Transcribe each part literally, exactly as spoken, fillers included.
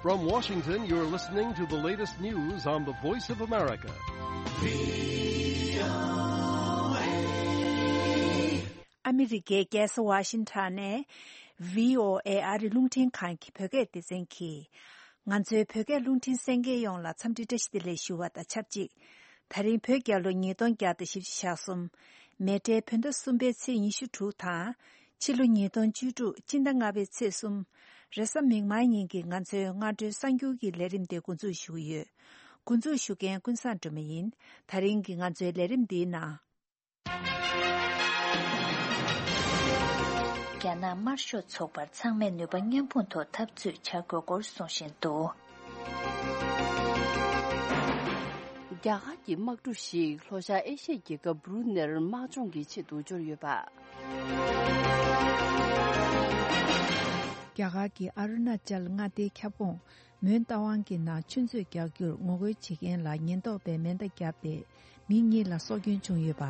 From Washington, you're listening to the latest news on the Voice of America. ཨ་མི་རི་ཀའི་རྒྱལ་ས་ཝ་ཤིང་ཊོན་ནས་བྷི་ཨོ་ཨེ་ཨ་རི་རླུང་འཕྲིན་ཁང་གི་བོད་སྐད་སྡེ་ཚན་གྱིས། ང་ཚོའི་བོད་སྐད་རླུང་འཕྲིན་གསན་མཁན་ཡོངས་ལ་འཚམས་འདྲི་བཀྲ་ཤིས་བདེ་ལེགས་ཞུ་བ་དང་ཆབས་ཅིག་ད་རིང་བོད་རྒྱལ་ལོ་ཉིས་སྟོང་བརྒྱ་དང་བཞི་བཅུ་ཞེ་གསུམ། མེ་སྤྲེལ་བོད་ཟླ་གསུམ་པའི་ཚེས་ཉི་ཤུ་དྲུག་དང་། ཕྱི་ལོ་ཉིས་སྟོང་བཅུ་དྲུག་སྤྱི་ཟླ་ལྔ་པའི་ཚེས་གསུམ། རེས་གཟའ་མིག་དམར་ཉིན་གྱི་ང་ཚོའི་སྔ་དྲོའི་གསར་འགྱུར་གྱི་ལས་རིམ་དེ་འགོ་འཛུགས་ཞུ་གི་ཡོད། འགོ་འཛུགས་ཞུ་མཁན་ཀུན་བཟང་སྒྲོལ་མ་ཡིན། ད་རིང་གི་ང་ཚོའི་ལས་རིམ་འདིའི་ནང་། རྒྱ་ནག་དམར་ཤོག་ཚོགས་པར་ཚང་མས་ནུས་པ་མཉམ་སྤུངས་ཐོག་འཐབ་རྩོད་བྱ་དགོས་སྐོར་གསུང་བཞིན་འདུག། རྒྱ་གར་གྱི་དམག་གྲུ་ཞིག་ལྷོ་ཤར་ཨེ་ཤི་ཡའི་རྒྱལ་ཁབ་བྷ་རུ་ནེར་དམག་སྦྱོང་གི་ཆེད་དུ་འབྱོར་ཡོད་པ། རྒྱ་གར་གྱི་ཨ་རུ་ན་ཅལ་མངའ་སྡེའི་ཁྱབ་ཁོངས་མོན་རྟ་དབང་གི་ནང་ཆུ་མཛོད་རྒྱག་རྒྱུར་ངོ་རྒོལ་བྱེད་མཁན་ལ་ཉེན་རྟོག་པས་མེ་མདའ་བརྒྱབ་སྟེ། མི་གཉིས་ལ་སྲོག་སྐྱོན་བྱུང་ཡོད་པ།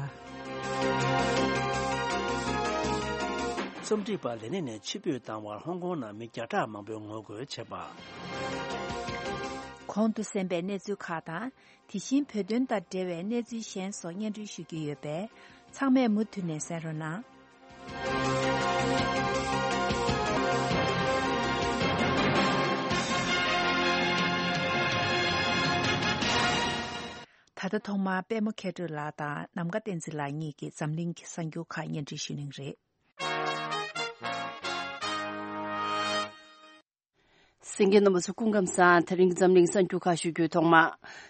རྩོམ་སྒྲིག་པ་ལས་གནས་ནས་ཕྱིར་འབུད་བཏང་བར་ཧོང་ཀོང་ནང་མི་བརྒྱ་ཕྲག་མང་པོས་ངོ་རྒོལ་བྱས་པ། གོང་དུ་གསན་པའི་གནས་ཚུལ་ཁག་དང་། དེ་བཞིན་བོད་དོན་དང་འབྲེལ་བའི་གནས་ཚུལ་གཞན་སོགས་སྙན་སྒྲོན་ཞུ་རྒྱུ་ཡོད་པས། ཚང་མས་མུ་མཐུད་ནས་གསན་རོགས་གནང་། ད་ལྟ་ཐོག་མར་པད་མ་མཁས་གྲུབ་ལགས་དང་ནམ་མཁའ་བསྟན་འཛིན་ལགས་གཉིས་ཀྱིས་འཛམ་གླིང་གི་གསར་འགྱུར་ཁག་སྙན་སྒྲོན་ཞུ་གནང་རེད། གསན་མཁན་རྣམ་པ་ཚོ་སྐུ་ཁམས་བཟང་། དེ་རིང་འཛམ་གླིང་གསར་འགྱུར་ཁག་ཞུ་རྒྱུའི་ཐོག་མ།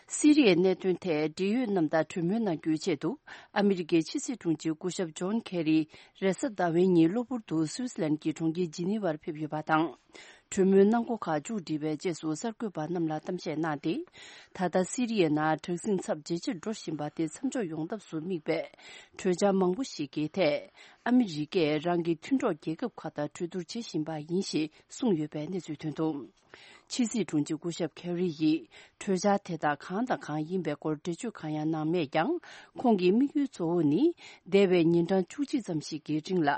སི་རི་ཡའི་གནད་དོན་ཐད་འབྲེལ་ཡོད་རྣམས་དང་གྲོས་མོལ་གནང་རྒྱུའི་ཆེད་དུ། ཨ་མི་རི་ཀའི་ཕྱི་སྲིད་དྲུང་ཆེ་སྐུ་ཞབས་ཇོན་ཁེ་རི་རེས་གཟའ་ཟླ་བའི་ཉིན་གློ་བུར་དུ་སུད་སི་ལན་གྱི་གྲོང་ཁྱེར་ཇི་ནི་ཝར་ཕེབས་ཡོད་པ་དང་། གྲོས་མོལ་གནང་སྒོ་ཁག་མཇུག་སྒྲིལ་བའི་རྗེས་སུ་གསར་འགོད་པར་རྣམས་ལ་གཏམ་བཤད་གནང་སྟེ། ད་ལྟ་སི་རི་ཡའི་ནང་དྲག་ཟིང་ཚབས་ཇེ་ཆེར་འགྲོ་བཞིན་པ་དེ་མཚམས་འཇོག་ཡོང་ཐབས་སུ་དམིགས་པའི་གྲོས་འཆར་མང་པོ་ཞིག་གི་ཐད། ཨ་མི་རི་ཀས་རང་གི་མཐུན་གྲོགས་རྒྱལ་ཁབ་ཁག་དང་གྲོས་བསྡུར་བྱེད་བཞིན་པ་ཡིན་ཞེས་གསུངས་ཡོད་པའི་གནས་ཚུལ་ཐོན་འདུག། ཕྱི་སྲིད་དྲུང་ཆེ་སྐུ་ཞབས་ཁེ་རི་ཡིས་གྲོས་འཆར་དེ་དག་གང་དང་གང་ཡིན་པའི་སྐོར་འགྲེལ་བརྗོད་གང་ཡང་གནང་མེད་ཀྱང་། ཁོང་གི་དམིགས་ཡུལ་གཙོ་བོ་ནི། འདས་པའི་ཉིན་གྲངས་བཅུ་གཅིག་ཙམ་ཞིག་གི་རིང་ལ།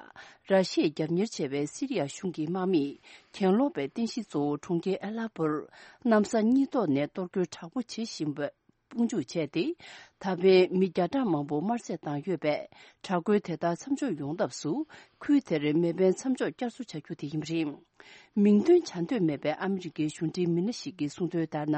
ར་ཤི་ཡས་རྒྱབ་གཉེར་བྱས་པའི་སི་རི་ཡ་གཞུང་གི་དམག་མིས། གྱེན་ལོག་པའི་རྟེན་གཞི་གཙོ་བོ་གྲོང་ཁྱེར་ཨེ་ལ་པོར། གནམ་ས་གཉིས་ཐོག་ནས་གཏོར་རྒོལ་དྲག་པོ་བྱེད་བཞིན་པ། དཔུང་འཇུག་བྱས་ཏེ། ད་ཕན་མི་བརྒྱ་ཕྲག་མང་པོ་དམར་གསོད་བཏང་ཡོད་པས། དྲག་རྒོལ་དེ་དག་མཚམས་འཇོག་ཡོང་ཐབས་སུ། ཁུལ་དེར་མེ་འཕེན་མཚམས་འཇོག་བསྐྱར་གསོ་བྱ་རྒྱུ་དེ་ཡིན་པ་རེད། མིང་འདོན་བྱ་འདོད་མེད་པའི་ཨ་མི་རི་ཀའི་གཞུང་འབྲེལ་མི་སྣ་ཞིག་གིས་གསུངས་དོན་ལྟར་ན།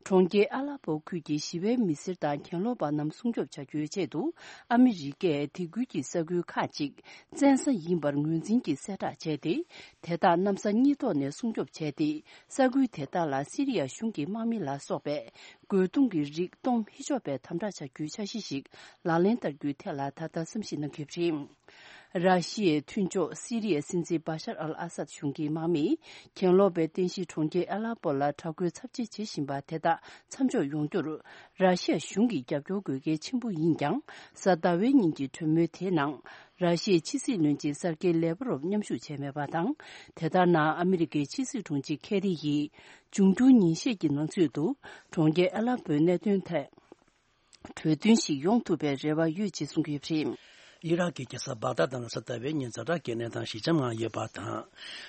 གྲོང་ཁྱེར་ཨ་ལ་པོ་ཁུལ་གྱི་ཞི་བའི་མི་སེར་དང་གྱེན་ལོག་པ་རྣམས་སྲུང་སྐྱོབ་བྱ་རྒྱུའི་ཆེད་དུ། ཨ་མི་རི་ཀས་དེ་ཁུལ་གྱི་ས་ཁུལ་ཁག་ཅིག་བཙན་ས་ཡིན་པར་ངོས་འཛིན་གྱིས་གསལ་བསྒྲགས་བྱས་ཏེ། དེ་དག་གནམ་ས་གཉིས་ཐོག་ནས་སྲུང་སྐྱོབ་བྱས་ཏེ། ས་ཁུལ་དེ་དག་ལ་སི་རི་ཡ་གཞུང་གི་དམག་མི་ལ་སོགས་པས། རྒོལ་རྡུང་གི་རིགས་གཏོང་མི་ཆོག་པའི་དམ་དྲག་བྱ་རྒྱུའི་འཆར་གཞི་ཞིག་ལག་ལེན་བསྟར་རྒྱུའི་ཐད་ལ་ད་ལྟ་བསམ་གཞིག་གནང་གི་ཡོད་པ་རེད། ར་ཤི་ཡའི་མཐུན་ཕྱོགས་སི་རི་ཡའི་སྲིད་འཛིན་བ་ཤར་ཨལ་ཨ་སད་གཞུང་གི་དམག་མིས་གྱེན་ལོག་པའི་རྟེན་གཞི་གྲོང་ཁྱེར་ཨ་ལ་པོ་ལ་དྲག་རྒོལ་ཚབས་ཆེ་བྱེད་བཞིན་པ་དེ་དག་མཚམས་འཇོག་ཡོང་རྒྱུར། ར་ཤི་ཡ་གཞུང་གི་རྒྱབ་སྐྱོར་དགོས་གལ་ཆེན་པོ་ཡིན་ཀྱང་། གཟའ་ཟླ་བའི་ཉིན་གྱི་གྲོས་མོལ་དེའི་ནང་། ར་ཤི་ཡའི་ཕྱི་སྲིད་བློན་ཆེན་སར་ཀེ་ལེ་བ་རོབ་མཉམ་ཞུགས་བྱས་མེད་པ་དང་། དེ་ལྟར་ན། ཨ་མི་རི་ཀའི་ཕྱི་སྲིད་དྲུང་ཆེ་ཁེ་རི་ཡིས། འབྱུང་འགྱུར་ཉིན་ཤས་ཀྱི་ནང་ཚུད་དུ། གྲོང་ཁྱེར་ཨ་ལ་པོའི་གནད་དོན་ཐད། གྲོས་མཐུན་ཞིག་ཡོང་ཐུབ་པའི་རེ་བ་ཡོད་ཅེས་གསུངས་ཡོད་པ་རེད། ཨི་རག་གི་རྒྱལ་ས་བག་དྷ་ནང་གཟའ་ཟླ་བའི་ཉིན་ཛ་དྲག་གི་གནས་སྟངས་ཞི་འཇམ་ངང་ཡོད་པ་དང་།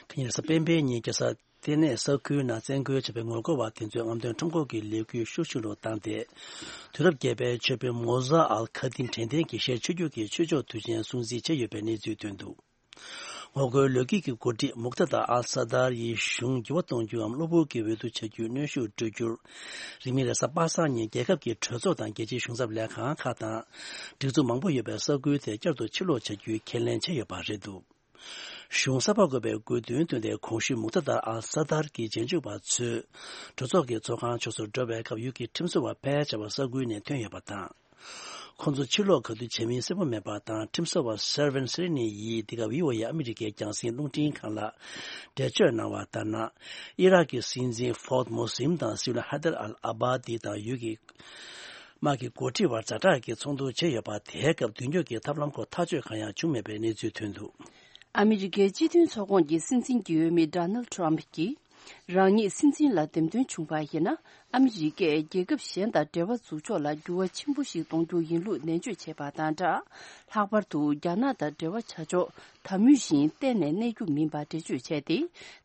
དེ་ཉིན་གཟའ་སྤེན་པའི་ཉིན་རྒྱལ་ས་ལྟེ་གནས་ས་ཁུལ་ནང་བཙན་རྒོལ་བྱས་པའི་ངོ་རྒོལ་བ་དེ་ཚོས་རྔམ་སྟོན་ཁྲོམ་སྐོར་གྱི་ལས་འགུལ་ཤུགས་ཆེ་རུ་བཏང་སྟེ། དུས་རབས་བརྒྱད་པའི་ཆོས་དཔོན་མོ་ཟ་ཨལ་ཁ་དིན་དྲན་རྟེན་གྱི་ཞལ་ཕྱེ་རྒྱུ་གི་ཆོས་ཕྱོགས་དུས་ཆེན་སྲུང་བརྩི་བྱས་ཡོད་པའི་གནས་ཚུལ་ཐོན་འདུག། ངོ་རྒོལ་ལོ་རྒྱུས་ཀྱི་འགོ་ཁྲིད་མུག་ཏཱ་ཏཱ་ཨལ་ས་དར་ཡི་གཞུང་འགྱུར་བ་གཏོང་རྒྱུའམ་གློ་བུར་གྱི་འོས་བསྡུ་བྱ་རྒྱུའི་གནོན་ཤུགས་སྤྲོད་རྒྱུར། རིང་མིན་རེས་གཟའ་པ་སངས་ཉིན་རྒྱལ་ཁབ་ཀྱི་གྲོས་ཚོགས་དང་རྒྱལ་སྤྱིའི་གཞུང་ཚབ་ལས་ཁང་ཁག་དང་། སྒྲིག་འཛུགས་མང་པོ་ཡོད་པའི་ས་ཁུལ་དེ་བསྐྱར་དུ་ཕྱིར་ལོག་བྱ་རྒྱུའི་ཁས་ལེན་བྱས་ཡོད་པ་རེད་འདུག། གཞུང་གསར་པ་དགོས་པའི་དགོས་འདུན་བཏོན་ཏེ། གོང་ཞུས་མུག་ཏཱ་ཏཱ་ཨལ་ས་དར་གྱི་རྗེས་འཇུག་པ་ཚོས་གྲོས་ཚོགས་ཀྱི་ཚོགས་ཁང་ཕྱོགས་སུ་འགྲོ་བའི་སྐབས། ཡུལ་གྱི་ཁྲིམས་བཟོ་བ་ཕལ་ཆེ་བ་ས་ཁུལ་ནས་ཐོན་ཡོད་པ་དང་། ཁོང་ཚོ་ཕྱིར་ལོག་ག་དུས་བྱེད་མིན་གསལ་པོ་མེད་པ་དང་། ཁྲིམས་བཟོ་བ་སེར་ཝན་སེ་རི་ནི་ཡིས་འདི་ག་བྷི་ཨོ་ཨེ་ཨ་མི་རི་ཀའི་རྒྱང་སྲིང་རླུང་འཕྲིན་ཁང་ལ་འགྲེལ་བརྗོད་གནང་བ་ལྟར་ན། ཨི་རག་གི་སྲིད་འཛིན་ཧྥོརྡ་མོ་སིམ་དང་སྲིད་བློན་ཧ་དར་ཨལ་ཨ་བྷ་དི་དང་ཡུལ་གྱི་དམག་གི་འགོ་ཁྲིད་བར་ཛ་དྲག་གི་ཚོགས་འདུ་བྱས་ཡོད་པ། དེའི་སྐབས་མདུན་སྐྱོད་ཀྱི་ཐབས་ལམ་སྐོར་ཐག་གཅོད་གང་ཡང་བྱུང་མེད་པའི་གནས་ཚུལ་ཐོན་འདུག། ཨ་མི་རི་ཀའི་སྤྱི་མཐུན་ཚོགས་ཁོངས་ཀྱི་སྲིད་འཛིན་གྱི་འོས་མི་ཌོ་ནལ་ཌི་ཊརམ་ཕི་གྱིས། རང་ཉིད་སྲིད་འཛིན་ལ་འདེམས་ཐོན་བྱུང་བ་ཡིན་ན། ཨ་མི་རི་ཀས་རྒྱལ་ཁབ་གཞན་དང་འབྲེལ་བ་འཛུགས་ཕྱོགས་ལ་འགྱུར་བ་ཆེན་པོ་ཞིག་གཏོང་རྒྱུ་ཡིན་ལུགས་ནན་བརྗོད་བྱས་པ་དང་སྦྲགས། ལྷག་པར་དུ་རྒྱ་ནག་དང་འབྲེལ་བ་བྱ་ཕྱོགས་དང་མུས་བཞིན་གཏན་ནས་གནས་རྒྱུ་མིན་པ་འགྲེལ་བརྗོད་བྱས་ཏེ།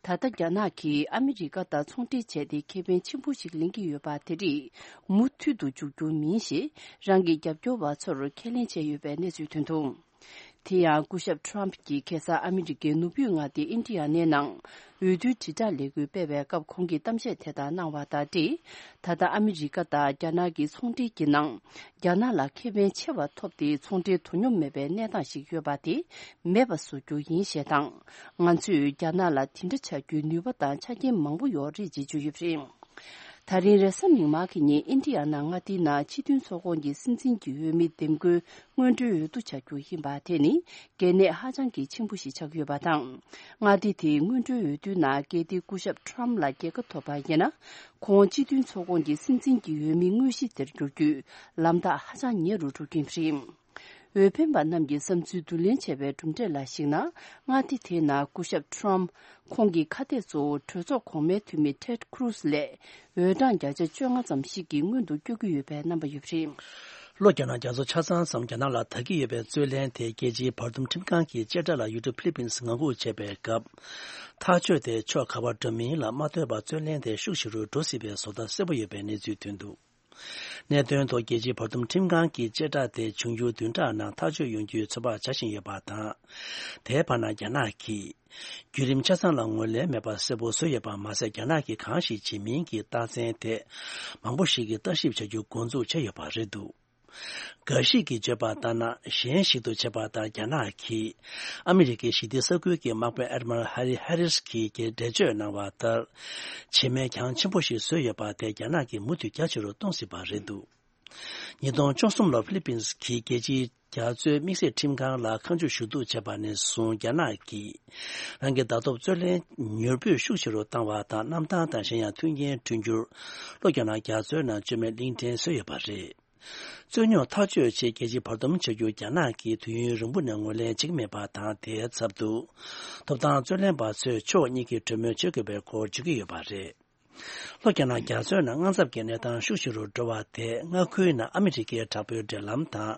ད་ལྟ་རྒྱ་ནག་གིས་ཨ་མི་རི་ཀ་དང་ཚོང་འབྲེལ་བྱས་ཏེ་ཁེ་ཕན་ཆེན་པོ་ཞིག་ལེན་གྱི་ཡོད་པ་དེ་རིགས་མུ་མཐུད་དུ་འཇུག་རྒྱུ་མིན་ཞེས་རང་གི་རྒྱབ་སྐྱོར་བ་ཚོར་ཁས་ལེན་བྱས་ཡོད་པའི་གནས་ཚུལ་ཐོན་འདུག་དེ་ཡང་སྐུ་ཞབས་ཊརམ་གྱིས་ཁ་སང་ཨ་མི་རི་ཀའི་ནུབ་ཕྱོགས་མངའ་སྡེ་ཨིན་ཌི་ཡ་ནའི་ནང་འོས་བསྡུའི་དྲིལ་བསྒྲགས་ལས་འགུལ་སྤེལ་བའི་སྐབས་ཁོང་གིས་གཏམ་བཤད་དེ་ལྟར་གནང་བ་དང་འབྲེལ། ད་ལྟ་ཨ་མི་རི་ཀ་དང་རྒྱ་ནག་གི་ཚོང་འབྲེལ་གྱི་ནང་རྒྱ་ནག་ལ་ཁེ་ཕན་ཆེ་བ་ཐོབ་སྟེ་ཚོང་འབྲེལ་དོ་སྙོམས་མེད་པའི་གནས་སྟངས་ཤིག་ཡོད་པ་དེ་མེད་པ་བཟོ་རྒྱུ་ཡིན་ཞེས་དང་། ང་ཚོས་རྒྱ་ནག་ལ་དེ་འདྲ་བྱ་རྒྱུའི་ནུས་པ་དང་ཆ་རྐྱེན་མང་པོ་ཡོད་རེད་ཅེས་བརྗོད་ཡོད་པ་རེད། ད་རིང་རེས་གཟའ་མིག་དམར་གྱི་ཉིན་ཨིན་ཌི་ཡ་ནང་མངའ་སྡེའི་ནང་སྤྱི་མཐུན་ཚོགས་ཁོངས་ཀྱི་སྲིད་འཛིན་གྱི་འོས་མི་འདེམས་བསྐོའི་སྔོན་འགྲོའི་འོས་བསྡུ་བྱ་རྒྱུ་ཡིན་པ་དེ་ནི་གལ་གནད་ཧ་ཅང་གི་ཆེན་པོ་ཞིག་ཆགས་ཡོད་པ་དང་། མངའ་སྡེ་དེའི་སྔོན་འགྲོའི་འོས་བསྡུའི་ནང་རྒྱལ་སྡེའི་སྐུ་ཞབས་ཊརམ་ལ་རྒྱལ་ཁ་ཐོབ་པ་ཡིན་ན། ཁོང་སྤྱི་མཐུན་ཚོགས་ཁོངས་ཀྱི་སྲིད་འཛིན་གྱི་འོས་མི་དངོས་གཞི་དེར་འགྱུར་རྒྱུའི་ལམ་ཐག་ཧ་ཅང་ཉེ་རུ་འགྲོ་གི་རེད། འོས་འཕེན་པ་རྣམས་ཀྱི་བསམ་ཚུལ་བསྡུ་ལེན་བྱས་པའི་གྲུབ་འབྲས་ལ་གཞིགས་ན། མངའ་སྡེ་དེའི་ནང་སྐུ་ཞབས་ཊརམ་ཁོང་གི་ཁ་གཏད་གཙོ་བོ་གྲོས་ཚོགས་གོང་མའི་འཐུས་མི་ཊེཌ་ཁུ་རུ་སི་ལས་འོས་གྲངས་བརྒྱ་ཆ་བཅོ་ལྔ་ཙམ་ཞིག་གིས་སྔོན་དུ་བསྐྱོད་ཀྱི་ཡོད་པའི་རྣམ་པ་ཡོད་པ་རེད། ལྷོ་རྒྱ་ནག་རྒྱ་མཚོ་ཆ་ཚང་ཙམ་རྒྱ་ནག་ལ་དར་གྱི་ཡོད་པའི་རྩོད་གླེང་དེ་རྒྱལ་སྤྱིའི་བར་འདུམ་ཁྲིམས་ཁང་གི་བཅད་ཁྲ་ལ་ཡུལ་གྲུ་ཕི་ལི་པིན་སི་ངང་སྒུག་བྱས་པའི་སྐབས། ཐག་གཅོད་དེ་ཕྱོགས་ག་པར་འགྲོ་མིན་ལ་མ་ལྟོས་པར་རྩོད་གླེང་དེ་ཤུགས་ཆེ་རུ་འགྲོ་སྲིད་པའི་བཟོ་ལྟ་གསལ་པོ་ཡོད་པའི་གནས་ཚུལ་ཐོན་འདུག་གནད་དོན་ཐོག་རྒྱལ་སྤྱིའི་བར་འདུམ་ཁྲིམས་ཁང་གི་བཅད་ཁྲ་དེ་འབྱུང་འགྱུར་བདུན་ཕྲག་ནང་ཐག་གཅོད་ཡོང་རྒྱུའི་ཚོད་དཔག་བྱ་བཞིན་ཡོད་པ་དང་། དེའི་བར་ན་རྒྱ་ནག་གིས་བརྒྱུད་རིམ་ཆ་ཚང་ལ་ངོས་ལེན་མེད་པར་གསལ་པོ་བཟོས་ཡོད་པ་མ་ཟད། རྒྱ་ནག་གིས་གང་ཞིག་བྱེད་མིན་གྱི་རྟགས་མཚན་དེ་མང་པོ་ཞིག་གིས་ལྟ་ཞིབ་བྱ་རྒྱུ་འགོ་འཛུགས་བྱས་ཡོད་པ་རེད་འདུག་འགའ་ཞིག་གིས་བརྗོད་པ་ལྟར་ན། གཞན་ཞིག་ཏུ་བྱས་པ་ལྟར་རྒྱ་ནག་གིས་ཨ་མི་རི་ཀའི་ཞི་བདེ་ས་ཁུལ་གྱི་དམག་དཔོན་ཨེ་ཌི་མི་རལ་ཧ་རི་ཧེ་རིས་ཀྱིས་འགྲེལ་བརྗོད་གནང་བ་ལྟར། བྱེད་མེད་གྱང་ཆེན་པོ་ཞིག་བཟོས་ཡོད་པ་དེ་རྒྱ་ནག་གིས་མུ་མཐུད་རྒྱ་ཆེ་རུ་གཏོང་སྲིད་པ་རེད་འདུག་ཉིས་སྟོང་བཅུ་གསུམ་ལོར་ཧྥི་ལི་པིན་གྱིས་རྒྱལ་སྤྱིའི་རྒྱ་མཚོའི་དམིགས་བསལ་ཁྲིམས་ཁང་ལ་ཁ་མཆུ་ཞུ་གཏུག་བྱས་པ་ནས་བཟུང་། རྒྱ་ནག་གིས་རང་གི་ཟླ་ཐོབ་རྩོད་ལེན་མྱུར་པོས་ཤུགས་ཆེ་རུ་བཏང་བ་དང་། གནམ་ཐང་དང་གཞན་ཡང་མཐུན་རྐྱེན་བསྐྲུན་རྒྱུར་ལྷོ་རྒྱ་ནག་རྒྱ་མཚོའི་ནང་བཅོས་མའི་གླིང་ཕྲན་བཟོས་ཡོད་པ་རེད། རྩོད་རྙོག་ཐག་གཅོད་ཆེད་རྒྱལ་སྤྱིའི་བར་འདུམ་བྱ་རྒྱུར་རྒྱ་ནག་གིས་དུས་ཡུན་རིང་པོ་ནས་ངོས་ལེན་བྱེད་ཀྱི་མེད་པ་དང་། དེའི་ཚབ་ཏུ། ཐོབ་ཐང་རྩོད་ལེན་པ་ཚོས་ཕྱོགས་གཉིས་ཀྱིས་གྲོས་མོལ་བྱེད་དགོས་པའི་སྐོར་བརྗོད་ཀྱི་ཡོད་པ་རེད། ལྷོ་རྒྱ་ནག་རྒྱ་མཚོའི་ནང་དངངས་འཚབ་ཀྱི་གནས་སྟངས་ཤུགས་ཆེ་རུ་འགྲོ་བ་དེ། མངའ་ཁུལ་ནང་ཨ་མི་རི་ཀའི་དྲག་པོའི་འབྲེལ་ལམ་དང་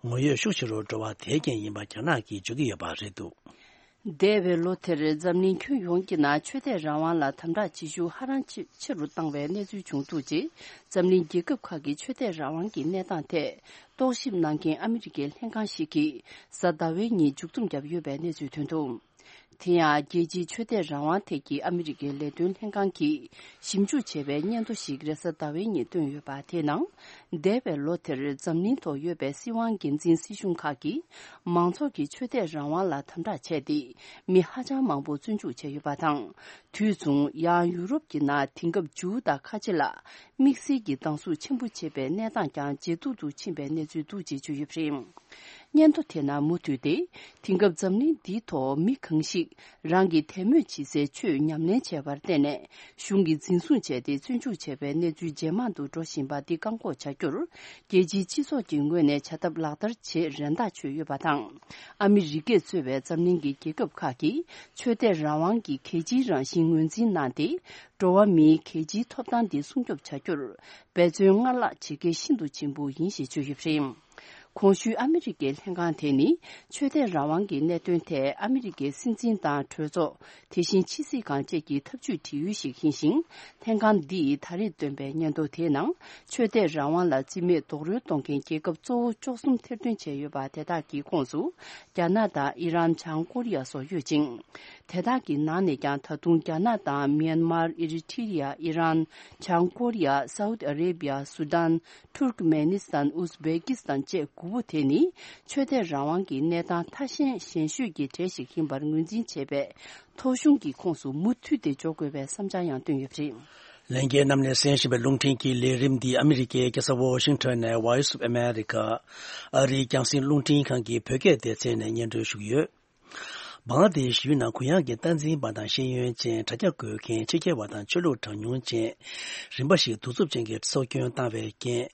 ངོ་ཡོད་ཤུགས་ཆེ་རུ་འགྲོ་བ་དེའི་རྐྱེན་ཡིན་པ་རྒྱ་ནག་གིས་བརྗོད་ཀྱི་ཡོད་པ་རེད་འདུག་འདས་པའི་ལོ་དེར་འཛམ་གླིང་ཁྱོན་ཡོངས་ཀྱི་ནང་ཆོས་དད་རང་དབང་ལ་དམ་དྲག་བྱེད་ཤུགས་ཧ་ཅང་ཆེ་ཆེ་རུ་བཏང་བའི་གནས་ཚུལ་བྱུང་འདུག་ཅེས། འཛམ་གླིང་རྒྱལ་ཁབ་ཁག་གི་ཆོས་དད་རང་དབང་གི་གནས་སྟངས་ཐད་རྟོག་ཞིབ་གནང་མཁན་ཨ་མི་རི་ཀའི་ལྷན་ཁང་ཞིག་གིས་གཟའ་ཟླ་བའི་ཉིན་མཇུག་བསྡོམས་བརྒྱབ་ཡོད་པའི་གནས་ཚུལ་ཐོན་འདུག་དེ་ཡང་རྒྱལ་སྤྱིའི་ཆོས་དད་རང་དབང་ཐད་ཀྱི་ཨ་མི་རི་ཀའི་ལས་དོན་ལྷན་ཁང་གིས་ཞིབ་འཇུག་བྱས་པའི་སྙན་ཐོ་ཞིག་རེས་གཟའ་ཟླ་བའི་ཉིན་བཏོན་ཡོད་པ་དེའི་ནང་། འདས་པའི་ལོ་དེར་འཛམ་གླིང་ཐོག་ཡོད་པའི་སྲིད་དབང་སྒེར་འཛིན་སྲིད་གཞུང་ཁག་གིས་མང་ཚོགས་ཀྱི་ཆོས་དད་རང་དབང་ལ་དམ་དྲག་བྱས་ཏེ། མི་ཧ་ཅང་མང་པོ་བཙོན་འཇུག་བྱས་ཡོད་པ་དང་། དུས་མཚུངས། ཡང་ཡུ་རོབ་ཀྱི་ནང་དེང་སྐབས་ཇུའུ་དང་ཁ་ཆེ་ལ་དམིགས་བསལ་གྱི་སྡང་ཟུག་ཆེན་པོ་བྱེད་པའི་གནས་སྟངས་ཀྱང་ཇེ་སྡུག་ཏུ་ཕྱིན་པའི་གནས་ཚུལ་འདུག་ཅེས་བརྗོད་ཡོད་པ་རེད། སྙན་ཐོ་དེ་ནང་མུ་མཐུད་དེ། དེང་སྐབས་འཛམ་གླིང་འདིའི་ཐོག་མི་གང་ཞིག་རང་གི་དད་མོས་བྱེད་སའི་ཆོས་ཉམས་ལེན་བྱས་པར་བརྟེན་ནས། གཞུང་གིས་འཛིན་བཟུང་བྱས་ཏེ་བཙོན་འཇུག་བྱས་པའི་གནས་ཚུལ་ཇེ་མང་དུ་འགྲོ་བཞིན་པ་འདི་བཀག་འགོག་བྱ་རྒྱུར། རྒྱལ་སྤྱིའི་སྤྱི་ཚོགས་ཀྱི་ངོས་ནས་བྱ་ཐབས་ལག་བསྟར་བྱེད་རན་ཐག་ཆོད་ཡོད་པ་དང་། ཨ་མི་རི་ཀས་གཙོས་པའི་འཛམ་གླིང་གི་རྒྱལ་ཁབ་ཁག་གིས་ཆོས་དད་རང་དབང་གི་གལ་ཆེའི་རང་བཞིན་ངོས་འཛིན་གནང་སྟེ། འགྲོ་བ་མིའི་གལ་ཆེའི་ཐོབ་ཐང་འདི་སྲུང་སྐྱོབ་བྱ་རྒྱུར་འབད་བརྩོན་སྔར་ལྷག་བྱེད་གལ་ཤིན་ཏུ་ཆེན་པོ་ཡིན་ཞེས་བརྗོད་ཡོད་པ་རེད། གོང་ཞུས་ཨ་མི་རི་ཀའི་ལྷན་ཁང་དེ་ནི་ཆོས་དད་རང་དབང་གི་གནད་དོན་ཐད་ཨ་མི་རི་ཀའི་སྲིད་འཛིན་དང་གྲོས་ཚོགས། དེ་བཞིན་ཕྱི་སྲིད་ཁང་བཅས་ཀྱི་ཐབས་ཇུས་དྲི་ཡུལ་ཞིག་ཡིན་ཞིང་། ལྷན་ཁང་འདིས་ད་རེས་བཏོན་པའི་སྙན་ཐོ་དེའི་ནང་ཆོས་དད་རང་དབང་ལ་རྩིས་མེད་རྡོག་རོལ་གཏོང་མཁན་རྒྱལ་ཁབ་གཙོ་བོ་བཅུ་གསུམ་ཐེར་འདོན་བྱས་ཡོད་པ་དེ་དག་གི་ཁོངས་སུ་རྒྱ་ནག་དང་ཨི་རན། བྱང་ཀོ་རི་ཡ་སོགས་ཡོད་ཅིང་། དེ་དག་གི་ནང་ནས་ཀྱང་ད་དུང་རྒྱ་ནག་དང་མིན་མར། ཨི་རི་ཊི་རི་ཡ། ཨི་རན། བྱང་ཀོ་རི་ཡ། སའུ་ཏི་ཨ་རེ་བི་ཡ། སུ་དཱན། ཐུར་ཀ་མེ་ནི་སི་ཐན། ཨུ་ཛི་བེ་ཀི་སི་ཐན་བཅས་དགུ་པོ་དེ་ནི་ཆོས་དད་རང་དབང་གི་གནས་སྟངས་ཐ་ཞན་ཞན་ཤོས་ཀྱི་གྲས་ཤིག་ཡིན་པར་ངོས་འཛིན་བྱས་པས། ཐོ་གཞུང་གི་ཁོངས་སུ་མུ་མཐུད་དེ་འཇོག་དགོས་པའི་བསམ་འཆར་ཡང་བཏོན་ཡོད་པ་རེད། ལྷན་རྒྱས་རྣམས་ནས་གསན་བཞིན་པའི་རླུང་འཕྲིན་གྱི་ལས་རིམ་འདི་ཨ་མི་རི་ཀའི་རྒྱལ་ས་ཝོ་ཤིང་ཊོན་ནས་Voice of America ཨ་རིའི་རྒྱང་སྲིང་རླུང་འཕྲིན་ཁང་གི་བོད་སྐད་སྡེ་ཚན་ནས་སྙན་སྒྲོན་ཞུ་གི་ཡོད། བང་ལ་དེ་ཤི་ཡུལ་ནང་གུ་ཡངས་ཀྱི་སྟངས་འཛིན་པ་དང་ཤེས་ཡོན་ཅན། དྲ་རྒྱ་འགོད་མཁན། ཕྱི་རྒྱལ་བ་དང་ཆོས་ལུགས་གྲངས་ཉུང་ཅན་རིམ་པ་ཞིག་གདུག་རྩུབ་ཅན་གྱི་སྲོག་སྐྱོན་བཏང་བའི་རྐྱེན།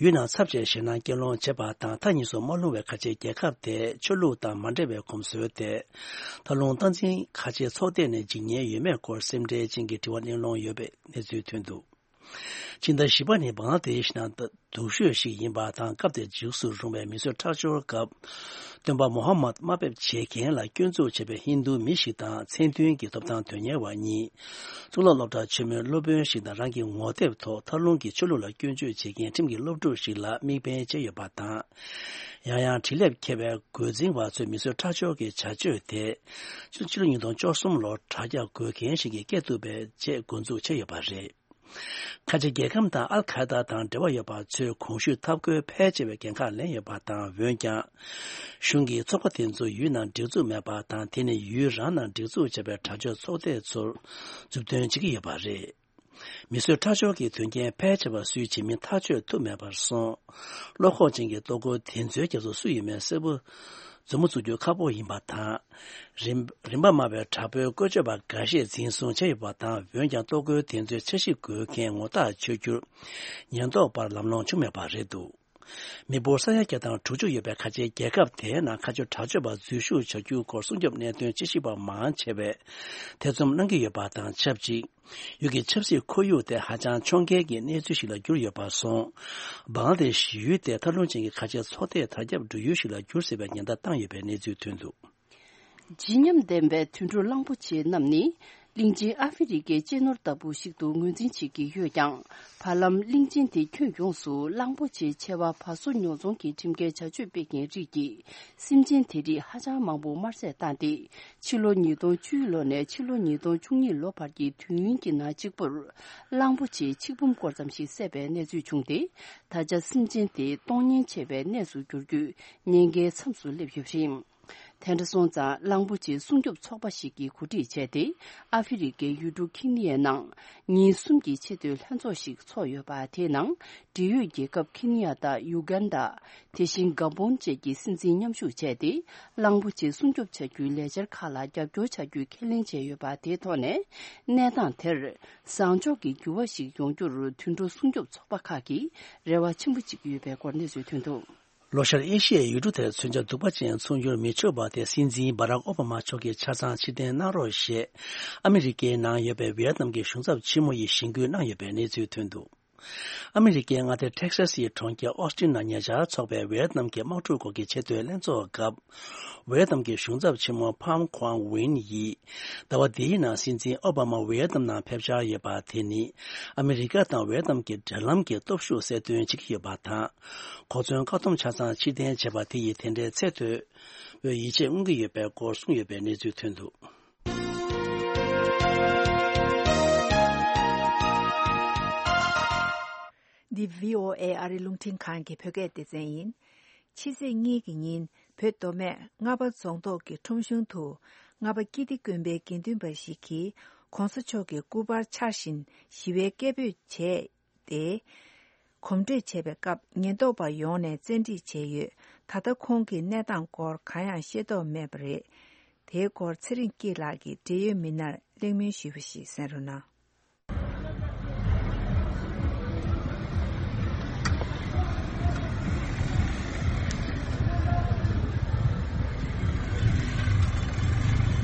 ཡུལ་ནང་ཚབས་ཆེའི་ཞེད་སྣང་སྐྱེད་སློང་བྱས་པ་དང་། མཐའ་གཉིས་སུ་མ་ལྷུང་བའི་ཁ་ཆེའི་རྒྱལ་ཁབ་དེ་ཆོས་ལུགས་དང་མ་འབྲེལ་བའི་གོམས་སྲོལ་ཏེ། མཐའ་ལྷུང་སྟངས་འཛིན་ཁ་ཆེའི་ཚོགས་སྡེ་ནས་འཇིགས་ཉེན་ཡོད་མེད་སྐོར་སེམས་ཁྲལ་ཅན་གྱི་དྲི་བ་གླེང་སློང་ཡོད་པའི་གནས་ཚུལ་ཐོན་འདུག་ཕྱི་ཟླ་བཞི་པ་ནི་བང་ལ་དེ་ཤི་ནང་སྡུག་ཤོས་ཤིག་ཡིན་པ་དང་། སྐབས་དེར་འཇིགས་སུ་རུང་བའི་མི་གསོད་ཁྲག་སྦྱོར་སྐབས། སྟོན་པ་མོ་ཧ་མད་དམའ་འབེབས་བྱེད་མཁན་ལ་སྐྱོན་འཛུགས་བྱས་པའི་ཧིན་རྡུ་མི་ཞིག་དང་། མཚན་མཐུན་གྱི་ཐོབ་ཐང་དོན་གཉེར་བ་གཉིས། གཙུག་ལག་སློབ་གྲྭ་ཆེན་མོའི་སློབ་དཔོན་ཞིག་དང་། རང་གི་ངོ་དེབ་ཐོག་མཐའ་ལྷུང་གི་ཆོས་ལུགས་ལ་སྐྱོན་བརྗོད་བྱེད་མཁན་ཁྲིམས་ཀྱི་སློབ་ཕྲུག་ཞིག་ལ་དམིགས་འབེན་བྱས་ཡོད་པ་དང་། ཡང་ཡང་འཕྲིན་ལས་འཁྱེར་བའི་རྒོལ་འཛིང་བ་ཚོས་མི་གསོད་ཁྲག་སྦྱོར་གྱི་བྱ་སྤྱོད་དེ། ཕྱི་ལོ་ཉིས་སྟོང་བཅུ་གསུམ་ལོར་དྲ་རྒྱ་འགོད་མཁན་ཞིག་གིས་བཀལ་ཐུབ་པའི་ཆེད་འགོ་འཛུགས་བྱས་ཡོད་པ་རེད། ཁ་ཆེ་རྒྱལ་ཁམས་དང་ཨལ་ཁ་ཡེ་ད་དང་འབྲེལ་བ་ཡོད་པ་ཚོས་གོང་ཞུས་འཐབ་རྒོལ་ཕལ་ཆེ་བའི་འགན་ཁག་ལེན་ཡོད་པ་དང་། འོན་ཀྱང་། གཞུང་གིས་ཚོགས་པ་དེ་ཚོ་ཡུལ་ནང་སྒྲིག་འཛུགས་མེད་པ་དང་། དེ་ནི་ཡུལ་རང་ནང་སྒྲིག་འཛུགས་བྱས་པའི་དྲག་སྤྱོད་ཚོགས་སྡེ་ཚོར་མཛུབ་སྟོན་བྱེད་ཀྱི་ཡོད་པ་རེད། མི་གསོད་ཁྲག་སྦྱོར་གྱི་དོན་རྐྱེན་ཕལ་ཆེ་བ་སུས་བྱེད་མིན་ཐག་གཅོད་ཐུབ་མེད་པར་སོང་། བློ་ཁོག་ཅན་གྱི་ལྟོ་གོས་དེ་ཚོའི་རྒྱབ་སུ་སུ་ཡོད་མེད་གསལ་པོ་མཛུབ་མོ་བཙུགས་རྒྱུ་ཁག་པོ་ཡིན་པ་དང་། རིམ་རིམ་པ་དམའ་བའི་དྲག་པོའི་བཀོལ་སྤྱོད་པ་འགའ་ཤས་འཛིན་བཟུང་བྱས་ཡོད་པ་དང་། འོན་ཀྱང་ལྟོ་གོས་དེ་ཚོའི་འཆར་གཞི་འགོད་མཁན་ངོ་རྟགས་ཆོད་རྒྱུར་ཉེན་རྟོག་པར་ལམ་ལྷོང་བྱུང་མེད་པ་རེད་འདུག་མི་འབོར་ས་ཡ་བརྒྱ་དང་དྲུག་ཅུ་ཡོད་པའི་ཁ་ཆེའི་རྒྱལ་ཁབ་དེའི་ནང་ཁ་ཆེ་དྲག་སྤྱོད་པ་འཛུལ་ཞུགས་བྱ་རྒྱུའི་སྐོར་སྲུང་སྐྱོབ་གནད་དོན་དཔྱད་ཞིབ་པ་མང་ཆེ་བས་ཐེ་ཚོམ་གནང་གི་ཡོད་པ་དང་ཆབས་ཅིག་ཡུལ་གྱི་ཆབ་སྲིད་ཁོར་ཡུག་དེ་ཧ་ཅང་ཕྱོགས་འགལ་གྱི་གནས་ཚུལ་ཞིག་ལ་གྱུར་ཡོད་པར་སོང་། བང་ལ་དེ་ཤི་ཡུལ་དེ་མཐའ་ལྷུང་ཅན་གྱི་ཁ་ཆེ་ཚོགས་སྡེའི་དར་ཁྱབ་འགྲོ་ཡུལ་ཞིག་ལ་གྱུར་སྲིད་པའི་ཉེན་བརྡ་བཏང་ཡོད་པའི་གནས་ཚུལ་ཐོན་འདུག་བརྗིད་ཉམས་ལྡན་པའི་དུད་འགྲོ་གླང་པོ་ཆེ་རྣམས་ནི། གླིང་ཆེན་ཨ་ཧྥེ་རི་ཁའི་གཅེས་ནོར་ལྟ་བུ་ཞིག་ཏུ་ངོས་འཛིན་བྱེད་ཀྱི་ཡོད་ཀྱང་། བར་ལམ་གླིང་ཆེན་དེ་ཁྱོན་ཡོངས་སུ་གླང་པོ་ཆེའི་མཆེ་བ་བ་སོ་ཉོ་ཚོང་གི་ཁྲིམས་འགལ་བྱ་སྤྱོད་སྤེལ་མཁན་རིགས་ཀྱིས། སེམས་ཅན་དེ་རིགས་ཧ་ཅང་མང་པོ་དམར་བསད་བཏང་སྟེ། ཕྱི་ལོ་ཉིས་སྟོང་བཅུ་ལོ་ནས་ཕྱི་ལོ་ཉིས་སྟོང་བཅུ་གཉིས་ལོ་བར་གྱི་དུས་ཡུན་གྱི་ནང་གཅིག་པུར། གླང་པོ་ཆེའི་ཆིག་འབུམ་སྐོར་ཙམ་ཞིག་བསད་པའི་གནས་ཚུལ་བྱུང་སྟེ། ད་ཆ་སེམས་ཅན་དེ་སྟོང་ཉེན་ཆེ་བའི་གནས་སུ་འགྱུར་རྒྱུའི་ཉེན་ཁའི་མཚམས་སུ་སླེབས་ཡོད་པ་རེད། དེ་འདྲ་སོང་ཙང་། གླང་པོ་ཆེ་སྲུང་སྐྱོབ་ཚོགས་པ་ཞིག་གིས་གོ་སྒྲིག་བྱས་ཏེ། ཨ་ཧྥེ་རི་ཁའི་ཡུལ་གྲུ་ཁེ་ནི་ཡའི་ནང་ཉིན་གསུམ་གྱི་ཆེས་མཐོའི་ལྷན་ཚོགས་ཤིག་ཚོགས་ཡོད་པ། དེའི་ནང་འབྲེལ་ཡོད་རྒྱལ་ཁབ་ཁེ་ནི་ཡ་དང་ཡུ་གན་ཌ། དེ་བཞིན་གཱ་བོན་བཅས་ཀྱི་སྲིད་འཛིན་མཉམ་ཞུགས་བྱས་ཏེ། གླང་པོ་ཆེ་སྲུང་སྐྱོབ་བྱ་རྒྱུའི་ལས་འཆར་ཁག་ལ་རྒྱབ་སྐྱོར་བྱ་རྒྱུའི་ཁས་ལེན་བྱས་ཡོད་པ། དེའི་ཐོག་ནས། གནས་སྟངས་དེར་བཟང་ཕྱོགས་ཀྱི་འགྱུར་བ་ཞིག་ཡོང་རྒྱུར་དུད་འགྲོ་སྲུང་སྐྱོབ་ཚོགས་པ་ཁག་གིས་རེ་བ་ཆེན་པོ་བྱེད་ཀྱི་ཡོད་པའི་སྐོར་གནས་ཚུལ་ཐོན་འདུག་ལྷོ་ཤར་ཨེ་ཤི་ཡའི་ཡུལ་གྲུ་དེར་མཚོན་ཆ་གདུག་པ་ཅན་ཚུགས་འགྱུར་མི་ཆོག་པ་དེ་སྲིད་འཛིན་སྦ་རག་ཨོ་བྷ་མ་མཆོག་གིས་ཆ་ཚང་ཕྱིར་འཐེན་གནང་རོགས་ཞེས། ཨ་མི་རི་ཀའི་ནང་ཡོད་པའི་ཝི་ཡེད་ནམ་གྱི་གཞུང་ཚབ་ཆེན་མོ་ཡིས་གཞེན་སྐུལ་གནང་ཡོད་པའི་གནས་ཚུལ་ཐོན་འདུག་ཨ་མི་རི་ཀའི་མངའ་སྡེ་ཊེག་སཱ་སིའི་གྲོང་ཁྱེར་ཨོ་སི་ཊིན་ནང་ཉེ་ཆར་འཚོགས་པའི་ཝི་ཡེད་ནམ་གྱི་དམག་འཁྲུག་སྐོར་གྱི་ཆེས་མཐོའི་ལྷན་ཚོགས་སྐབས། ཝི་ཡེད་ནམ་གྱི་གཞུང་ཚབ་ཆེན་མོ་ཕམ་ཁོང་ཝིན་ཡིས། ཟླ་བ་འདིའི་ནང་སྲིད་འཛིན་ཨོ་བྷ་མ་ཝི་ཡེད་ནམ་ནང་ཕེབས་འཆར་ཡོད་པ་དེ་ནི། ཨ་མི་རི་ཀ་དང་ཝི་ཡེད་ནམ་གྱི་འབྲེལ་ལམ་གྱི་སྟོབས་ཤུགས་གསལ་སྟོན་བྱེད་ཀྱི་ཡོད་པ་དང་། གོ་མཚོན་བཀག་སྡོམ་ཆ་ཚང་ཕྱིར་འཐེན་བྱས་པ་དེ་ཡིས་དེ་འདྲའི་ཚད་མཐོ་བའི་ཡིད་ཆེས་མངོན་གྱི་ཡོད་པའི་སྐོར་གསུངས་ཡོད་པའི་གནས་ཚུལ་ཐོན་འདུག་འདི་བྷི་ཨོ་ཨེ་ཨ་རི་རླུང་འཕྲིན་ཁང་གི་བོད་སྐད་སྡེ་ཚན་ཡིན། ཕྱི་ཚེས་གཉིས་ཀྱི་ཉིན་བོད་མདོ་སྨད་རྔ་པ་རྫོང་ཐོག་གི་ཁྲོམ་གཞུང་དུ་རྔ་པ་ཀིརྟི་དགོན་པའི་དགེ་འདུན་པ་ཞིག་གིས་༧གོང་ས་མཆོག་གི་སྐུ་པར་འཕྱར་བཞིན་ཞི་བའི་སྐད་འབོད་བྱས་ཏེ། གོམ་བགྲོད་བྱས་པའི་སྐབས་ཉེན་རྟོག་པ་ཡོང་ནས་བཙན་ཁྲིད་བྱས་ཡོད། ད་ལྟ་ཁོང་གི་གནས་སྟངས་སྐོར་གང་ཡང་ཤེས་རྟོགས་མེད་པ་རེད། དེའི་སྐོར་ཚེ་རིང་སྐྱིད་ལགས་ཀྱིས་འབྲེལ་ཡོད་མི་སྣར་གླེང་མོལ་ཞུས་པ་ཞིག་གསན་རོགས་གནང་།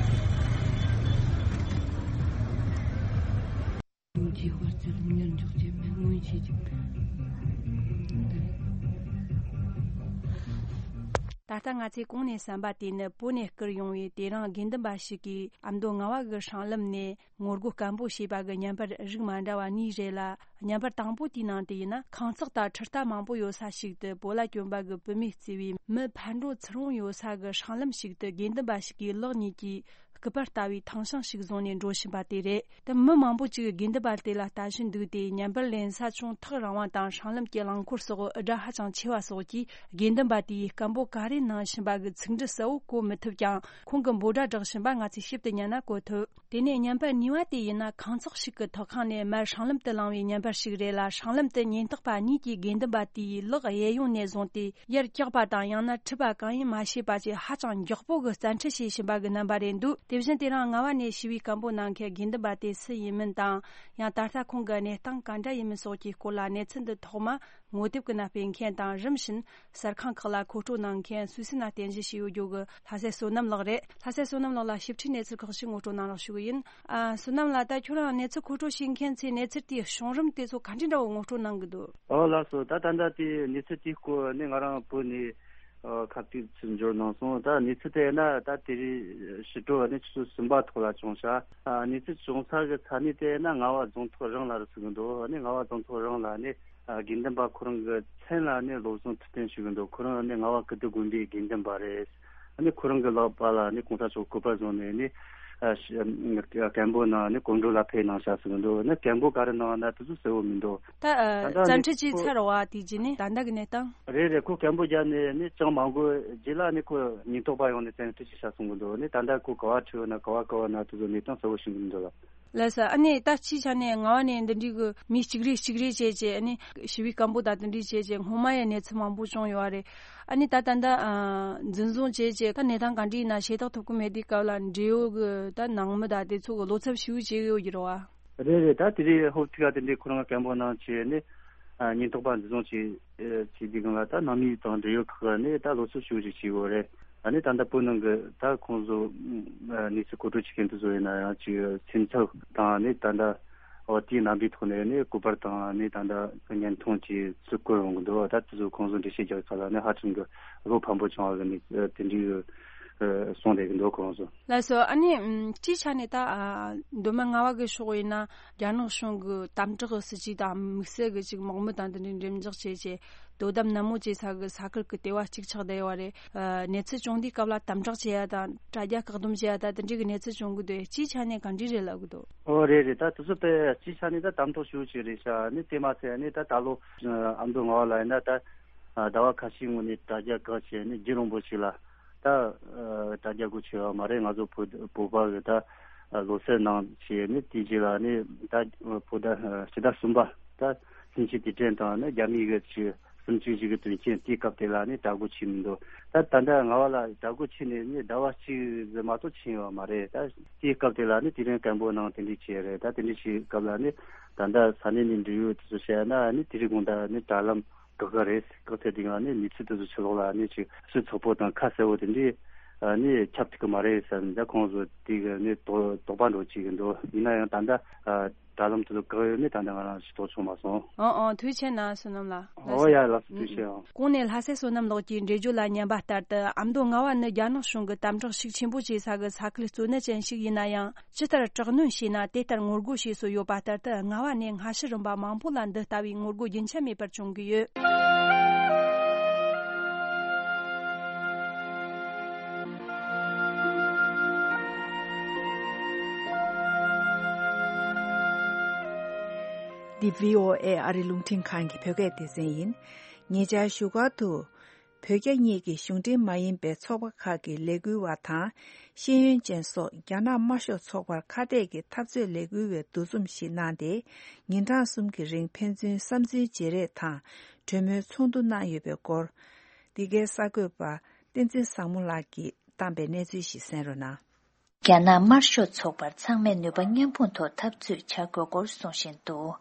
ད་ལྟ་ང་ཚོས་གོང་ནས་གསན་པ་དེ་ནི་བོད་ནས་བསྐུར་ཡོང་བའི་དེ་རིང་དགེ་འདུན་པ་ཞིག་གིས་ཨ་མདོ་རྔ་བ་གི་སྲང་ལམ་ནས། ངོ་རྒོལ་སྐད་འབོད་བྱས་པ་གི་བརྙན་པར་རིགས་མ་འདྲ་བ་གཉིས་རེད་ལ། བརྙན་པར་དང་པོ་དེའི་ནང་དུ་ཡིན་ན། ཁང་བརྩེགས་དང་འཕྲུལ་རྟ་མང་པོ་ཡོད་ས་ཞིག་ཏུ་བོད་ལྭ་གྱོན་པ་གི་བུད་མེད་བརྩིས་པའི་མི་ཕར་འགྲོ་ཚུར་འོང་ཡོད་ས་གི་སྲང་ལམ་ཞིག་ཏུ་དགེ་འདུན་པ་ཞིག་གིས་ལག་གཉིས་ཀྱིས་ སྐུད་པ་ལྟ་བུའི་ཐང་ཤིང་ཞིག་བཟུང་ནས་འགྲོ་བཞིན་པ་དེ་རེད། དེ་མི་མང་པོ་ཅིག་དགེ་འདུན་པ་དེ་ལ་ལྟ་བཞིན་འདུག་སྟེ། ཉམས་པར་ལེན་ས་ཅུང་ཐག་རིང་བ་དང་སྲང་ལམ་གྱི་རླངས་འཁོར་སོགས་སྒྲ་ཧ་ཅང་ཆེ་བ་སོགས་ཀྱིས་དགེ་འདུན་པ་དེས་སྐད་འབོད་ག་རེ་གནང་བཞིན་པ་གི་ཚིག་འབྲུ་གསལ་བོ་གོ་མི་ཐུབ་ཀྱང་། ཁོང་གིས་འབོད་སྒྲ་བསྒྲགས་བཞིན་པ་ང་ཚོས་ཞིབ་ཏུ་ཉན་ན་གོ་ཐུབ། དེ་ནས་ཉམས་པ་གཉིས་པ་དེ་ཡིན་ན། ཁང་བརྩེགས་ཤིག་གི་ཐོག་ཁང་ནས་མར་སྲང་ལམ་དུ་ལངས་པའི་ཉམས་པ་ཞིག་རེད་ལ། སྲང་ལམ་དུ་ཉེན་རྟོག་པ་གཉིས་ཀྱིས་དགེ་འདུན་པ་དེའི་ལག་གཡས་གཡོན་ནས་བཟུང་སྟེ། ཡར་བཀྱགས་པ་དང་། ཡང་ན་འཁྲིད་པ་གང་ཡིན་མ་ཤེས་པ་བཅས་ཧ་ཅང་མགྱོགས་པོ་གི་རྩལ་འཁྲིད་བྱེད་བཞིན་པ་གི་རྣམ་པ་རེད་འདུག་དེ་བཞིན་དེ་རིང་རྔ་བ་ནས་ཞི་བའི་སྐད་འབོད་གནང་མཁན་དགེ་འདུན་པ་དེ་སུ་ཡིན་མིན་དང་། ཡང་ད་ལྟ་ཁོང་གི་གནས་སྟངས་ག་འདྲ་ཡིན་མིན་སོགས་ཀྱི་སྐོར་ལ་གནས་ཚུལ་འདི་ཐོག་མ་ངོ་དེབ་ཀྱི་ནང་སྤེལ་མཁན་དང་། རིམ་བཞིན་གསར་ཁང་ཁག་ལ་མཁོ་སྤྲོད་གནང་མཁན་སུད་སི་ནས་རྟེན་གཞི་བྱས་ཡོད་རྒྱུ་གི་ལྷ་སྲས་བསོད་ནམས་ལགས་རེད། ལྷ་སྲས་བསོད་ནམས་ལགས་ལ་ཞིབ་ཕྲའི་གནས་ཚུལ་ཁག་ཞིག་ངོ་སྤྲོད་གནང་རོགས་ཞུ་གི་ཡིན། ཨ། བསོད་ནམས་ལགས། ད་ཁྱོད་རང་གནས་ཚུལ་མཁོ་སྤྲོད་བྱེད་མཁན་ཚོས་གནས་ཚུལ་དེའི་བྱུང་རིམ་དེ་ཚོ་ག་འདྲ་འདྲ་བོ་ངོ་སྤྲོད་གནང་གི་འདུག་ཨོ་ལགས་སོ། ད་ད་ལྟ་དེའི་གནས་ཚུལ་དེའི་སྐོར་ནི་ང་རང་བོད་ནས་ཨ་ཁ་གཏད་ཚུར་འབྱོར་གནང་སོང་། ད་གནས་ཚུལ་དེ་ན་ད་དེ་རིང་ཕྱི་དྲོ་ནི་ཆུ་ཚོད་གསུམ་པ་ཐོག་ལ་བྱུང་ཤག་ཨ། གནས་ཚུལ་བྱུང་ས་གི་ས་གནས་དེ་ན་རྔ་བ་རྫོང་ཐོག་རང་ལ་རེད་ཟེར་གི་འདུག་ཨ་ནི་རྔ་བ་རྫོང་ཐོག་རང་ལ་ནི་ཨ་དགེ་འདུན་པ་ཁོ་རང་གི་མཚན་ལ་ནི་བློ་བཟང་ཐུབ་བསྟན་ཞུ་གི་འདུག་ཁོ་རང་ནི་རྔ་བ་ཀིརྟི་དགོན་པའི་དགེ་འདུན་པ་རེད། ཨ་ནི་ཁོ་རང་གི་ལག་པ་ལ་ནི་གོང་ས་མཆོག་སྐུ་པར་བཟུང་ནས་ནི་ཨ་ཤ་སྐད་འབོད་གནང་ནི་གོམ་བགྲོད་ལ་ཕེབས་གནང་ཤག་ཟེར་གི་འདུག་ནི་སྐད་འབོད་ག་རེ་གནང་ན་དེ་ཚོ་གསལ་བོ་མི་འདུག་ད་ཨ་ད་ལྟ་རྩལ་ནི་འཁྲིད་བྱས་ཁོ་ཚར་བ་དེ་རྗེས་ནས་ད་ལྟ་གི་གནས་སྟངས། རེད་རེད། ཁོ་སྐད་འབོད་བརྒྱབ་ནས་ནི་ཅང་མ་འགོར་རྗེས་ལ་ནི་ཁོ་ཉེན་རྟོག་པ་ཡོང་ནས་རྩལ་འཁྲིད་བྱས་ཤག་གསུང་གི་འདུག་ནི་ད་ལྟ་ཁོ་ག་བ་ཁྲིད་ཡོད་ན་ག་བ་ག་བ་ན་དེ་ཚོ་གནས་སྟངས་གསལ་བོ་ཤེས་གི་མི་འདུག་ལ། ལགས་སོ། ཨ་ནི་ད་སྤྱིའི་ཆ་ནས་རྔ་བ་ནས་འདི་འདྲའི་གི་མི་གཅིག་རེ་གཅིག་རེ་བྱས་བྱས། ཨ་ནི་ཞི་བའི་སྐད་འབོད་དང་དེ་འདྲའི་བྱས་བྱས་སྔོན་མ་ཡང་གནས་ཚུལ་མང་པོ་བྱུང་ཡོད་པ་རེད། ཨ་ནི་ད་ད་ལྟ་ཨ་འཛིན་བཟུང་བྱས་བྱས་ད་གནས་སྟངས་ག་འདྲ་ཡིན་ན་ཤེས་རྟོགས་ཐུབ་ཀྱི་མེད་དུས་སྐབས་ལ། འབྲེལ་ཡོད་གི་ད་ནང་མི་དང་དེ་ཚོ་གི་བློ་འཚབ་ཞེ་པོ་བྱེད་ཀྱི་ཡོད་ཀྱི་རེད་བ། རེད་རེད། ད་དེ་རིང་ཧོབ་ཐིག་ག་དེ་འདྲའི་ཁོ་རང་སྐད་འབོད་གནང་བྱས་ནས་ཨ་ཉེན་རྟོག་པ་འཛིན་བཟུང་བྱས་བྱས་དུས་སྒང་ལ། ད་ནང་མི་དང་འབྲེལ་ཡོད་ཁག་ནས་ད་བློ་འཚབ་ཞེ་པོ་ཅིག་བྱེད་ཀྱི་ཡོད་རེད། ཨ་ནི་ད་ལྟ་བོད་ནང་གི་ད་ཁོང་ཚོ་ཨ་གནས་ཚུལ་མཁོ་སྤྲོད་བྱེད་མཁན་དེ་ཚོ་ཡིན་ན་ཡང་ཅིག་སེམས་འཚབ་དང་ནི་ད་ལྟ་འོ་དེའི་རྣམ་པའི་ཐོག་ནས་ནི་སྐུ་པར་དང་ནི་ད་ལྟ་བརྙན་ཐུང་ཅིག་ཚུར་བཀོད་ཡོང་གི་འདུག་ད་དེ་ཚོ་ཁོང་ཚོ་འགྲེལ་བཤད་རྒྱག་ས་ལ་ནི་ཧ་ཅང་གི་བློ་ཕམ་པོ་བྱུང་བ་གི་ནི་དེ་འདྲའི་གསུངས་བསྡད་ཀྱི་འདུག་ཁོང་ཚོ། ལགས་སོ། ཨ་ནི་སྤྱིའི་ཆ་ནས་ད་མདོ་སྨད་རྔ་བ་གི་ཕྱོགས་ཡིན་ན་རྒྱ་ནག་གཞུང་གི་དམ་དྲག་གི་སྲིད་ཇུས་དང་དམིགས་བསལ་གྱི་ཅིག་དམག་མི་དང་དེ་འདྲའི་འགྲེམས་འཇོག་བྱས་བྱས། དོ་དམ་ནན་མོ་བྱེད་ས་གི་ས་ཁུལ་གྱི་ལྟེ་བ་གཅིག་ཆགས་བསྡད་ཡོད་རེད། ཨ་གནས་ཚུལ་བྱུང་དུས་སྐབས་ལ་དམ་དྲག་བྱེད་ཡ་དང་དྲ་རྒྱ་བཀག་སྡོམ་བྱེད་ཡ་དང་དེ་འདྲའི་གི་གནས་ཚུལ་བྱུང་གི་འདུག་སྤྱིའི་ཆ་ནས་ག་འདྲ་རེད་ལབ་གི་འདུག་ཨོ་རེད་རེད། ད་དེ་ཚོ་དཔེ་སྤྱིའི་ཆ་ནས་ད་དམ་དྲག་ཞེ་པོ་ཅིག་རེད་ཤག་ནི་དེ་མ་ཚད་ནི་ད་ད་ལོ་ཨ་མདོ་རྔ་བ་ལ་ཡིན་ན་ད་ཟླ་བ་ཁ་ཤས་སྔོན་ནས་དྲ་རྒྱ་བཀག་བྱས་ནི་རྒྱུན་རིང་པོ་ཞིག་ལ་ད་དྲ་རྒྱ་སྒོ་ཕྱེ་བ་མ་རེད། ང་ཚོ་བོད་བོད་པ་གི་ད་ལོ་གསར་ནང་བྱས་ནི་དེའི་རྗེས་ལ་ནི་ད་བོད་ཟླ་ཕྱི་ཟླ་གསུམ་པ་ད་ལྷན་ཅིག་དུས་དྲན་དང་ནི་རྒྱ་མིའི་གི་ཆེད་གསུམ་བཅུ་བཞི་གི་དོན་རྐྱེན་དེའི་སྐབས་དེ་ལ་ནི་དྲ་སྒོ་ཕྱེ་མི་འདུག་ད་ད་ལྟ་རྔ་བ་ལ་དྲ་སྒོ་ཕྱེ་ནས་ནི་ཟླ་བ་གཅིག་ཙམ་མ་གཏོགས་ཕྱིན་ཡོད་མ་རེད། ད་དེའི་སྐབས་དེ་ལ་ནི་དེ་རིང་སྐད་འབོད་གནང་དེ་འདྲ་བྱས་རེད། ད་དེ་འདྲ་བྱེད་སྐབས་ལ་ནི་ད་ལྟ་ས་གནས་ནས་འབྲེལ་ཡོད་དེ་ཚོ་བཤད་ན་ནི་དེ་རིང་དགོང་དག་ནི་དྲ་ལམ་བཀག་གི་རེད། བཀག་ཚར་དུས་སྒང་ནི་གནས་ཚུལ་དེ་ཚོ་ཕྱི་ལོགས་ལ་ནི་ཅིག་ཤུགས་ཚོགས་པོ་དང་ཁ་གསལ་བོ་དེ་འདྲས་ནི་ཁྱབ་ཐུབ་ཀྱི་མ་རེད་ཟེར་ནས་ད་ཁོང་ཚོ་དེ་གི་ནི་དོ་དོགས་པ་འགྲོ་བྱེད་ཀྱི་འདུག་ཡིན་ན་ཡང་ད་ལྟ་དྲ་ལམ་དེ་ཚོ་བཀག་ཡོད་ནི་ད་ལྟ་ང་རང་ཤེས་རྟོགས་བྱུང་མ་སོང་། ཨང་ཨང་། ཐུགས་རྗེ་ཆེ་གནང་བསོད་ནམས་ལགས། ཨོ་ཡ་ལགས་སོ། ཐུགས་རྗེ་ཆེ་ཨང་། གོང་ནས་ལྷ་སྲས་བསོད་ནམས་ལགས་ཀྱིས་འགྲེལ་བརྗོད་ལ་ཉན་པ་ལྟར་དུ། ཨ་མདོ་རྔ་བ་ནི་རྒྱ་ནག་གཞུང་གི་དམ་དྲག་ཤུགས་ཆེན་པོ་བྱེད་ས་གི་ས་ཁུལ་གཙོ་གནད་ཅན་ཞིག་ཡིན་ན་ཡང་། ཇི་ལྟར་དྲག་གནོན་བྱས་ན་དེ་ལྟར་ངོ་རྒོལ་བྱེད་སྲོལ་ཡོད་པ་ལྟར་དུ། རྔ་བ་ནས་སྔ་ཕྱི་རིམ་པ་མང་པོ་ལ་འདི་ལྟ་བུའི་ངོ་རྒོལ་རྒྱུན་ཆད་མེད་པར་བྱུང་གི་ཡོད། འདི་བྷི་ཨོ་ཨེ་ཨ་རི་རླུང་འཕྲིན་ཁང་གི་བོད་སྐད་སྡེ་ཚན་ཡིན། ཉེ་ཆར་བཞུགས་སྒར་དུ། བོད་རྒྱ་གཉིས་ཀྱི་གཞུང་འབྲེལ་མ་ཡིན་པའི་ཚོགས་པ་ཁག་གི་ལས་འགུལ་བ་དང་། ཤེས་ཡོན་ཅན་སོགས་རྒྱ་ནག་དམར་ཤོག་ཚོགས་པར་ཁ་གཏད་ཀྱི་འཐབ་རྩོད་ལས་འགུལ་བའི་འདུ་འཛོམས་ཤིག་གནང་སྟེ། ཉིན་གྲངས་གསུམ་གྱི་རིང་ཕན་ཚུན་བསམ་ཚུལ་བརྗེ་རེས་དང་གྲོས་མོལ་ཚོགས་འདུ་གནང་ཡོད་པའི་སྐོར། འདི་གའི་གསར་འགོད་པ་བསྟན་འཛིན་བཟང་མོ་ལགས་ཀྱིས་བཏང་པའི་གནས་ཚུལ་ཞིག་གསན་རོགས་གནང་། རྒྱ་ནག་དམར་ཤོག་ཚོགས་པར་ཚང་མས་ནུས་པ་མཉམ་སྤུངས་ཐོག་འཐབ་རྩོད་བྱ་དགོས་སྐོར་གསུང་བཞིན་འདུག་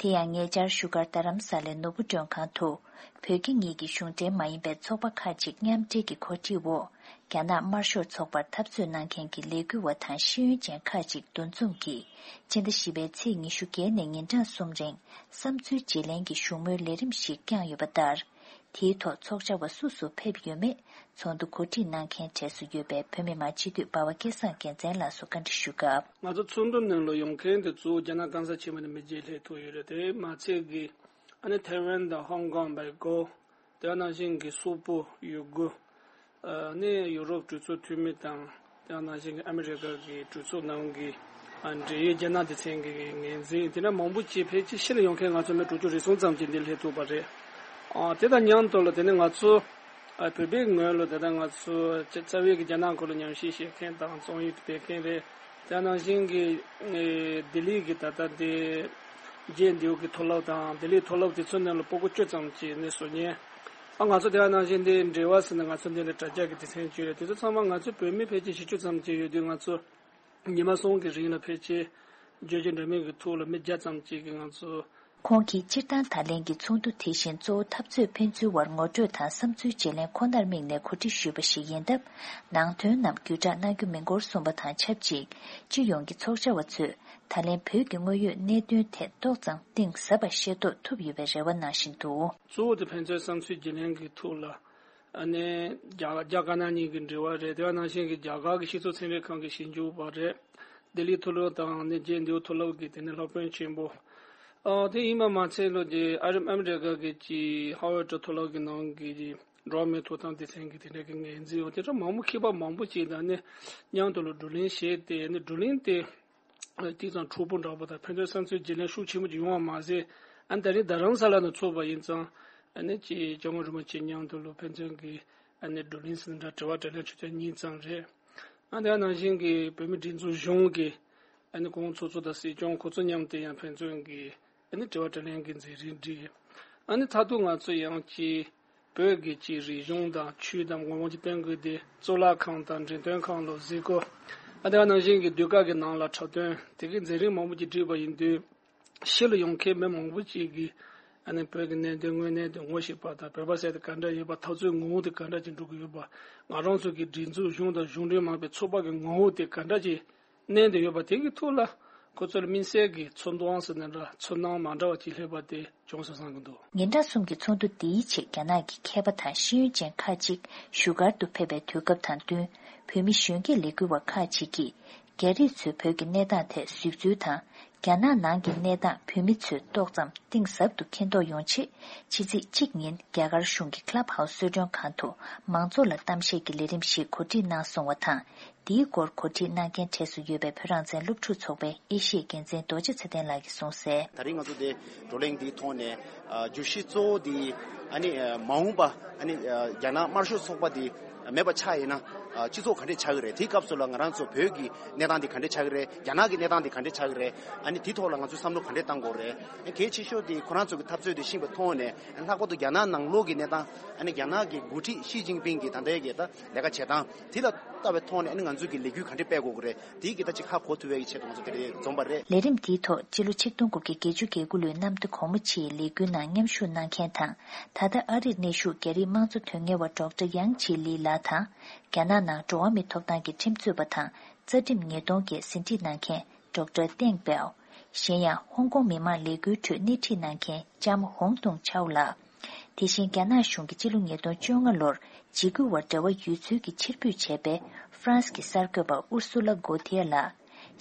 དེ་ཡང་ཉེ་ཆར་བཞུགས་སྒར་རྡ་རམ་ས་ལའི་ནོར་བུ་མགྲོན་ཁང་དུ། བོད་རྒྱ་གཉིས་ཀྱི་གཞུང་འབྲེལ་མ་ཡིན་པའི་ཚོགས་པ་ཁག་ཅིག་མཉམ་འབྲེལ་གྱི་གོ་སྒྲིག་འོག་རྒྱ་ནག་དམར་ཤོག་ཚོགས་པར་འཐབ་རྩོད་གནང་མཁན་གྱི་ལས་འགུལ་བ་དང་ཤེས་ཡོན་ཅན་ཁག་ཅིག་འདུ་འཛོམས་ཀྱིས། སྤྱི་ཟླ་བཞི་པའི་ཚེས་ཉི་ཤུ་བརྒྱད་ནས་ཉིན་གྲངས་གསུམ་རིང་བསམ་ཚུལ་བརྗེ་ལེན་གྱི་བཞུགས་མོལ་ལས་རིམ་ཞིག་བསྐྱངས་ཡོད་པ་ལྟར། དེའི་ཐོག་ཚོགས་བཅར་བ་སུ་སུ་ཕེབས་ཡོད་མེད་ཚོགས་འདུ་གོ་སྒྲིག་གནང་མཁན་གྲས་སུ་ཡོད་པའི་བོད་མི་མང་སྤྱི་འཐུས་འབའ་བ་སྐལ་བཟང་རྒྱལ་མཚན་ལགས་སུ་བཀའ་འདྲི་ཞུས་སྐབས། ང་ཚོ་ཚོགས་འདུ་ནང་ལ་ཡོང་མཁན་དེ་གཙོ་བོ་རྒྱ་ནག་གང་ཟག་ཆེན་པོ་ནས་མི་བརྒྱད་སླེབས་ཐུབ་ཡོད་རེད། དེ་མ་ཚད་ཀྱི་ཨ་ནི་ཐའེ་ཝན་དང་ཧོང་ཀོང་བལ་ཀོ། དེ་ནང་བཞིན་གྱི་སོག་པོ། ཡུ་གུར། ཨ་ནི་ཡུ་རོབ་གྲོས་ཚོགས་འཐུས་མི་དང་ དེ་ནང་བཞིན་གྱི་ཨ་མི་རི་ཀ་གི་གྲོས་ཚོགས་ནང་གི་ཨ་འབྲེལ་ཡོད་རྒྱ་ནག་སྡེ་ཚན་གྱི་ངོས་འཛིན། དེ་ནས་མང་པོ་ཅིག་ཕལ་ཆེར་ཕྱིར་ལ་ཡོང་མཁན་ང་ཚོ་མི་དྲུག་ཅུ་རེ་ཟུང་ཙམ་ཅིག་འདིར་སླེབས་ཐུབ་པ་རེད། ཨ་དེ་དང་མཉམ་དུ་ལ་དེ་ནས་ང་ཚོ་ཨ་བོད་པའི་ངོས་ལ་ད་ལྟ་ང་ཚོ་རྩ་བའི་གི་རྒྱ་ནག་སྐོར་ལ་ཉམས་ཞིབ་བྱེད་མཁན་དང་རྩོམ་ཡིག་སྤེལ་མཁན་རེད། དེ་ནང་བཞིན་གྱི་ཨེ་ལྡི་ལི་གི་ད་ལྟ་དེ་རྗེས་འདེད་ཀྱི་མཐོ་སློབ་དང་ལྡི་ལིའི་མཐོ་སློབ་དེ་ཚོ་ནང་ལ་སྤུ་གུ་བཅུ་ཙམ་ཅིག་ནས་སུ་ཉན། ཨ་ང་ཚོ་དེ་ག་ནང་བཞིན་དེ་འབྲེལ་བ་ཟེར་ན་ང་ཚོ་འདི་ལ་དྲ་རྒྱ་གི་སྡེ་ཚན་བཅུ་རེད། དེ་ཚོ་ཚང་མ་ང་ཚོའི་བོད་མི་ཕལ་ཆེར་བཞི་བཅུ་ཙམ་ཅིག་ཡོད་དུས། ང་ཚོ་ཉི་མ་གསུམ་གྱི་རིང་ལ་ཕལ་ཆེར་བརྗོད་བྱ་འདྲ་མིན་གྱི་ཐོག་ལ་མི་བརྒྱ་ཙམ་ཅིག་གིས་ང་ཚོ། ཁོང་གིས་སྤྱིར་བཏང་ད་ལན་གྱི་ཚོགས་འདུ་དེ་བཞིན་གཙོ་བོ་འཐབ་རྩོད་ཕན་ཚུན་དབར་ངོ་སྤྲོད་དང་བསམ་ཚུལ་བརྗེ་ལེན་ཁོ་ནར་དམིགས་ནས་གོ་སྒྲིག་ཞུས་པ་ཞིག་ཡིན་སྟབས། ནང་དོན་རྣམས་བརྒྱུད་བསྒྲགས་གནང་རྒྱུ་མིན་སྐོར་གསུངས་པ་དང་ཆབས་ཅིག་སྤྱི་ཡོངས་ཀྱི་ཚོགས་བཅར་བ་ཚོས་ད་ལན་བོད་ཀྱི་དངོས་ཡོད་གནད་དོན་ཐད་ཏོག་ཙམ་གཏིང་ཟབ་པ་ཤེས་རྟོགས་ཐུབ་ཡོད་པའི་རེ་བ་གནང་བཞིན་འདུག། གཙོ་བོ་དེ་ཕན་ཚུན་བསམ་ཚུལ་བརྗེ་ལེན་གྱི་ཐོག་ལ། ཨ་ནི་རྒྱ་རྒྱ་དཀར་ནག་གཉིས་ཀྱི་འབྲེལ་བ་རེད། དེ་ག་ནང་བཞིན་གྱི་རྒྱ་གར་གྱི་སྤྱི་ཚོགས་ཚན་རིག་ཁང་གི་ཞིབ་འཇུག་པ་རེད། ལྡི་ལི་མཐོ་སློབ་དང་ནི་རྗེས་འདེད་མཐོ་སློབ་ཀྱི་དེ་ནི་སློབ་དཔོན་ཆེན་པོ། ཨ་དེ་ཡིན་པ་མ་ཚད་ལོ་རྗེས་ཨ་རི་ཨ་མི་རི་ཀ་གི་ཅི་ཧ་ཝར་ཌི་མཐོ་སློབ་ཀྱི་ནང་གི་འགྲོ་བ་མིའི་ཐོབ་ཐང་སྡེ་ཚན་གྱི་དེ་འདྲ་གི་ངོས་འཛིན་འོ་དེ་འདྲ་མང་པོ་མཁས་པ་མང་པོ་ཅིག་དང་ནི་མཉམ་དུ་ལ་བགྲོ་གླེང་བྱས་ཏེ་ནི་བགྲོ་གླེང་དེ། དེ་ཙམ་འཁྲུག་པོ་འདྲ་པོ་དང་ཕན་ཚུན་བསམ་ཚུལ་བརྗེ་ལེན་ཤུགས་ཆེན་པོ་ཅིག་ཡོང་བ་མ་ཟད། ཨ་ནི་ད་རིང་རྡ་རམ་ས་ལ་ནང་ཚོགས་པ་ཡིན་ཙང་། ཨ་ནི་ཅིག་སྐྱབས་མགོན་རིན་པོ་ཆེ་མཉམ་དུ་ལ་ཕན་ཚུན་གྱི་ཨ་ནི་བགྲོ་གླེང་ཟིན་འདྲ་དྲི་བ་དྲིས་ལན་ཆུ་ཚོད་གཉིས་ཙམ་རེད། ཨ་ནི་ནང་བཞིན་གྱི་བོད་མི་སྒྲིག་འཛུགས་གཞུང་གི་ཨ་ནི་གོང་ཚོགས་གཙོ་དང་སྲིད་སྐྱོང་ཁོ་ཚོ་མཉམ་དུ་ཡང་ཕན་ཚུན་གྱི་ཨ་ནི་དྲི་བ་དྲིས་ལན་གྱི་མཛད་རིམ་བསྒྲིགས། ཨ་ནི་མཐར་ཐུག་ང་ཚོ་ཡང་ཅིག་བོད་ཀྱི་ཅིག་རིག་གཞུང་དང་ཆོས་དང་ངོ་བོ་ཅིག་བསྟན་དགོས་ཏེ་གཙུག་ལག་ཁང་དང་འགྲེམས་སྟོན་ཁང་ལ་གཟིགས་སྐོར། ཨ་དེ་ག་ནང་བཞིན་གྱི་ཟློས་གར་གྱི་ནང་ལ་འཁྲབ་སྟོན་དེ་གའི་མཛད་རིམ་མང་པོ་ཅིག་བསྒྲིགས་པ་ཡིན་དུས། ཕྱི་ལ་ཡོང་མཁན་མི་མང་པོ་ཅིག་གིས་ཨ་ནི་བོད་ཀྱི་གནད་དོན་དངོས་གནས་དེ་ངོ་ཤེས་པ་དང་བོད་པ་ཟེར་དེ་ག་འདྲ་ཡོད་པ། འཐབ་རྩོད་ངོ་བོ་དེ་ག་འདྲ་ཅིག་འགྲོ་གི་ཡོད་པ། ང་རང་ཚོ་གི་སྒྲིག་འཛུགས་གཞུང་དང་གཞུང་འབྲེལ་མིན་པའི་ཚོགས་པ་གི་ངོ་བོ་དེ་ག་འདྲ་ཅིག་གནས་བསྡད་ཡོད་པ་དེ་གི་ཐོག་ལ་ཁོ་ཚོར་དམིགས་བསལ་གྱི་ཚོར་སྣང་ཟེར་ན་འདྲ་ཚོར་སྣང་མ་འདྲ་བ་ཅིག་སླེབས་པ་དེ་བྱུང་སོང་བསམ་གྱི་འདུག། ཉིན་གྲངས་གསུམ་གྱི་ཚོགས་འདུ་འདིའི་ཆེད་རྒྱ་ནག་གི་མཁས་པ་དང་ཤེས་ཡོན་ཅན་ཁག་ཅིག་བཞུགས་སྒར་དུ་ཕེབས་པའི་དུས་སྐབས་དང་བསྟུན། བོད་མི་གཞོན་སྐྱེས་ལས་འགུལ་བ་ཁག་ཅིག་གིས་རྒྱ་རིགས་ཚོས་བོད་ཀྱི་གནས་སྟངས་ཐད་གཟིགས་ཚུལ་དང་། རྒྱ་ནག་ནང་གི་གནས་སྟངས་བོད་མི་ཚོས་ཏོག་ཙམ་གཏིང་ཟབ་ཏུ་མཁྱེན་རྟོགས་ཡོང་ཆེད། ཕྱི་ཚེས་གཅིག་ཉིན་རྒྱ་གར་གཞུང་གི་Clubhouse་གསོལ་མགྲོན་ཁང་དུ་མང་ཚོགས་ལ་གཏམ་བཤད་ཀྱི་ལས་རིམ་ཞིག་གོ་སྒྲིག་གནང་སོང་བ་དང་། འདིའི་སྐོར་གོ་སྒྲིག་གནང་མཁན་གྲས་སུ་ཡོད་པའི་བོད་རང་བཙན་སློབ་ཕྲུག་ཚོགས་པའི་ཨེ་ཤི་ཡའི་འགན་འཛིན་རྡོ་རྗེ་ཚེ་བརྟན་ལགས་ཀྱིས་གསུངས་གསལ། ད་རིང་ང་ཚོ་འདི་བགྲོ་གླེང་འདིའི་ཐོག་ནས་ཨ་བརྗོད་གཞི་གཙོ་བོ་འདི་ཨ་ནི་ཨ་མ་འོངས་པ་ཨ་ནི་ཨ་རྒྱ་ནག་དམར་ཤོག་ཚོགས་པ་འདི་མེད་པ་ཆགས་ཡིན་ན་ཨ་སྤྱི་ཚོགས་ག་འདྲས་ཆགས་ཀྱི་རེད། དེའི་སྐབས་སུ་ལ་ང་རང་ཚོ་བོད་ཀྱི་གནས་སྟངས་འདི་ག་འདྲས་ཆགས་ཀྱི་རེད། རྒྱ་ནག་གི་གནས་སྟངས་འདི་ག་འདྲས་ཆགས་ཀྱི་རེད། ཨ་ནི་དེའི་ཐོག་ལ་ང་ཚོས་བསམ་བློ་ག་འདྲས་གཏང་དགོས་རེད། ཨ་གལ་ཆེ་ཤོས་དེ་ཁོ་རང་ཚོ་གི་འཐབ་རྩོད་དེ་ཤེས་པའི་ཐོག་ནས་ཨ་ལྷག་པར་དུ་རྒྱ་ནག་ནང་ལོགས་ཀྱི་གནས་སྟངས་ཨ་ནི་རྒྱ་ནག་གི་འགོ་ཁྲིད་ཞི་ཅིན་ཕིང་གི་ད་ལྟའི་གི་ད་ལས་ཀ་བྱེད་སྟངས་དེ་ལ་ལྟ་བའི་ཐོག་ནས་ཨ་ནི་ང་ཚོས་ཀྱི་ལས་འགུལ་ག་འདྲས་སྤེལ་དགོས་ཀྱི་རེད། དེའི་གི་ད་ཅིག་ཧ་གོ་ཐུབ་པའི་གི་ཆེད་དུ་ང་ཚོ་དེ་འདྲས་འཛོམས་པ་རེད། ལས་རིམ་འདིའི་ཐོག་སྤྱི་ལོ་ཆིག་སྟོང་དགུ་བརྒྱ་བརྒྱད་ཅུ་གྱ་དགུ་ལོའི་གནམ་བདེ་གོང་མ་ཆེའི་ལས་འགུལ་ནང་མཉམ་ཞུགས་གནང་མཁན་དང་། ད་ལྟ་ཨ་རིར་གནས་བཞུགས་རྒྱ་རིགས་དམངས་གཙོ་དོན་གཉེར་བ་ཌོག་ཊར་ཡང་ཆི་ལི་ལགས་དང་། རྒྱ་ནག་ནང་འགྲོ་བ་མིའི་ཐོབ་ཐང་གི་ཁྲིམས་རྩོད་པ་དང་རྩ་ཁྲིམས་ཉིས་སྟོང་བརྒྱད་ཟིན་བྲིས་གནང་མཁན་ཌོག་ཊར་ཏེང་པའོ། གཞན་ཡང་ཧོང་ཀོང་མི་མང་ལས་འགུལ་ཁྲོད་སྣེ་ཁྲིད་གནང་མཁན་ལྕམ་ཧོང་ཏུང་ཆའོ་ལགས། དེ་བཞིན་རྒྱ་ནག་གཞུང་གིས་སྤྱི་ལོ་ཉིས་སྟོང་བཅོ་ལྔ་ལོར་འཇིགས་སྐུལ་བར་འབྲེལ་བ་ཡོད་ཚུལ་གྱི་ཕྱིར་འབུད་བྱས་པའི་ཧྥ་རན་སི་གི་གསར་འགོད་པ་ཨུར་སུ་ལ་གོ་ཐི་ཡ་ལགས།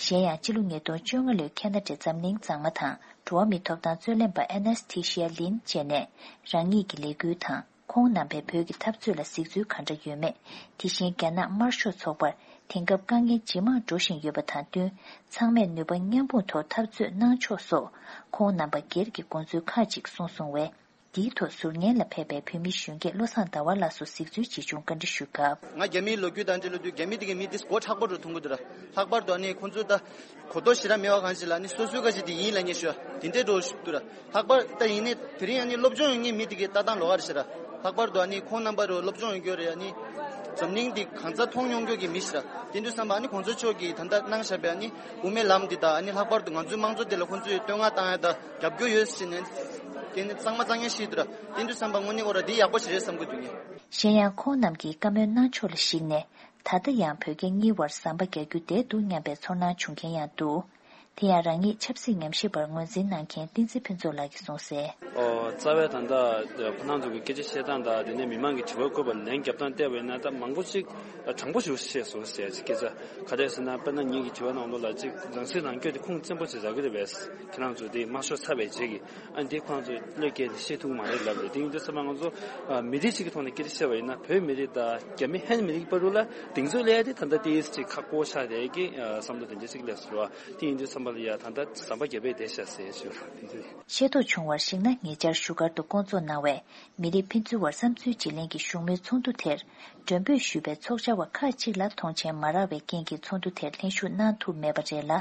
གཞན་ཡང་སྤྱི་ལོ་ཉིས་སྟོང་བཅོ་ལྔ་ལོའི་ཁེ་ན་ཌའི་འཛམ་གླིང་གཙང་མ་དང་འགྲོ་བ་མིའི་ཐོབ་ཐང་རྩོད་ལེན་པ་ཨེ་ནཱས་ཐི་ཤི་ཡ་ལིན་བཅས་ནས་རང་ཉིད་ཀྱི་ལས་འགུལ་དང་། ཁོང་རྣམ་པས་བོད་ཀྱི་འཐབ་རྩོད་ལ་གཟིགས་ཚུལ་གང་འདྲ་ཡོད་མེད། དེ་བཞིན་རྒྱ་ནག་དམར་ཤོག་ཚོགས་པར་དེང་སྐབས་དཀའ་ངལ་ཇེ་མང་འགྲོ་བཞིན་ཡོད་པ་དང་བསྟུན། ཚང་མས་ནུས་པ་མཉམ་སྤུངས་ཐོག་འཐབ་རྩོད་གནང་ཕྱོགས་སོགས་ཁོང་རྣམ་པ་སྒེར་གྱི་དགོངས་ཚུལ་ཁག་ཅིག་གསུངས་སོང་བས། འདིའི་ཐོག་ཟུར་ཉན་ལ་ཕེབས་པའི་བོད་མི་གཞོན་སྐྱེས་བློ་བཟང་ཟླ་བ་ལགས་སུ་གཟིགས་ཚུལ་ཇི་བྱུང་བཀའ་འདྲི་ཞུས་སྐབས། ང་རྒྱ་མིའི་ལོ་རྒྱུས་དང་འབྲེལ་ལོ་རྒྱུས་རྒྱ་མི་དེ་གའི་མི་དེ་མགོ་མཁྲེགས་པོ་འགྲོ་ཐུབ་ཀྱི་འདུག་ར། ལྷག་པར་དུ་ཨ་ནི་ཁོང་ཚོའི་ད་གོ་རྟོགས་ཞེ་དྲག་མེད་པ་གང་ཞིག་ལ་ཨ་ནི་སོ་སོའི་ཁ་ཞིག་དེ་ཡིན་ལབ་མཁན་ཞིག་དེ་འདྲའི་འགྲོ་ཞིག་འདུག་ར། ལྷག་པར་ད་ཡིན་ནའི་དེ་རིང་ཨ་ནི་སློབ་སྦྱོང་ཡོད་མཁན་མི་དེ་གའི་ལྟ་སྟངས་ལོགས་ཀ་རེད་ཤག་ར། ལྷག་པར་དུ་ཨ་ནི་ཁོང་རྣམ་པ་རུ་སློབ་སྦྱོང་ཡོད་རྒྱུ་རེད། ཨ་ནི་འཛམ་གླིང་འདི་གང་ས་མཐོང་མྱོང་རྒྱུ་གི་མི་ཞིག་ར། དེ་འདྲ་བསམ་པ་ཨ་ནི་གོང་ས་མཆོག་གིས་ད་ལྟ་གནང་བཞག་པའི་ཨ་ནི་དབུ་མའི་ལམ་འདི་དང་ཨ་ནི་ལྷག་པར་དུ་ང་ཚོའི་དམངས་གཙོ་འདི་ལ་ཁོང་ཚོས་བསྟོད་བསྔགས་བཏང་ཡ་དང་རྒྱབ་སྐྱོར་ཡོད་ཟེར་ནས་དེ་ནི་གཙང་མ་གཙང་ཡ་ཞིག་འདུག་ར། དེ་འདྲ་བསམ་པ་དངོས་གནས་ཁོ་ར་འདི་ཡག་པོ་ཞིག་རེད་བསམ་གྱི་འདུག་ངས། གཞན་ཡང་ཁོང་རྣམས་ཀྱིས་བཀའ་མོལ་གནང་ཕྱོགས་ལ་གཞིགས་ནས། ད་ལྟ་ཡང་བོད་རྒྱ་གཉིས་བར་ཟམ་པ་རྒྱག་རྒྱུ་བསྡད་འདུག་སྙམ་པའི་ཚོར་སྣང་བྱུང་མཁན་ཡང་འདུག། དེ་ཡང་རང་ཉིད་ཆབ་སྲིད་ཉམས་ཞིབ་པར་ངོས་འཛིན་གནང་མཁན་བསྟན་འཛིན་ཕུན་ཚོགས་ལགས་ཀྱིས་གསུངས་གསལ། ཨོ། རྩ་བའི་ད་ལྟ་ཁོ་རང་ཚོ་གི་སྐད་ཆ་བཤད་སྟངས་དང་དེ་ནས་མི་མང་གི་དྲི་བ་བཀོད་པ་ལན་རྒྱབ་སྟངས་བལྟས་པ་ཡིན་ན་ད་མང་པོ་ཅིག་དྲང་པོ་ཞིག་བཤད་སོང་ཟེར་ཅིག་སྐད་ཆ་ག་རེ་ཟེར་ན། དཔེར་ན་ངེད་ཀྱི་དྲི་བ་ནང་ལོགས་ལ་ཅིག་རང་སྲིད་རང་སྐྱོང་དེ་ཁུངས་བཙན་པོ་ཅིག་རག་གི་རེད་པས། ཁྱེད་རང་ཚོ་དེ་དམར་ཤོག་ཚར་བའི་རྗེས་ཀྱི་ཨ་འདི་ཁོ་རང་ཚོ་བློས་བཀལ་ནས་བཤད་ཐུབ་ཀྱི་མ་རེད་ལབ་རེད། དེ་ཡིན་དུས་ཙམ་པ་ང་ཚོ་ཨ་མི་རིགས་ཤིག་གི་ཐོག་ནས་སྐད་ཆ་བཤད་པ་ཡིན་ན་བོད་མི་རིགས་དང་རྒྱ་མི་ཧན་མི་རིགས་བར་དུ་ལ་གདེང་ཚོད་སླེབས་ཡ་དེ་ད་ལྟ་ཏོག་ཙམ་ཅིག་ཁག་པོ་ཆགས་བསྡད་ཀྱི་ཨ་བསམ་བློ་དེ་འདྲ་ཅིག་སླེབས་སོང་བ། དེ་ཡིན་དུས་ཙམ་པ་ལ་ཡ་ད་ལྟ་ཟམ་པ་བརྒྱབ་པས་བསྡད་ཤག་ཟེར་ཞུ་རོགས་དེ་ཚོ་རེད། ཤེས་རྟོགས་བྱུང་བར་གཞིགས་ན། ཉེ་ཆར་བཞུགས་སྒར་དུ་བསྐོང་ཚོགས་གནང་བའི་མི་རིགས་ཕན་ཚུན་དབར་བསམ་ཚུལ་བརྗེ་ལེན་གྱི་བཞུགས་མོལ་ཚོགས་འདུ་དེར། མགྲོན་འབོད་ཞུས་པའི་ཚོགས་བཅར་བ་ཁག་ཅིག་ལ་མཐོང་མཆན་མ་རག་པའི་རྐྱེན་གྱིས་ཚོགས་འདུ་དེར་ལྷན་ཞུགས་གནང་ཐུབ་མེད་པ་རེད་ལ།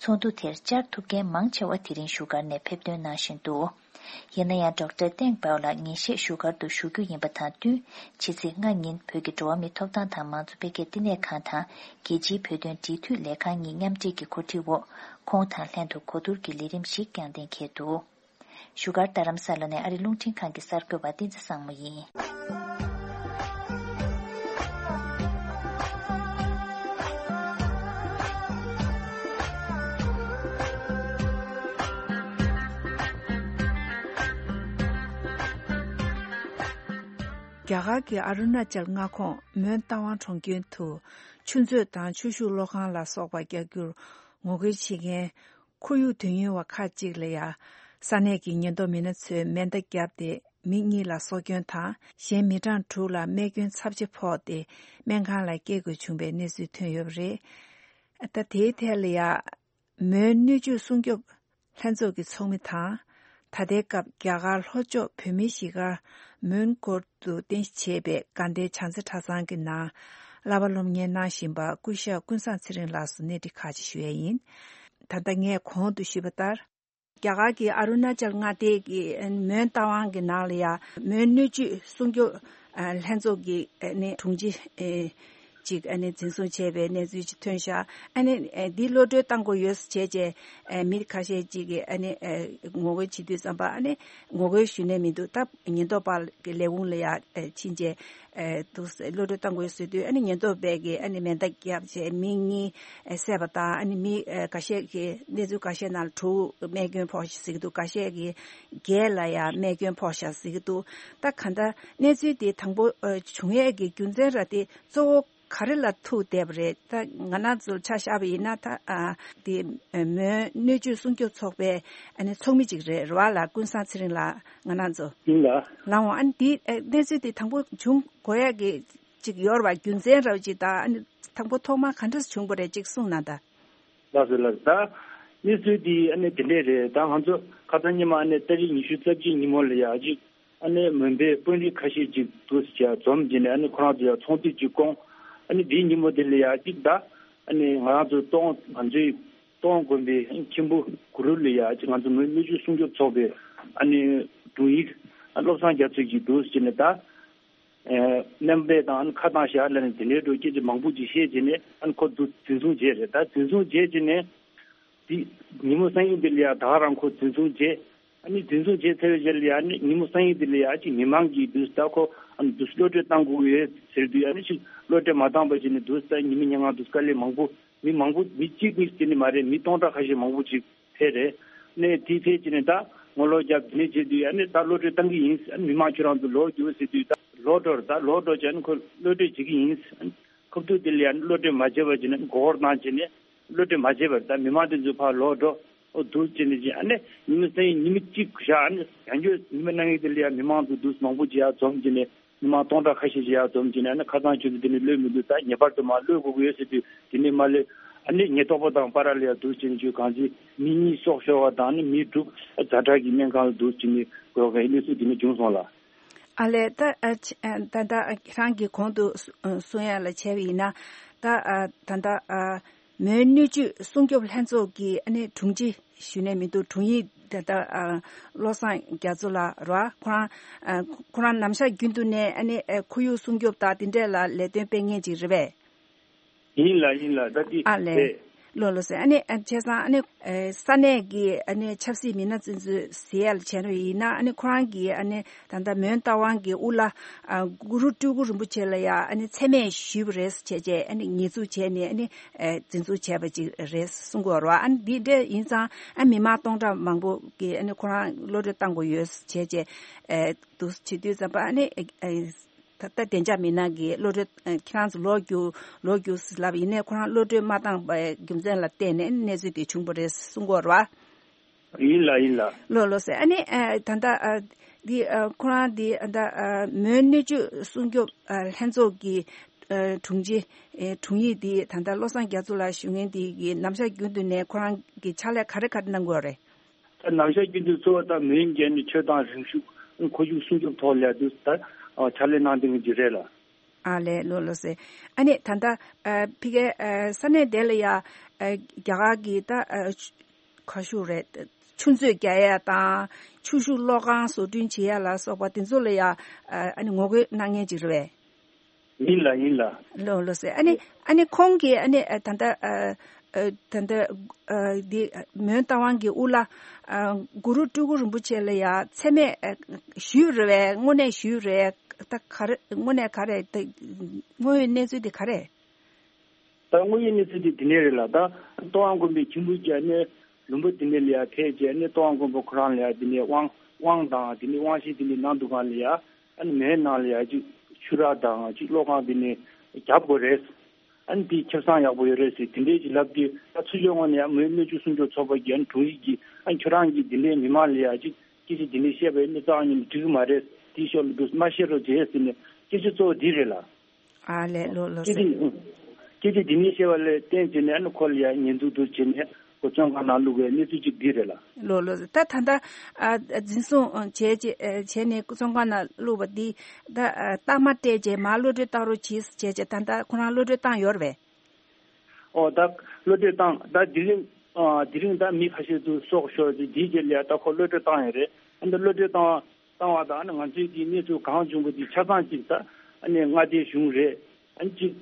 ཚོགས་འདུ་དེར་བཅར་ཐུབ་མཁན་མང་ཆེ་བ་དེ་རིང་བཞུགས་སྒར་ནས་ཕེབས་ཐོན་གནང་བཞིན་འདུག་ཡིན་ན་ཡང་ཌོག་ཊར་ཏེང་པའོ་ལགས་ཉིན་ཤས་བཞུགས་སྒར་དུ་བཞུགས་རྒྱུ་ཡིན་པ་དང་བསྟུན། ཕྱི་ཚེས་ལྔ་ཉིན་བོད་ཀྱི་འགྲོ་བ་མིའི་ཐོབ་ཐང་དང་མང་གཙོ་འཕེལ་རྒྱས་བསྟི་གནས་ཁང་དང་རྒྱལ་སྤྱིའི་བོད་དོན་འབྲེལ་མཐུད་ལས་ཁང་གཉིས་མཉམ་འབྲེལ་གྱི་གོ་སྒྲིག་འོག་ཁོང་དང་ལྷན་དུ་གོ་བསྡུར་གྱི་ལས་རིམ་ཞིག་བསྐྱངས་གཏན་འཁེལ་འདུག་བཞུགས་སྒར་རྡ་རམ་ས་ལ་ནས་ཨ་རི་རླུང་འཕྲིན་ཁང་གི་གསར་འགོད་པ་བསྟན་འཛིན་བཟང་མོ་ཡིན། རྒྱ་གར་གྱི་ཨ་རུ་ན་ཅལ་མངའ་ཁོངས་མོན་རྟ་དབང་གྲོང་ཁྱེར་དུ་ཆུ་མཛོད་དང་ཆུ་ཤུགས་གློག་ཁང་ལ་སོགས་པ་རྒྱག་རྒྱུར་ངོ་རྒོལ་བྱེད་མཁན་ཁོར་ཡུག་དོན་གཉེར་བ་ཁག་ཅིག་ལ་ཡང་ས་གནས་ཀྱི་ཉེན་རྟོག་མི་སྣ་ཚོས་མེ་མདའ་བརྒྱབ་སྟེ་མི་གཉིས་ལ་སྲོག་སྐྱོན་དང་གཞན་མི་གྲངས་དྲུག་ལ་རྨས་སྐྱོན་ཚབས་ཆེ་ཕོག་སྟེ་སྨན་ཁང་ལ་བསྐྱལ་དགོས་བྱུང་བའི་གནས་ཚུལ་ཐོན་ཡོད་པ་རེད། ད་དེའི་ཐད་ལ་ཡང་མོན་སྣོད་བཅུད་སྲུང་སྐྱོབ་ལྷན་ཚོགས་ཀྱི་ཚོགས་མི་དང་། ད་ལྟའི་སྐབས་རྒྱ་གར་ལྷོ་ཕྱོགས་བོད་མིའི་གཞིས་སྒར་མོན་གྷོར་དུ་རྟེན་གཞི་བྱས་པའི་དགའ་ལྡན་བྱང་རྩེ་གྲྭ་ཚང་གི་ནང་བསླབ་པ་སློབ་གཉེར་གནང་བཞིན་པ་སྐུ་ཞབས་ཀུན་བཟང་ཚེ་རིང་ལགས་སུ་གནས་འདྲི་ཁག་ཅིག་ཞུ་ཡས་ཡིན། ད་ལྟ་ངས་གོང་དུ་ཞུས་པ་ལྟར། རྒྱ་གར་གྱི་ཨ་རུ་ན་ཅལ་མངའ་སྡེ་གི་མོན་རྟ་དབང་གི་ནང་ལ་ཡང་མོན་སྣོད་བཅུད་སྲུང་སྐྱོབ་ལྷན་ཚོགས་ཀྱི་ནི་དྲུང་ཆེ་ཅིག་ཨ་ནི་འཛིན་བཟུང་བྱས་པའི་གནས་ཚུལ་ཅིག་ཐོན་ཤག་ཨ་ནི་འདི་གློད་གྲོལ་བཏང་དགོས་ཡོད་ཟེར་བྱས་རྗེས་མི་ཁ་ཤས་ཅིག་གིས་ཨ་ནི་ངོ་རྒོལ་བྱེད་དུས་ཙམ་པ་ཨ་ནི་ངོ་རྒོལ་ཞུ་ནས་མི་འདུག་ད་ཉེན་རྟོག་པ་གི་ལས་ཁུངས་ལ་ཡང་ཕྱིན་རྗེས་འདུག་གློད་གྲོལ་བཏང་དགོས་ཟེར་དུས་ཨ་ནི་ཉེན་རྟོག་པས་ཀྱིས་ཨ་ནི་མེ་མདའ་བརྒྱབ་བྱས་མི་གཉིས་བསད་པ་དང་ཨ་ནི་མི་འགའ་ཤས་ཀྱི་གནས་ཚུལ་འགའ་ཤས་ནང་ལ་དྲུག་རྨས་སྐྱོན་ཕོག་ཤག་ཟེར་གྱི་འདུག་ག་ཤས་ཀྱི་བརྒྱད་ལ་ཡང་རྨས་སྐྱོན་ཕོག་ཤག་ཟེར་གྱི་འདུག་ད་ག་འདྲ་གནས་ཚུལ་དེ་དང་པོ་བྱུང་ཡས་ཀྱི་རྒྱུ་མཚན་ར་དེ་གཙོ་བོ་ག་རེ་ལ་ཐུག་བསྡད་པ་རེད། ད་ང་རང་ཚོ་ཆ་བཞག་པ་ཡིན་ན་ད་དེ་མོན་སྣོད་བཅུད་སྲུང་སྐྱོབ་ཚོགས་པའི་ཨ་ནི་ཚོགས་མི་ཅིག་རེད་རེད་བ་ལ་ཀུན་བཟང་ཚེ་རིང་ལགས་ང་རང་ཚོ་ཡིན་ལ། ལའང་ཨ་ནི་དེ་གནས་ཚུལ་དེ་དང་པོ་བྱུང་དགོས་ཡས་ཀྱི་ཅིག་ཡོད་རེད་བ། རྒྱུ་མཚན་ར་ཅིག་དང་ཨ་ནི་དང་པོ་ཐོག་མར་ག་འདྲ་བྱུང་བ་རེད་ཅིག་གསུངས་ན་ད། ལགས་སོ་ལགས་སོ། ད་གནས་ཚུལ་འདི་ཨ་ནི་དེ་འདྲས་རེད། ད་ང་ཚོ་ཁ་སང་ཉི་མ་ཨ་ནི་ཏ་རིག་ཉི་ཤུ་རྩ་གཅིག་ཉིན་མོ་ལ་ཡ་ཅིག་ཨ་ནི་མོན་པའི་དཔོན་རིགས་ཁ་ཤས་ཅིག་འདུག་ཟེར་བྱས་འཛོམས་བྱས་ནས་ཨ་ནི་ཁོ་རང་ཚོ་ཡ་ཚོགས་འདུ་ཅིག་བསྐོངས། ཨ་ནི་དེའི་ཉིན་མོ་དེ་ལ་ཡ་ཅིག་ད་ཨ་ནི་ང་རང་ཚོ་སྟོང་ང་ཚོའི་སྟོང་དགོན་པའི་མཁན་པོ་གུ་རུ་ལ་ཡ་ཅིག་ང་ཚོ་མོན་སྣོད་བཅུད་སྲུང་སྐྱོབ་ཚོགས་པའི་ཨ་ནི་དྲུང་ཡིག་བློ་བཟང་རྒྱ་མཚོ་ཅིག་འདུག་ཟེར་ནས་ད། ཨེ་སྨན་པ་དང་ཨ་ནི་ཁ་གཏོང་བཞག་ལབ་ནས་དེ་འདྲའི་འགྲོ་སྐད་ཆ་མང་པོ་ཅིག་བཤད་བྱས་ནས་ཨ་ནི་ཁོ་འདུག་འཛིན་བཟུང་བྱས་རེད། ད་འཛིན་བཟུང་བྱས་བྱས་ནས་དེ་ཉིན་མོ་སང་ཉིན་དེ་ལ་ཡ་ད་ག་རང་ཁོ་འཛིན་བཟུང་བྱས། ཨ་ནི་འཛིན་བཟུང་བྱས་ཚར་བའི་རྗེས་ལ་ཡ་ཨ་ནི་ཉིན་མོ་སང་ཉིན་དེ་ལ་ཡ་ཅིག་མི་མང་གིས་འདུག་ད་ཁོ་ཨ་ནི་འདུག་གློད་གྲོལ་བཏང་དགོས་ཀྱི་ཡོད་ཟེར་དུས་ཨ་ནི་ཅིག་གློད་གྲོལ་མ་བཏང་བ་བྱས་ནས་འདུག་ད་ཉི་མ་ཉིན་གང་འདུག་དཀའ་ལས་མང་པོ་མི་མང་པོ་མི་གཅིག་གཉིས་དེ་ནི་མ་རེད། མི་སྟོང་ཕྲག་ཁ་ཤས་མང་པོ་ཅིག་ཕེབས་རེད། ནས་དེ་ཕེབས་བྱས་ནས་ད་ངོ་ལོག་རྒྱབ་དེ་ནས་བྱེད་དུས་ཨ་ནི་ད་གློད་གྲོལ་བཏང་གི་ཡིན། ཨ་ནི་མི་མང་ཁྱོད་རང་ཚོ་ལོག་རྒྱུག་ཟེར་དུས་ད་ལོག་འགྲོ་རེད། ད་ལོག་འགྲོ་བྱས་ཨ་ནི་ཁོ་གློད་གྲོལ་བྱེད་ཀྱི་ཡིན། ཨ་ནི་ཁ་ཐུག་དེ་ལ་ཡ་ཨ་ནི་གློད་གྲོལ་མ་བྱས་པ་བྱས་ནས་མགོ་སྐོར་བཏང་བྱས་ནས་གློད་གྲོལ་མ་བྱས་པར་ད་མི་མང་དེ་ཚོ་ཕར་ལོག་འགྲོ་འོ་འདུག་བྱས་ནས་བྱས་ཨ་ནི་ཉི་མ་སང་ཉིན་ཉི་མ་གཅིག་བཞག་ཨ་ནི་ཡང་བསྐྱར་ཉི་མ་གནངས་ཉིན་དེ་ལ་ཡ་མི་མང་ཚོ་འདུག་མང་པོ་ཅིག་ཡར་འཛོམས་བྱས་ནས། མི་མང་སྟོང་ཕྲག་ཁ་ཤས་ཤིག་ཡར་འཛོམས་ཀྱིན་ནས་ཁ་སང་ཁྱོད་ཚོ་འདི་ནས་གློད་མི་འདུག་ད་ངེས་པར་དུ་མར་གློད་དགོས་ཀྱི་ཡོད་ཟེར་དུས་དེ་ནས་མར་སླེབས། ཨ་ནི་ཉེན་རྟོག་པ་དང་བར་ལ་ཡར་འདུག་ཅིང་ཁྱོད་གང་ཅི་མི་གཉིས་སྲོག་ཤོར་བ་དང་ཨ་ནི་མི་དྲུག་ཛ་དྲག་གི་སྨན་ཁང་ལ་འདུག་ཅིང་ནས་འགྲོ་བའི་གནས་ཚུལ་འདི་ནས་བྱུང་སོང་ལ། ཨ་ལས་ད་ཨ་ཆ་ཨ་ད་ད་ཁྱེད་རང་གིས་གོང་དུ་གསུ་གསུང་ཡ་ལ་བྱས་པ་ཡིན་ན་ད་ཨ་ད་ད་ཨ། མོན་སྣོད་བཅུད་སྲུང་སྐྱོབ་ལྷན་ཚོགས་ཀྱི་ཨ་ནི་དྲུང་ཆེ་ཞུས་ནས་མི་འདུག་དྲུང་ཡིག་ད་ལྟ་ཨ་བློ་བཟང་རྒྱ་མཚོ་ལགས་རེད་བ། ཁོ་རང་ཨ་ཁོ་རང་ནམ་ཞག་རྒྱུན་དུ་ནས་ཨ་ནི་ཨ་ཁོར་ཡུག་སྲུང་སྐྱོབ་དང་དེ་འདྲས་ལ་ལས་དོན་སྤེལ་མཁན་ཅིག་རེད་པས། ཡིན་ལ་ཡིན་ལ་ད་དེ་ཨ་ལས། རེད། ལགས་ལགས་སེ། ཨ་ནི་ཨ་བྱས་ཙང་ཨ་ནི་ཨེ་ས་གནས་ཀྱི་ཨ་ནི་ཆབ་སྲིད་མི་སྣ་ཚོ་ཚོས་ཟེར་ཡ་ལ་བྱས་པ་ཡིན་ན། ཨ་ནི་ཁོ་རང་གིས་ཨ་ནི་ད་ལྟ་མོན་རྟ་དབང་གི་དབུ་བླ་ཨ་གུ་རུ་སྤྲུལ་སྐུ་རིན་པོ་ཆེ་ལ་ཡ་ཨ་ནི་མཚན་སྨད་ཞུས་པ་རེད་བྱས་བྱས། ཨ་ནི་ཉེས་འཛུགས་བྱས་ནས་ཨ་ནི་ཨེ་འཛིན་བཟུང་བྱས་པ་ཅིག་རེད་གསུང་གི་ཡོད་རེད་བ། ཨ་ནི་འདི་འདྲ་ཡིན་ཙང་ཨ་མི་མང་སྟོང་ཕྲག་མང་པོ་གིས་ཨ་ནི་ཁོ་རང་གློད་གྲོལ་བཏང་དགོས་ཡོད་བྱས་བྱས་ཨེ་འདུག་བྱེད་དུས་ཙམ་པ། ཨ་ནི་ཨེ་ད་ལྟ་བདེ་འཇགས་མི་སྣ་གིས་གློད་གྲོལ་ཨ་ཁྱེད་རང་ཚོ་ལོག་རྒྱུགས་ལོག་རྒྱུགས་ཟེར་ལབ་ཡིན་ནའི་ཁོ་རང་གློད་གྲོལ་མ་བཏང་པའི་རྒྱུ་མཚན་ལ་བརྟེན་ནས་གནས་ཚུལ་དེ་བྱུང་བ་རེད་གསུང་གི་ཡོད་རེད་བ། ཡིན་ལ་ཡིན་ལ། ལགས་ལགས་སེ། ཨ་ནི་ཨ་ད་ལྟ་ཨ་འདི་ཨ་ཁོ་རང་འདི་ཨ་ད་ཨ་མོན་སྣོད་བཅུད་སྲུང་སྐྱོབ་ཨ་ལྷན་ཚོགས་ཀྱི་ཨ་དྲུང་ཆེ་ཨེ་དྲུང་ཡིག་འདི་ད་ལྟ་བློ་བཟང་རྒྱ་མཚོ་ལགས་ཞུ་མཁན་འདི་གི་ནམ་ཞག་རྒྱུན་དུ་ནས་ཁོ་རང་གི་ཕྱག་ལས་ག་རེ་ག་རེ་གནང་གི་ཡོད་རེད། ད་ནམ་ཞག་རྒྱུན་དུ་གཙོ་བོ་ད་མོན་གྱི་ནི་ཆོས་དང་རིག་གཞུང་མཁོ་གཞུང་སྲུང་སྐྱོབ་ཐོག་ལ་དུ་ད་ཕྱག་ལས་གནང་བསྡད་མཁན་ཅིག་རེད་ལ། ཨ་ལས་ལགས་ལགས་སེ། ཨ་ནི་ད་ལྟ་ཨ་ཕ་གིའི་ཨ་ས་གནས་དེ་ལ་ཡ་ཨ་རྒྱ་གར་གྱི་ད་ཨ་ཆུ་ག་ཞུ་རེད། ཆུ་མཛོད་རྒྱག་ཡ་དང་ཆུ་ཤུགས་གློག་ཁང་བཟོ་སྐྲུན་བྱེད་ཡ་ལ་སོགས་པ་དེ་ཚོ་ལ་ཡ་ཨ་ཨ་ནི་ངོ་རྒོལ་གནང་མཁན་ཅིག་རེད་པས། ཡིན་ལ་ཡིན་ལ། ལགས་ལགས་སེ། ཨ་ནི་ཨ་ནི་ཁོང་གིས་ཨ་ནི་ཨ་ད་ལྟ་ཨ་ཨ་ད་ལྟ་ཨ་འདི་མོན་རྟ་དབང་གི་དབུ་བླ་ཨ་གུ་རུ་སྤྲུལ་སྐུ་རིན་པོ་ཆེ་ལ་ཡ་མཚན་སྨད་ཨ་ཞུས་རེད་པས། དངོས་གནས་ཞུས་རེད། ད་ག་རེ་དངོས་གནས་ག་རེ་ད་དངོས་ཡོད་གནས་ཚུལ་དེ་ག་རེ། ད་དངོས་ཡོད་གནས་ཚུལ་དེ་དེ་ནས་རེད་ལ། ད་ཏོག་དབང་མགོན་པོའི་ཁྱིམ་བུ་རྒྱ་ནས་ལུང་པ་དེ་ནས་ལ་ཡ་ཐད་བྱས་ནས་ཏོག་དབང་མགོན་པོ་ཁོ་རང་ལ་ཡ་དེ་ནས་དབང་དབང་དང་དེ་ནས་དབང་ཤེད་དེ་ནས་གནང་འདུག་ག་ལ་ཡ། ཨ་ནི་མོན་ནང་ལ་ཡ་ཅིག་ཆུ་རགས་དང་ཅིག་གློག་ཁང་དེ་ནས་རྒྱབ་དགོས་རེད། ཨ་ནི་དེ་ཁེ་བཟང་ཡག་པོ་ཡོད་རེད་ཟེར་དེ་འདྲའི་ཅིག་ལབ་དུས། ད་ཚུར་ཕྱོགས་ངོས་ནས་ཡང་མོན་སྣོད་བཅུད་སྲུང་སྐྱོབ་ཚོགས་པ་གི་ཨ་ནི་དྲུང་ཡིག་གིས་ཨ་ནི་ཁྱོད་རང་གིས་དེ་འདྲའི་མི་མང་ལ་ཡ་ཅིག་སྐད་ཆ་དེ་འདྲའི་བཤད་པ་ཡིན་ན་རྩ་བ་ཉིད་ནས་འགྲིག་གི་མ་རེད། དེའི་ཕྱོགས་ལ་འདུག་མ་བཤད་རོགས་བྱེད་ཟེར་ནས་སྐད་ཆ་གཙོ་བོ་འདི་རེད་ལ། ཨ་ལས་ལགས་ལགས་སྐད་ཆ་སྐད་ཆ་འདི་ནས་བཤད་པ་ལས་བརྟེན་བྱས་ནས་ཨ་ནི་ཁོ་ལ་ཡ་ཉེས་འཛུགས་འདུག་བྱས་ནས་ཁོ་བཙོན་ཁང་ནང་བླུགས་པའི་གནས་ཚུལ་ཅིག་འདི་རེད་ལ། ལགས་ལགས། ད་ད་ལྟ་ཨ་འཛིན་བཟུང་བྱས་བྱས་བྱས་ནས་བཙོན་ཁང་ནང་བླུགས་པ་འདི་ད་ཨ་རྟགས་མ་སྤྲད་བྱས་མར་གློད་གྲོལ་བཏང་རོགས་གྱིས་བྱས་བྱས་ད་ལྟ་ཁོ་རང་གློད་གྲོལ་བཏང་ཡོད་རེད་པས། ཨོ་ད་གློད་གྲོལ་བཏང་ད་དེ་རིང་ཨ་དེ་རིང་ད་མི་ཁ་ཤས་ཚུར་སྲོག་ཤོར་ཏེ་དེའི་རྗེས་ལ་ཡ་ད་ཁོ་གློད་གྲོལ་བཏང་ཡོད་རེད། ཨ་ནི་གློད་གྲོལ་བཏང་བ་བཏང་བ་དང་ཨ་ནི་ང་ཚོའི་དེའི་གནས་ཚུལ་གང་བྱུང་པ་དེ་ཆ་ཚང་གཅིག་ད་ཨ་ནི་མངའ་སྡེའི་གཞུང་རེད། ཨ་ནི་གཅིག་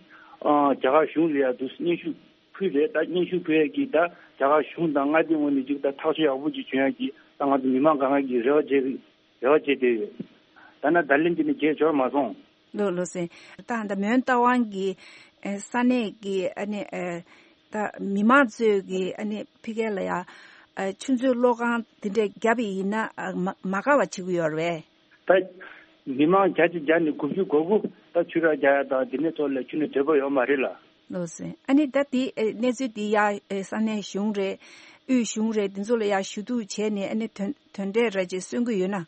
ཨ་རྒྱ་གར་གཞུང་ལ་ཡ་དུ་སྙན་ཞུ་ཕུལ་རེད། ད་སྙན་ཞུ་ཕུལ་ཡ་གི་ད་རྒྱ་གར་གཞུང་དང་མངའ་སྡེའི་ངོས་ནས་གཅིག་ད་ཐག་གཅོད་ཡག་པོ་ཅིག་བྱུང་ཡ་གི་ད་ང་ཚོ་མི་མང་གང་ག་གི་རེ་བ་བྱེད་རེ་བ་བྱེད་བསྡད་ཡོད། ད་ན་ད་ལན་དེ་ནི་བརྗེད་འབྱོར་མ་སོང་། ལགས་ལགས་སེ། ད་ད་མོན་རྟ་དབང་གི་ཨེ་ས་གནས་ཀྱི་ཨ་ནི་ཨེ་ད་མི་མང་ཚོས་ཀྱི་ཨ་ནི་ཕ་གི་ལ་ཡ་ཨེ་ཆུ་མཛོད་གློག་ཁང་དེ་འདྲ་བརྒྱབ་པ་ཡིན་ན་ཨ་མ་མ་དགའ་བ་བྱེད་ཀྱི་ཡོད་རེད་པས། ད་མི་མང་བརྒྱ་ཆ་བརྒྱ་ནས་དགུ་བཅུ་གོ་དགུ་ད་ཆུ་རགས་རྒྱག་ཡ་དང་དེ་ནས་ཐོག་ལ་ཁྱོན་ནས་འདོད་པ་ཡོད་མ་རེད་ལ། ལགས་སེ། ཨ་ནི་ད་དེ་ཨེ་གནས་ཚུལ་དེ་ཡ་ཨེ་ས་གནས་གཞུང་རེད། དབུས་གཞུང་རེད། དེ་ཚོ་ལ་ཡ་ཞུ་གཏུག་བྱས་ནས་ཨ་ནི་དོན་དོན་འབྲས་ར་ཅིག་སོན་གྱི་ཡོད་ན།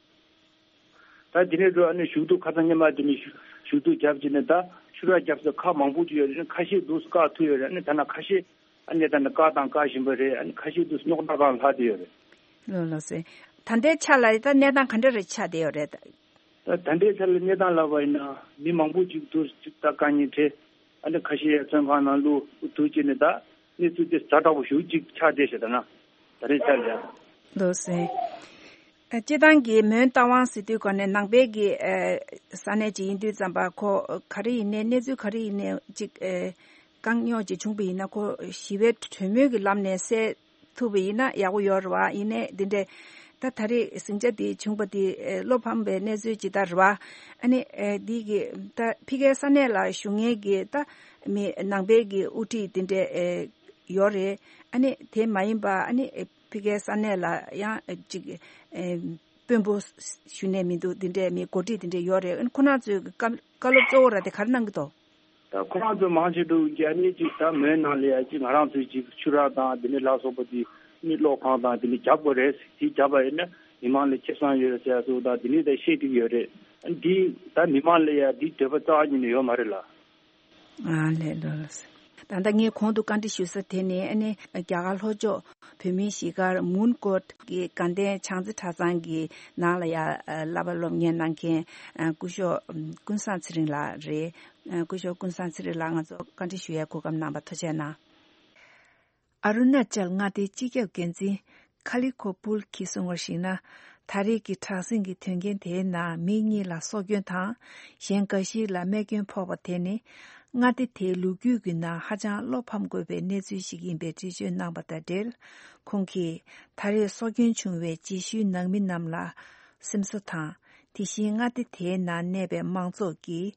ད་དེ་ནས་འགྲོ་ཨ་ནི་ཞུ་གཏུག་ཁ་སང་ཉི་མ་དེ་ནས་ཞུ་ཞུ་གཏུག་བརྒྱབ་བྱས་ནས་ད་ཆུ་རགས་བརྒྱབ་ས་ཁག་མང་པོ་ཅིག་ཡོད་རེད། ཁ་ཤས་འདུག་བཀག་ཐུབ་ཡོད་རེད། ཨ་ནི་ད་ན་ཁ་ཤས་ཨ་ནི་ད་ནི་བཀག་དང་བཀག་བཞིན་པ་རེད། ཨ་ནི་ཁ་ཤས་འདུག་རྙོག་དྲ་གང་ལྷག་བསྡད་ཡོད་རེད། ལགས་ལགས་སེ། ད་ལྟའི་ཆ་ལ་ད་གནས་སྟངས་ག་འདྲ་རེ་ཆགས་བསྡད་ཡོད་རེད། ད་ད་ལྟའི་ཆ་ལ་གནས་སྟངས་ལབ་པ་ཡིན་ན་མི་མང་པོ་ཅིག་འདུག་ཅིག་ད་དཀའ་ངལ་འཕྲད། ཨ་ནི་ཁ་ཤས་ཡ་བཙོན་ཁང་ནང་བླུགས་འདུག་ཅེས་ནས་ད་གནས་ཚུལ་དེ་ཛ་དྲག་པོ་ཞེ་པོ་ཅིག་ཆགས་བསྡད་ཤག་ད་ན་ད་རེས་ཆ་ལ། ལགས་སེ། ཨ་སྤྱིར་བཏང་གི་མོན་རྟ་དབང་ཟེར་དུས་ག་ནས་ནང་པའི་གི་ཨ་ས་གནས་ཅིག་ཡིན་དུས་ཙམ་པ་ཁོ་ག་རེ་ཡིན་ནའི་གནས་ཚུལ་ག་རེ་ཡིན་ནའི་ཅིག་ཨ་དཀའ་རྙོག་ཅིག་བྱུང་པ་ཡིན་ན་ཁོ་ཞི་བའི་གྲོས་མོལ་གྱི་ལམ་ནས་སེལ་ཐུབ་པ་ཡིན་ན་ཡག་པོ་ཡོད་རེད་བ། ཡིན་ནའི་འདི་འདྲའི་ད་ད་རེས་ཟིང་ཆ་འདི་བྱུང་པ་འདི་ཨེ་བློ་ཕམ་པའི་གནས་ཚུལ་ཅིག་ད་རེད་བ། ཨ་ནི་ཨེ་འདི་གི་ད་ཕ་གིའི་ས་གནས་ལ་བཞུགས་མཁན་གྱི་ད་མི་ནང་པའི་གི་དབུ་ཁྲིད་འདི་འདྲའི་ཨེ་ཡོད་རེད། ཨ་ནི་དེ་མ་ཡིན་པ་ཨ་ནི་ཨེ་ཕ་གིའི་ས་གནས་ལ་ཡང་ཨེ་ཅིག་ཨེ་དཔོན་པོ་ཞུ་ནས་མི་འདུག་འདི་འདྲའི་མི་འགོ་ཁྲིད་འདི་འདྲའི་ཡོད་རེད། ཨ་ནི་ཁོ་རང་ཚོའི་གི་བཀའ་བཀའ་སློབ་གཙོ་བོ་ར་དེ་ག་རེ་གནང་གི་འདུག་ད་ཁོ་རང་ཚོ་མང་ཆེ་འགྲོ་གི་ཨ་ནི་ཅིག་ད་མོན་ནང་ལ་ཡ་ཅིག་ང་རང་ཚོའི་ཅིག་ཆུ་རགས་དང་དེ་ནས་ལ་སོགས་པ་དེ་ནི་གློག་ཁང་དང་དེ་ནི་རྒྱབ་དགོས་རེད། དེ་རྒྱབ་པ་ཡིན་ན་མི་མང་ལ་ཁེ་བཟང་ཡོད་ཟེར་ཡ་སོགས་དང་དེ་ནི་ད་བཤད་ཐུབ་ཡོད་རེད། ཨ་འདི་ད་མི་མང་ལ་ཡ་འདི་འདོད་པ་རྩ་བ་ཉིད་ནས་ཡོད་མ་རེད་ལ། ཨ་ལས་ལོ་ལོ། ད་ལྟ་ངས་གོང་དུ་བཀའ་འདྲི་ཞུ་ས་དེ་ནི་ཨ་ནི་རྒྱ་གར་ལྷོ་ཕྱོགས་བོད་མིའི་གཞིས་སྒར་མུན་ཀོཊ་གི་དགའ་ལྡན་བྱང་རྩེ་གྲྭ་ཚང་གི་ནང་ལ་ཡ་བསླབ་པ་སློབ་གཉེར་གནང་མཁན་སྐུ་ཞབས་ཀུན་བཟང་ཚེ་རིང་ལགས་རེད། སྐུ་ཞབས་ཀུན་བཟང་ཚེ་རིང་ལགས་ང་ཚོ་བཀའ་འདྲི་ཞུ་ཡའི་གོ་སྐབས་གནང་བར་ཐུགས་རྗེ་གནང་། ཨ་རུ་ན་ཅལ་མངའ་སྡེའི་སྤྱི་ཁྱབ་འགན་འཛིན་ཁ་ལི་ཁོ་པུལ་གྱིས་གསུངས་པར་གཞིགས་ན། ད་རེས་ཀྱི་དྲག་ཟིང་གི་དོན་རྐྱེན་དེའི་ནང་མི་གཉིས་ལ་སྲོག་སྐྱོན་དང་། གཞན་འགའ་ཞིག་ལ་རྨས་སྐྱོན་ཕོག་པ་དེ་ནི། མངའ་སྡེ་དེའི་ལོ་རྒྱུས་ཀྱི་ནང་ཧ་ཅང་བློ་ཕམ་དགོས་པའི་གནས་ཚུལ་ཞིག་ཡིན་པའི་འགྲེལ་བརྗོད་གནང་པ་དང་འབྲེལ། ཁོང་གིས་ད་རེས་སྲོག་སྐྱོན་བྱུང་བའི་རྗེས་ཤུལ་ནང་མི་རྣམས་ལ་སེམས་གསོ་དང་། དེ་བཞིན་མངའ་སྡེ་དེའི་ནང་གནས་པའི་མང་ཚོགས་ཀྱིས་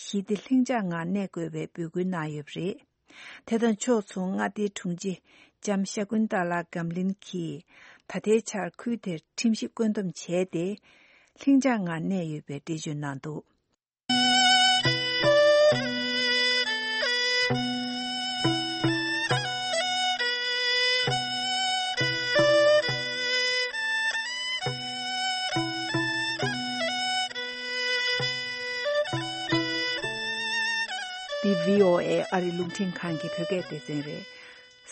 ཞི་བདེ་ལྷིང་འཇགས་ངང་གནས་དགོས་པའི་འབོད་སྐུལ་གནང་ཡོད་པ་རེད། དེ་དང་ཕྱོགས་མཚུངས་མངའ་སྡེའི་དྲུང་ཆེ་ལྕམ་ཤ་ཀུན་ཏཱ་ལ་གམ་ལིན་གྱིས་ད་ལྟའི་ཆར་ཁུལ་དེར་ཁྲིམས་གཞི་བཀོད་འདོམས་བྱས་ཏེ། ལྷིང་འཇགས་ངང་གནས་ཡོད་པའི་འགྲེལ་བརྗོད་གནང་འདུག། འདི་བྷི་ཨོ་ཨེ་ཨ་རི་རླུང་འཕྲིན་ཁང་གི་བོད་སྐད་སྡེ་ཚན་རེད།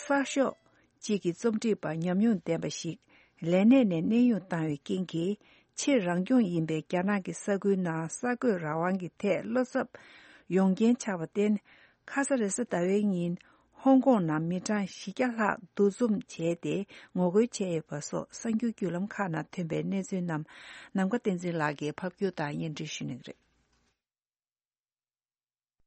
གསར་ཤོག་གཅིག་གི་རྩོམ་སྒྲིག་པ་ཉམས་མྱོང་ལྡན་པ་ཞིག་ལས་གནས་ནས་གནས་དབྱུང་བཏང་བའི་རྐྱེན་གྱིས། ཆེས་རང་སྐྱོང་ཡིན་པའི་རྒྱ་ནག་གི་ས་ཁུལ་ནང་གསར་འགོད་རང་དབང་གི་ཐད་བློ་འཚབ་ཡོང་རྐྱེན་ཆགས་པར་བརྟེན། ཁ་ས་རེས་གཟའ་ཟླ་བའི་ཉིན་ཧོང་ཀོང་ནང་མི་གྲངས་བཞི་བརྒྱ་ལྷག་འདུ་འཛོམས་བྱས་ཏེ་ངོ་རྒོལ་བྱས་ཡོད་པ་སོགས་གསར་འགྱུར་བརྒྱུད་ལམ་ཁག་ནང་ཐོན་པའི་གནས་ཚུལ་རྣམས་ནམ་མཁའ་བསྟན་འཛིན་ལགས་ཀྱིས་ཕབ་སྒྱུར་དང་སྙན་སྒྲོན་ཞུ་གནང་གི་རེད།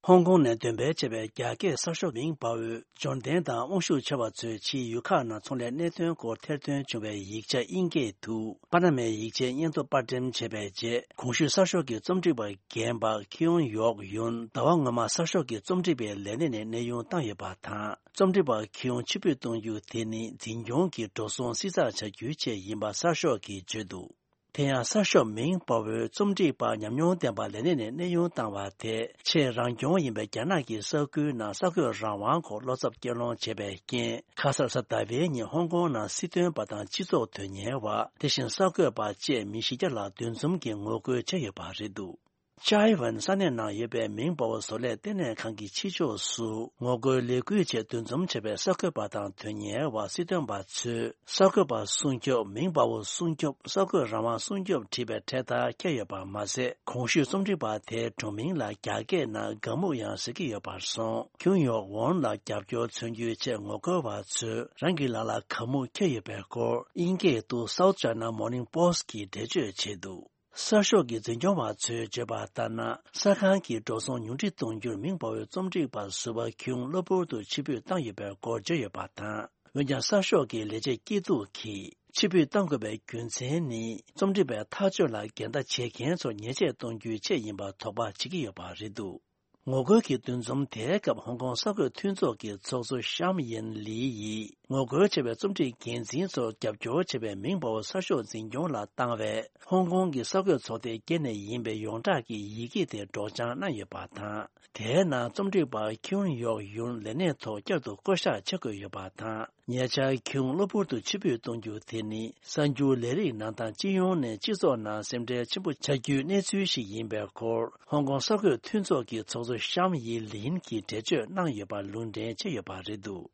ཧོང་ཀོང་ནས་འདོན་སྤེལ་བྱས་པའི་རྒྱ་སྐད་གསར་ཤོག་མིང་པའོ། འབྱོར་ལྡན་དང་དབང་ཤུགས་ཆེ་བ་ཚོས་ཕྱིའི་ཡུལ་ཁག་ནང་ཚོང་ལས་གནད་དོན་སྐོར་ཐེར་འདོན་བྱུང་བའི་ཡིག་ཆ་དབྱིན་སྐད་དུ་པ་ན་མའི་ཡིག་ཆའི་སྙན་ཐོ་པར་འགྲེམས་བྱས་པའི་རྗེས། གོང་ཞུས་གསར་ཤོག་གི་རྩོམ་སྒྲིག་པ་རྒན་པ་ཁི་ཡོང་ཡོག་ཡུན་ཟླ་བ་སྔོན་མ་གསར་ཤོག་གི་རྩོམ་སྒྲིག་པའི་ལས་གནས་ནས་གནས་དབྱུང་བཏང་ཡོད་པ་དང་། རྩོམ་སྒྲིག་པ་ཁི་ཡོང་ཕྱིར་འབུད་གཏོང་རྒྱུ་དེ་ནི་འཛིན་སྐྱོང་གི་འགྲོ་སོང་བསྲི་ཚགས་བྱ་རྒྱུའི་ཆེད་ཡིན་པ་གསར་ཤོག་གིས་བརྗོད་འདུག། དེ་ཡང་གསར་ཤོག་མིང་པའོ་རྩོམ་སྒྲིག་པ་ཉམས་མྱོང་ལྡན་པ་ལས་གནས་ནས་གནས་དབྱུང་བཏང་བ་དེ་ཆེས་རང་སྐྱོང་ཡིན་པའི་རྒྱ་ནག་གི་ས་ཁུལ་ནང་གསར་འགོད་རང་དབང་སྐོར་བློ་འཚབ་སྐྱེ་སློང་བྱས་པའི་རྐྱེན། ཁ་སང་གཟའ་ཟླ་བའི་ཉིན་ཧོང་ཀོང་ནང་སྲིད་དོན་པ་དང་སྤྱི་ཚོགས་དོན་གཉེར་བ། དེ་བཞིན་གསར་འགོད་པ་བཅས་མི་བཞི་བརྒྱ་ལྷག་འདུ་འཛོམས་ཀྱིས་ངོ་རྒོལ་བྱས་ཡོད་པ་རེད་འདུག། ཅའེ་ཝན་ས་གནས་ནང་ཡོད་པའི་མིང་པའོ་བཟོ་ལས་ལྟེ་གནས་ཁང་གི་ཕྱི་ཕྱོགས་སུ་ངོ་རྒོལ་ལས་འགུལ་ཆེད་འདུ་འཛོམས་བྱས་པའི་གསར་འགོད་པ་དང་དོན་གཉེར་བ། སྲིད་དོན་པ་ཚོས་གསར་འགོད་པ་སྲུང་སྐྱོབ། མིང་པའོ་སྲུང་སྐྱོབ། གསར་འགོད་རང་དབང་སྲུང་སྐྱོབ་བྲིས་པའི་འཕྲེད་དར་འཁྱེར་ཡོད་པ་མ་ཟད། གོང་ཞུས་རྩོམ་སྒྲིག་པ་དེའི་སྒྲུང་མིང་ལ་རྒྱ་སྐད་ནང་ག་མུག་ཡང་ཟེར་གྱི་ཡོད་པར་སོང་། ཁྱུང་ཡོག་ཝོན་ལ་རྒྱབ་སྐྱོར་མཚོན་རྒྱུའི་ཆེད་ངོ་རྒོལ་བ་ཚོས་རང་གི་ལག་ལ་ག་མུག་འཁྱེར་ཡོད་པའི་སྐོར་དབྱིན་སྐད་དུ་South China Morning Post གིས་འགྲེལ་བརྗོད་བྱས་འདུག། གསར་ཤོག་གི་འཛིན་སྐྱོང་བ་ཚོས་བརྗོད་པ་ལྟར་ན། གསར་ཁང་གི་འགྲོ་སོང་ཉུང་འཕྲི་གཏོང་རྒྱུར་མིང་པའོའི་རྩོམ་སྒྲིག་པ་ཟུར་པ་ཁྱུང་གློ་བུར་དུ་ཕྱིར་འབུད་བཏང་ཡོད་པའི་སྐོར་བརྗོད་ཡོད་པ་དང་། འོན་ཀྱང་གསར་ཤོག་གི་ལས་བྱེད་སྐྱིད་སྡུག་གིས་ཕྱིར་འབུད་བཏང་དགོས་པའི་རྒྱུ་མཚན་ནི། རྩོམ་སྒྲིག་པའི་ཐག་གཅོད་ལ་འགལ་ཟླ་བྱེད་མཁན་ཚོར་ཉེས་ཆད་གཏོང་རྒྱུའི་ཆེད་ཡིན་པར་དོགས་པ་བྱེད་ཀྱི་ཡོད་པ་རེད་འདུག། ངོ་རྒོལ་གྱི་འདུ་འཛོམས་དེའི་སྐབས་ཧོང་ཀོང་གསར་འགོད་མཐུན་ཚོགས་ཀྱི་ཚོགས་གཙོ་ཤམ་ཡིན་ལི་ཡིས། ངོ་རྒོལ་བྱས་པའི་རྩོམ་སྒྲིག་འགན་འཛིན་ཚོར་རྒྱབ་སྐྱོར་བྱས་པའི་མིང་པའོ་གསར་ཤོག་འཛིན་སྐྱོང་ལ་བཏང་བའི་ཧོང་ཀོང་གི་གསར་འགོད་ཚོགས་སྡེ་བརྒྱད་ནས་ཡིན་པའི་ཡོངས་གྲགས་ཀྱི་ཡི་གེ་དེ་སྒྲོག་སྦྱང་གནང་ཡོད་པ་དང་། དེའི་ནང་རྩོམ་སྒྲིག་པ་ཁྱུང་ཡོག་ཡུན་ལས་གནས་ཐོག་བསྐྱར་དུ་བསྐོ་གཞག་བྱེད་དགོས་ཡོད་པ་དང་། ཉེ་ཆར་ཁྱུང་གློ་བུར་དུ་ཕྱིར་འབུད་གཏོང་རྒྱུ་དེ་ནི། གསར་འགྱུར་ལས་རིགས་ནང་དང་སྤྱི་ཡོངས་ནས་སྤྱི་ཚོགས་ནང་སེམས་ཁྲལ་ཆེན་པོ་ཆགས་རྒྱུའི་གནས་ཚུལ་ཞིག་ཡིན་པའི་སྐོར། ཧོང་ཀོང་གསར་འགོད་མཐུན་ཚོགས་ཀྱི་ཚོགས་གཙོ་ཤམ་ཡི་ལིན་གྱིས་འགྲེལ་བརྗོད་གནང་ཡོད་པ་ལུང་འདྲེན་བྱས་ཡོད་པ་རེད་འདུག།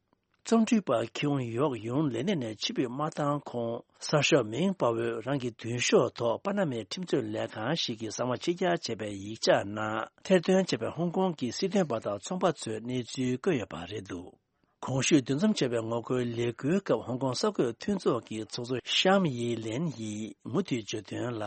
རྩོམ་སྒྲིག་པ་ཁྱུང་ཡོག་ཡུན་ལས་གནས་ནས་ཕྱིར་འབུད་མ་བཏང་གོང་། གསར་ཤོག་མིང་པའོ་རང་གི་མདུན་ཤོག་ཐོག་པ་ན་མའི་ཁྲིམས་རྩོད་ལས་ཁང་ཞིག་གིས་གསང་བ་ཕྱིར་གྱར་བྱས་པའི་ཡིག་ཆ་ནང་ཐེར་འདོན་བྱས་པའི་ཧོང་ཀོང་གི་སྲིད་དོན་པ་དང་ཚོང་པ་ཚོའི་གནས་ཚུལ་བཀོད་ཡོད་པ་རེད་འདུག། གོང་ཞུས་འདུ་འཛོམས་བྱས་པའི་ངོ་རྒོལ་ལས་འགུལ་སྐབས་ཧོང་ཀོང་གསར་འགོད་མཐུན་ཚོགས་ཀྱི་ཚོགས་གཙོ་ཤམ་ཡི་ལེན་ཡིས་མུ་མཐུད་བརྗོད་དོན་ལ།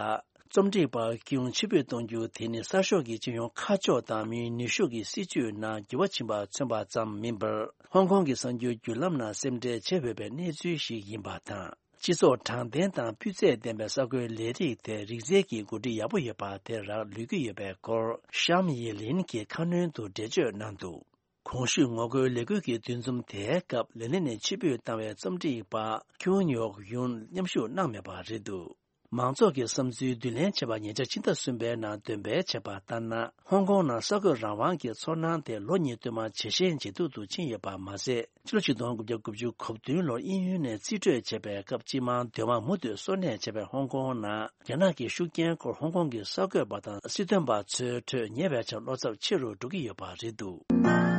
རྩོམ་སྒྲིག་པ་ཁྱུང་ཕྱིར་འབུད་གཏོང་རྒྱུ་དེ་ནི་གསར་ཤོག་གི་སྤྱི་ཡོངས་ཁ་ཕྱོགས་དང་མིའི་ནུས་ཤུགས་ཀྱི་སྲིད་ཇུས་ནང་འགྱུར་བ་ཕྱིན་པ་མཚོན་པ་ཙམ་མིན་པར། ཧོང་ཀོང་གི་གསར་འགྱུར་བརྒྱུད་ལམ་ནང་སེམས་ཁྲལ་བྱེད་འོས་པའི་གནས་ཚུལ་ཞིག་ཡིན་པ་དང་། སྤྱི་ཚོགས་དྲང་བདེན་དང་སྤུས་ཚད་ལྡན་པའི་གསར་འགོད་ལས་རིགས་དེ་རིགས་རྫས་ཀྱི་གོ་སྒྲིག་ཡག་པོ་ཡོད་པ་དེ་རག་ལུས་ཀྱི་ཡོད་པའི་སྐོར་ཤམ་ཡི་ལིན་གྱིས་ཁ་སྣོན་དུ་འགྲེལ་བརྗོད་གནང་འདུག། གོང་ཞུས་ངོ་རྒོལ་ལས་འགུལ་གྱི་འདུ་འཛོམས་དེའི་སྐབས་ལས་གནས་ནས་ཕྱིར་འབུད་བཏང་བའི་རྩོམ་སྒྲིག་པ་ཁྱུང་ཡོག་ཡུན་མཉམ་ཞུགས་གནང་མེད་པ་རེད་འདུག། མང་ཚོགས་ཀྱི་བསམ་ཚུལ་བསྡུ་ལེན་བྱས་པ་ཉེ་ཆར་ཕྱི་ཟླ་གསུམ་པའི་ནང་འདོན་སྤེལ་བྱས་པ་ལྟར་ན། ཧོང་ཀོང་ནང་གསར་འགོད་རང་དབང་གི་ཚོར་སྣང་དེ་ལོ་གཉིས་སྟོད་མར་ཇེ་ཞན་ཇེ་སྡུག་ཏུ་ཕྱིན་ཡོད་པ་མ་ཟད། ཕྱི་ལོ་ཆིག་སྟོང་དགུ་བརྒྱ་དགུ་བཅུ་གོ་བདུན་ལོར་དབྱིན་ཡུལ་ནས་རྩིས་སྤྲོད་བྱས་པའི་སྐབས་སྤྱི་དམངས་སྡོད་དམངས་མུ་མཐུད་གསོ་གནས་བྱས་པའི་ཧོང་ཀོང་ནང་རྒྱ་ནག་གི་ཤུགས་རྐྱེན་སྐོར་ཧོང་ཀོང་གི་གསར་འགོད་པ་དང་སྲིད་དོན་པ་ཚོའི་ཁྲོད་ཉེ་བའི་ཆར་བློ་འཚབ་ཆེ་རུ་འགྲོ་གི་ཡོད་པ་རེད་འདུག།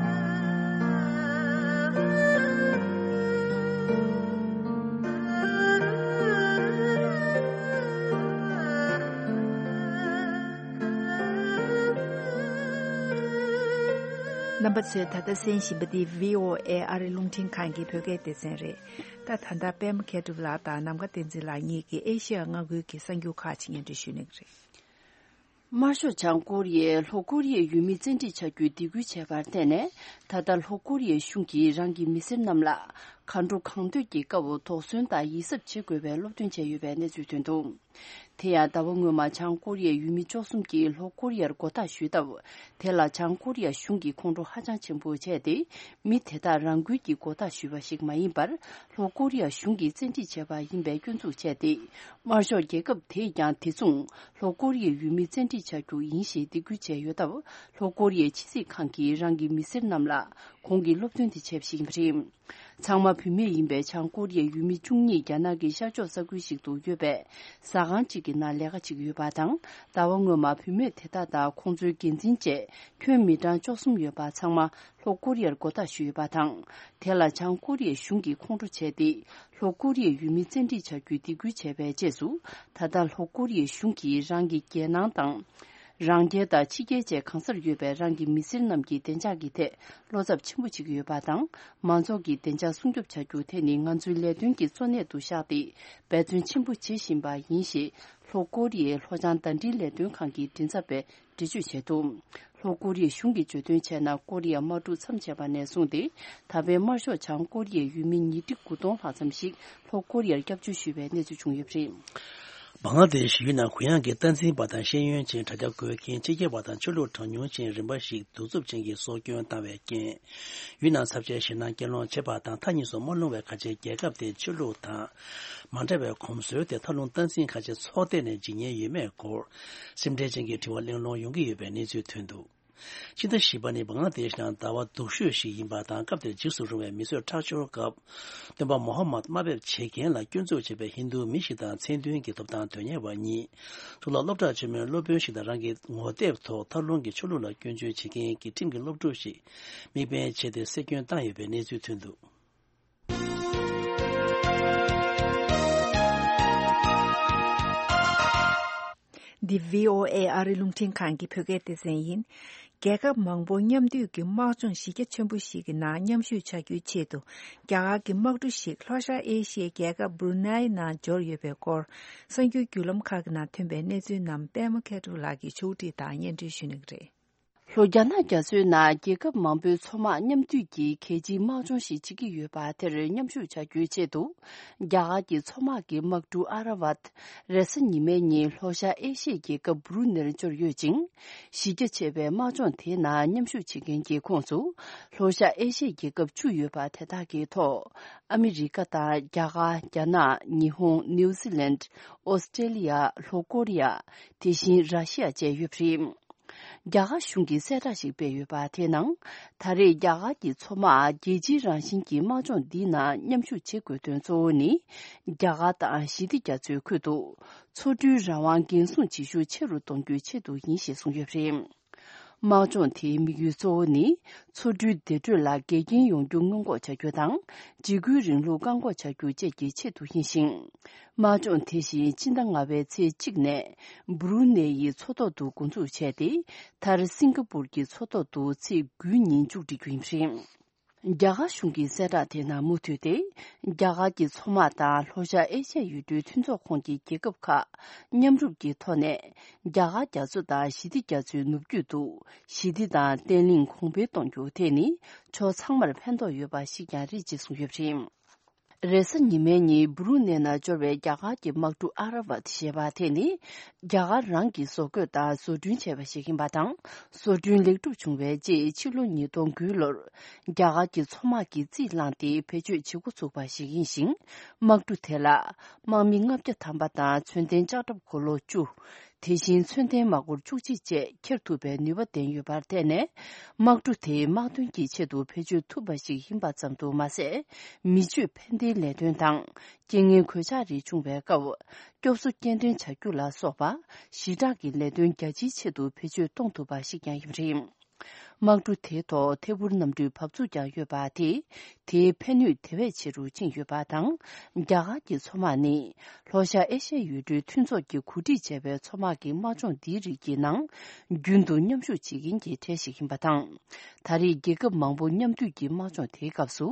རྣམ་པ་ཚོས་ད་ལྟ་གསན་བཞིན་པ་འདི་བྷི་ཨོ་ཨེ་ཨ་རི་རླུང་འཕྲིན་ཁང་གི་བོད་སྐད་སྡེ་ཚན་རེད། ད་ད་ལྟ་པད་མ་མཁས་གྲུབ་ལགས་དང་ནམ་མཁའ་བསྟན་འཛིན་ལགས་གཉིས་ཀྱིས་ཨེ་ཤི་ཡ་མངའ་ཁུལ་གྱི་གསར་འགྱུར་ཁག་ཅིག་སྙན་སྒྲོན་ཞུ་གནང་གི་རེད། དམར་ཤོག་བྱང་ཀོ་རི་ཡས་ལྷོ་ཀོ་རི་ཡའི་ཡུལ་མི་བཙན་ཁྲིད་བྱ་རྒྱུའི་སྡིགས་སྐུལ་བྱས་པར་བརྟེན་ནས། ད་ལྟ་ལྷོ་ཀོ་རི་ཡའི་གཞུང་གིས་རང་གི་མི་སེར་རྣམས་ལ་གར་འགྲོ་གང་འདོད་ཀྱི་སྐབས་དོགས་ཟོན་དང་ཡིད་གཟབ་བྱེད་དགོས་པའི་སློབ་སྟོན་བྱས་ཡོད་པའི་གནས་ཚུལ་ཐོན་འདུག་དེ་ཡང་ཟླ་བ་སྔོན་མ་བྱང་ཀོ་རི་ཡའི་ཡུལ་མི་བཅུ་གསུམ་གྱིས་ལྷོ་ཀོ་རི་ཡར་མགོ་བཏགས་ཞུས་སྟབས། དེ་ལ་བྱང་ཀོ་རི་ཡ་གཞུང་གིས་ཁོང་ཁྲོ་ཧ་ཅང་ཆེན་པོ་བྱས་ཏེ། མི་དེ་དག་རང་འགུལ་གྱིས་མགོ་བཏགས་ཞུས་པ་ཞིག་མ་ཡིན་པར། ལྷོ་ཀོ་རི་ཡ་གཞུང་གིས་བཙན་ཁྲིད་བྱས་པ་ཡིན་པའི་སྐྱོན་འཛུགས་བྱས་ཏེ། དམར་ཤོག་རྒྱལ་ཁབ་དེས་ཀྱང་དེ་མཚུངས་ལྷོ་ཀོ་རི་ཡའི་ཡུལ་མི་བཙན་ཁྲིད་བྱ་རྒྱུ་ཡིན་ཞེས་སྡིགས་སྐུལ་བྱས་ཡོད་སྟབས། ལྷོ་ཀོ་རི་ཡའི་ཕྱི་སྲིད་ཁང་གིས་རང་གི་མི་སེར་རྣམས་ལ་གོང་གི་སློབ་སྟོན་དེ་བྱས་པ་ཞིག་ཡིན་པ་རེད། ཚང་མ་བུད་མེད་ཡིན་པའི་བྱང་ཀོ་རི་ཡའི་ཡུལ་མི་བཅུ་གཉིས་རྒྱ་ནག་གི་ཤར་ཕྱོགས་ས་ཁུལ་ཞིག་ཏུ་ཡོད་པའི་ཟ་ཁང་གཅིག་གི་ནང་ལས་ཀ་བྱེད་ཀྱི་ཡོད་པ་དང་། ཟླ་བ་སྔོན་མ་བུད་མེད་དེ་དག་དང་ཁོང་ཚོའི་འགན་འཛིན་བཅས་ཁྱོན་མི་གྲངས་བཅུ་གསུམ་ཡོད་པ་ཚང་མ་ལྷོ་ཀོ་རི་ཡར་མགོ་བཏགས་ཞུས་ཡོད་པ་དང་། དེ་ལ་བྱང་ཀོ་རི་ཡའི་གཞུང་གིས་ཁོང་ཁྲོ་བྱས་ཏེ། ལྷོ་ཀོ་རི་ཡའི་ཡུལ་མི་བཙན་ཁྲིད་བྱ་རྒྱུའི་སྡིགས་སྐུལ་བྱས་པའི་རྗེས་སུ། ད་ལྟ་ལྷོ་ཀོ་རི་ཡའི་གཞུང་གིས་རང་གི་རྒྱལ་ནང་དང་། རང་རྒྱལ་དང་ཕྱི་རྒྱལ་བཅས་གང་སར་ཡོད་པའི་རང་གི་མི་སེར་རྣམས་ཀྱི་བདེ་འཇགས་ཀྱི་ཐད་བློ་འཚབ་ཆེན་པོ་བྱེད་ཀྱི་ཡོད་པ་དང་། མང་ཚོགས་ཀྱི་བདེ་འཇགས་སྲུང་སྐྱོབ་བྱ་རྒྱུ་དེ་ནི་ང་ཚོའི་ལས་དོན་གྱི་གཙོ་གནད་དུ་བཞག་སྟེ། འབད་བརྩོན་ཆེན་པོ་བྱེད་བཞིན་པ་ཡིན་ཞེས། ལྷོ་ཀོ་རི་ཡའི་ལྷོ་བྱང་ཟླ་སྒྲིལ་ལས་དོན་ཁང་གི་མགྲིན་ཚབ་པས་འགྲེལ་བརྗོད་བྱས་འདུག་ལྷོ་ཀོ་རི་ཡའི་གཞུང་གིས་བརྗོད་དོན་བྱས་ན། ཀོ་རི་ཡ་དམག་འཁྲུག་མཚམས་ཆད་པ་ནས་བཟུང་སྟེ། ད་ཕན་དམར་ཤོག་བྱང་ཀོ་རི་ཡའི་ཡུལ་མི་ཉིས་ཁྲི་དགུ་སྟོང་ལྷག་ཙམ་ཞིག་ལྷོ་ཀོ་རི་ཡར་སྐྱབས་བཅོལ་ཞུས་པའི་གནས་ཚུལ་བྱུང་ཡོད་པ་རེད། བང་ལ་དེ་ཤི་ཡུལ་ནང་གུ་ཡངས་ཀྱི་སྟངས་འཛིན་པ་དང་ཤེས་ཡོན་ཅན་དྲ་རྒྱ་འགོད་མཁན་ཕྱི་རྒྱལ་བ་དང་ཆོས་ལུགས་གྲངས་ཉུང་ཅན་རིམ་པ་ཞིག་གདུག་རྩུབ་ཅན་གྱིས་སྲོག་སྐྱོན་བཏང་བའི་རྐྱེན། ཡུལ་ནང་ཚབས་ཆེའི་ཞེད་སྣང་སྐྱེ་སློང་བྱེད་པ་དང་མཐའ་གཉིས་སུ་མ་ལྷུང་བའི་ཁ་ཆེའི་རྒྱལ་ཁབ་དེའི་ཆོས་ལུགས་དང་། མ་འདྲ་བའི་གོམས་སྲོལ་དེ་མཐའ་ལྷུང་སྟངས་འཛིན་ཁ་ཆེ་ཚོགས་སྡེ་ནས་འཇིགས་ཉེན་ཡོད་མེད་སྐོར། སེམས་ཁྲལ་ཅན་གྱི་དྲི་བ་གླེང་སློང་ཡོང་གི་ཡོད་པའི་གནས་ཚུལ་ཐོན་འདུག་ཕྱི་ཟླ་བཞི་པ་ནི་བང་ལ་དེ་ཤི་ནང་ཟླ་བ་སྡུག་ཤོས་ཤིག་ཡིན་པ་དང་། སྐབས་དེར་འཇིགས་སུ་རུང་བའི་མི་གསོད་ཁྲག་སྦྱོར་སྐབས། སྟོན་པ་མོ་ཧ་མད་དམའ་འབེབས་བྱེད་མཁན་ལ་སྐྱོན་འཛུགས་བྱས་པའི་ཧིན་རྡུ་མི་ཞིག་དང་མཚན་མཐུན་གྱི་ཐོབ་ཐང་དོན་གཉེར་བ་གཉིས། གཙུག་ལག་སློབ་གྲྭ་ཆེན་མོའི་སློབ་དཔོན་ཞིག་དང་། རང་གི་ངོ་དེབ་ཐོག་མཐའ་ལྷུང་གི་ཆོས་ལུགས་ལ་སྐྱོན་བརྗོད་བྱེད་མཁན་གྱི་ཁྲིམས་ཀྱི་སློབ་ཕྲུག་ཞིག་དམིགས་འབེན་བྱས་ཏེ་གསེད་སྐྱོན་བཏང་ཡོད་པའི་གནས་ཚུལ་ཐོན་འདུག་འདི་བྷི་ཨོ་ཨེ་ཨ་རི་རླུང་འཕྲིན་ཁང་གི་བོད་སྐད་སྡེ་ཚན་ཡིན། རྒྱལ་ཁབ་མང་པོ་མཉམ་འདུས་ཀྱི་དམག་སྦྱོང་གཞི་རྒྱ་ཆེན་པོ་ཞིག་གི་ནང་མཉམ་ཞུགས་བྱ་རྒྱུའི་ཆེད་དུ། རྒྱ་གར་གྱི་དམག་གྲུ་ཞིག་ལྷོ་ཤར་ཨེ་ཤི་ཡའི་རྒྱལ་ཁབ་སྦུ་རུ་ནའི་ནང་འབྱོར་ཡོད་པའི་སྐོར། གསར་འགྱུར་བརྒྱུད་ལམ་ཁག་གི་ནང་ཐོན་པའི་གནས་ཚུལ་རྣམས་པད་མ་མཁས་གྲུབ་ལགས་ཀྱིས་ཕྱོགས་སྒྲིག་དང་སྙན་སྒྲོན་ཞུ་གནང་གི་རེད། ལྷོ་རྒྱ་ནག་རྒྱ་མཚོའི་ནང་རྒྱལ་ཁབ་མང་པོའི་མཚོ་དམག་མཉམ་འདུས་ཀྱིས་གལ་ཆེའི་དམག་སྦྱོང་ཞིག་བྱེད་ཀྱི་ཡོད་པ་དེར་མཉམ་ཞུགས་བྱ་རྒྱུའི་ཆེད་དུ། རྒྱ་གར་གྱི་མཚོ་དམག་གི་དམག་གྲུ་ཨ་ར་ཝད། རེས་གཟའ་ཉི་མའི་ཉིན་ལྷོ་ཤར་ཨེ་ཤི་ཡའི་རྒྱལ་ཁབ་སྦུ་རུ་ནེར་འབྱོར་ཡོད་ཅིང་། གཞི་རྒྱ་ཆེ་བའི་དམག་སྦྱོང་དེའི་ནང་མཉམ་ཞུགས་བྱེད་མཁན་གྱི་ཁོངས་སུ། ལྷོ་ཤར་ཨེ་ཤི་ཡའི་རྒྱལ་ཁབ་བཅུ་ཡོད་པ་དེ་དག་གི་ཐོག་ཨ་མི་རི་ཀ་དང་། རྒྱ་གར། རྒྱ་ནག་ཉི་ཧོང་། ནིའུ་ཛི་ལན། ཨོ་སི་ཀྲེ་ལི་ཡ། ལྷོ་ཀོ་རི་ཡ། དེ་བཞིན་ར་ཤི་ཡ་བཅས་ཡོད་པ་རེད། རྒྱ་གར་གཞུང་གིས་གསལ་བསྒྲགས་ཤིག་སྤེལ་ཡོད་པ་དེའི་ནང་། ད་རེས་རྒྱ་གར་གྱི་མཚོ་དམག་རྒྱལ་སྤྱིའི་རང་བཞིན་གྱི་དམག་སྦྱོང་འདིའི་ནང་མཉམ་ཞུགས་བྱེད་དགོས་དོན་གཙོ་བོ་ནི། རྒྱ་གར་དང་ཞི་བདེ་རྒྱ་མཚོའི་ཁུལ་དུ། མཚོ་གྲུའི་རང་དབང་འགན་སྲུང་བྱེད་ཤུགས་ཆེ་རུ་གཏོང་རྒྱུའི་ཆེད་དུ་ཡིན་ཞེས་གསུངས་ཡོད་པ་རེད། དམག་སྦྱོང་དེའི་དམིགས་ཡུལ་གཙོ་བོ་ནི། མཚོ་གྲུའི་བདེ་འགྲོད་ལ་འགལ་རྐྱེན་ཡོང་རྒྱུ་སྔོན་འགོག་བྱ་རྒྱུ་དང་། འཇིགས་སྐུལ་རིང་ལུགས་བཀག་འགོག་བྱ་རྒྱུ་བཅས་ཀྱི་ཆེད་དུ་ཡིན་ཞིང་། དམག་སྦྱོང་དེ་བཞིན་སྤྱི་ཟླ་ལྔ་པའི་ཚེས་གཅིག་ནས་སྦུ་རུ་ནེ་ཡི་མཚོ་ཐོག་ཏུ་འགོ་འཛུགས་བྱས་ཏེ། མཐར་སིང་ག་པུར་གྱི་མཚོ་ཐོག་ཏུ་ཚེས་དགུའི་ཉིན་མཇུག་སྒྲིལ་རྒྱུ་ཡིན་པ་རེད། རྒྱ་གར་གཞུང་གི་གསལ་བསྒྲགས་དེ་ནང་མུ་མཐུད་དེ། རྒྱ་གར་གྱི་མཚོ་དམག་དང་ལྷོ་ཤར་ཨེ་ཤ་ཡའི་ཡུལ་གྲུའི་མཐུན་ཚོགས་ཁོངས་ཀྱི་རྒྱལ་ཁབ་ཁག་མཉམ་རུབ་ཀྱི་ཐོག་ནས། རྒྱ་གར་རྒྱ་མཚོ་དང་ཞི་བདེ་རྒྱ་མཚོའི་ནུབ་རྒྱུད་དུ་ཞི་བདེ་དང་བརྟན་ལྷིང་གོང་འཕེལ་གཏོང་རྒྱུ་དེ་ནི་ཕྱོགས་ཚང་མར་ཕན་ཐོགས་ཡོད་པ་ཞིག་ཀྱང་རེད་ཅེས་གསུངས་ཡོད་པ་རེད། རེས་གཟའ་ཉི་མའི་ཉིན་སྦུ་རུ་ནེ་ནང་འབྱོར་བའི་རྒྱ་གར་གྱི་དམག་གྲུ་ཨ་ར་ཝད་ཞེས་པ་དེ་ནི། རྒྱ་གར་རང་གིས་བཟོ་བཀོད་དང་བཟོ་སྐྲུན་བྱས་པ་ཞིག་ཡིན་པ་དང་། བཟོ་སྐྲུན་ལེགས་གྲུབ་བྱུང་བའི་རྗེས་ཕྱི་ལོ་ཉིས་སྟོང་དགུའི་ལོར། རྒྱ་གར་གྱི་མཚོ་དམག་གིས་རྩིས་བླངས་ཏེ་བེད་སྤྱོད་བྱེད་འགོ་ཚུགས་པ་ཞིག་ཡིན་ཞིང་། དམག་གྲུ་དེ་ལ་དམག་མི་ལྔ་བརྒྱ་ཐམ་པ་དང་མཚོན་ལྡན་ལྕགས་ཁྲབ་འཁོར་ལོ་བཅུ། དེ་བཞིན་མཚོན་ལྡན་དམག་འཁོར་བཅུ་གཅིག་བཅས་འཁྱེར་ཐུབ་པའི་ནུས་པ་ལྡན་ཡོད་པར་བརྟེན་ནས། དམག་གྲུ་དེ་དམག་དོན་གྱི་ཆེད་དུ་བེད་སྤྱོད་ཐུབ་པ་ཞིག་ཡིན་པ་ཙམ་དུ་མ་ཟད། མི་སྤྱོད་ཕན་བདེའི་ལས་དོན་དང་། རྐྱེན་ངན་གོད་ཆག་རིགས་བྱུང་བའི་སྐབས། སྐྱོབ་གསོ་སྐྱེལ་འདྲེན་བྱ་རྒྱུ་ལ་སོགས་པ། ཞི་དྲག་གི་ལས་དོན་རྒྱ་ཆེའི་ཆེད་དུ་བེད་སྤྱོད་གཏོང་ཐུབ་པ་ཞིག་ཀྱང་ཡིན་པ་རེད། དམག་གྲུ་དེའི་ཐོག་ཐད་འཕུར་གནམ་གྲུའི་བབས་ཚུགས་ཀྱང་ཡོད་པ་དེས། དེའི་ཕན་ནུས་དེ་བས་ཆེ་རུ་ཕྱིན་ཡོད་པ་དང་། རྒྱ་གར་གྱི་མཚོ་དམག་ནི་ལྷོ་ཤར་ཨེ་ཤ་ཡའི་ཡུལ་གྲུའི་མཐུན་ཚོགས་ཀྱིས་གོ་སྒྲིག་བྱས་པའི་མཚོ་དམག་གི་དམག་སྦྱོང་འདིའི་རིགས་ཀྱི་ནང་རྒྱུན་དུ་མཉམ་ཞུགས་བྱེད་མཁན་གྱི་གྲས་ཤིག་ཡིན་པ་དང་། ད་རེས་རྒྱལ་ཁབ་མང་པོ་མཉམ་འདུས་ཀྱི་དམག་སྦྱོང་དེའི་སྐབས་སུ།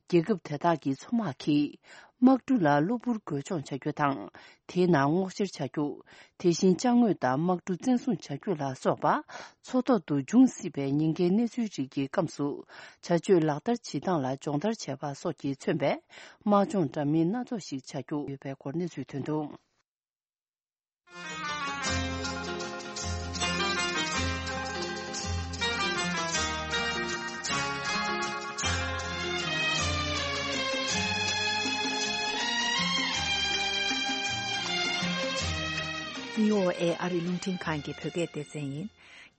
རྒྱལ་ཁབ་དེ་དག་གི་མཚོ་དམག་གིས་དམག་གྲུ་ལ་གློ་བུར་རྒོལ་མཆོང་བྱ་རྒྱུ་དང་། དེའི་ནང་སྔོག་བཤེར་བྱ་རྒྱུ། དེ་བཞིན་ཅ་དངོས་དང་དམག་གྲུ་བཙན་བཟུང་བྱ་རྒྱུ་ལ་སོགས་པ། མཚོ་ཐོག་ཏུ་འབྱུང་སྲིད་པའི་ཉེན་ཁའི་གནས་ཚུལ་རིགས་ཀྱི་སྐབས་སུ། བྱ་སྤྱོད་ལག་བསྟར་བྱེད་སྟངས་ལ་སྦྱོང་བརྡར་བྱས་པ་སོགས་ཀྱིས་མཚོན་པའི་དམག་སྦྱོང་འདྲ་མིན་སྣ་ཚོགས་ཤིག་བྱ་རྒྱུ་ཡོད་པའི་སྐོར་གནས་ཚུལ་ཐོན་འདུག། བྷི་ཨོ་ཨེ་ཨ་རི་རླུང་འཕྲིན་ཁང་གི་བོད་སྐད་སྡེ་ཚན་ཡིན།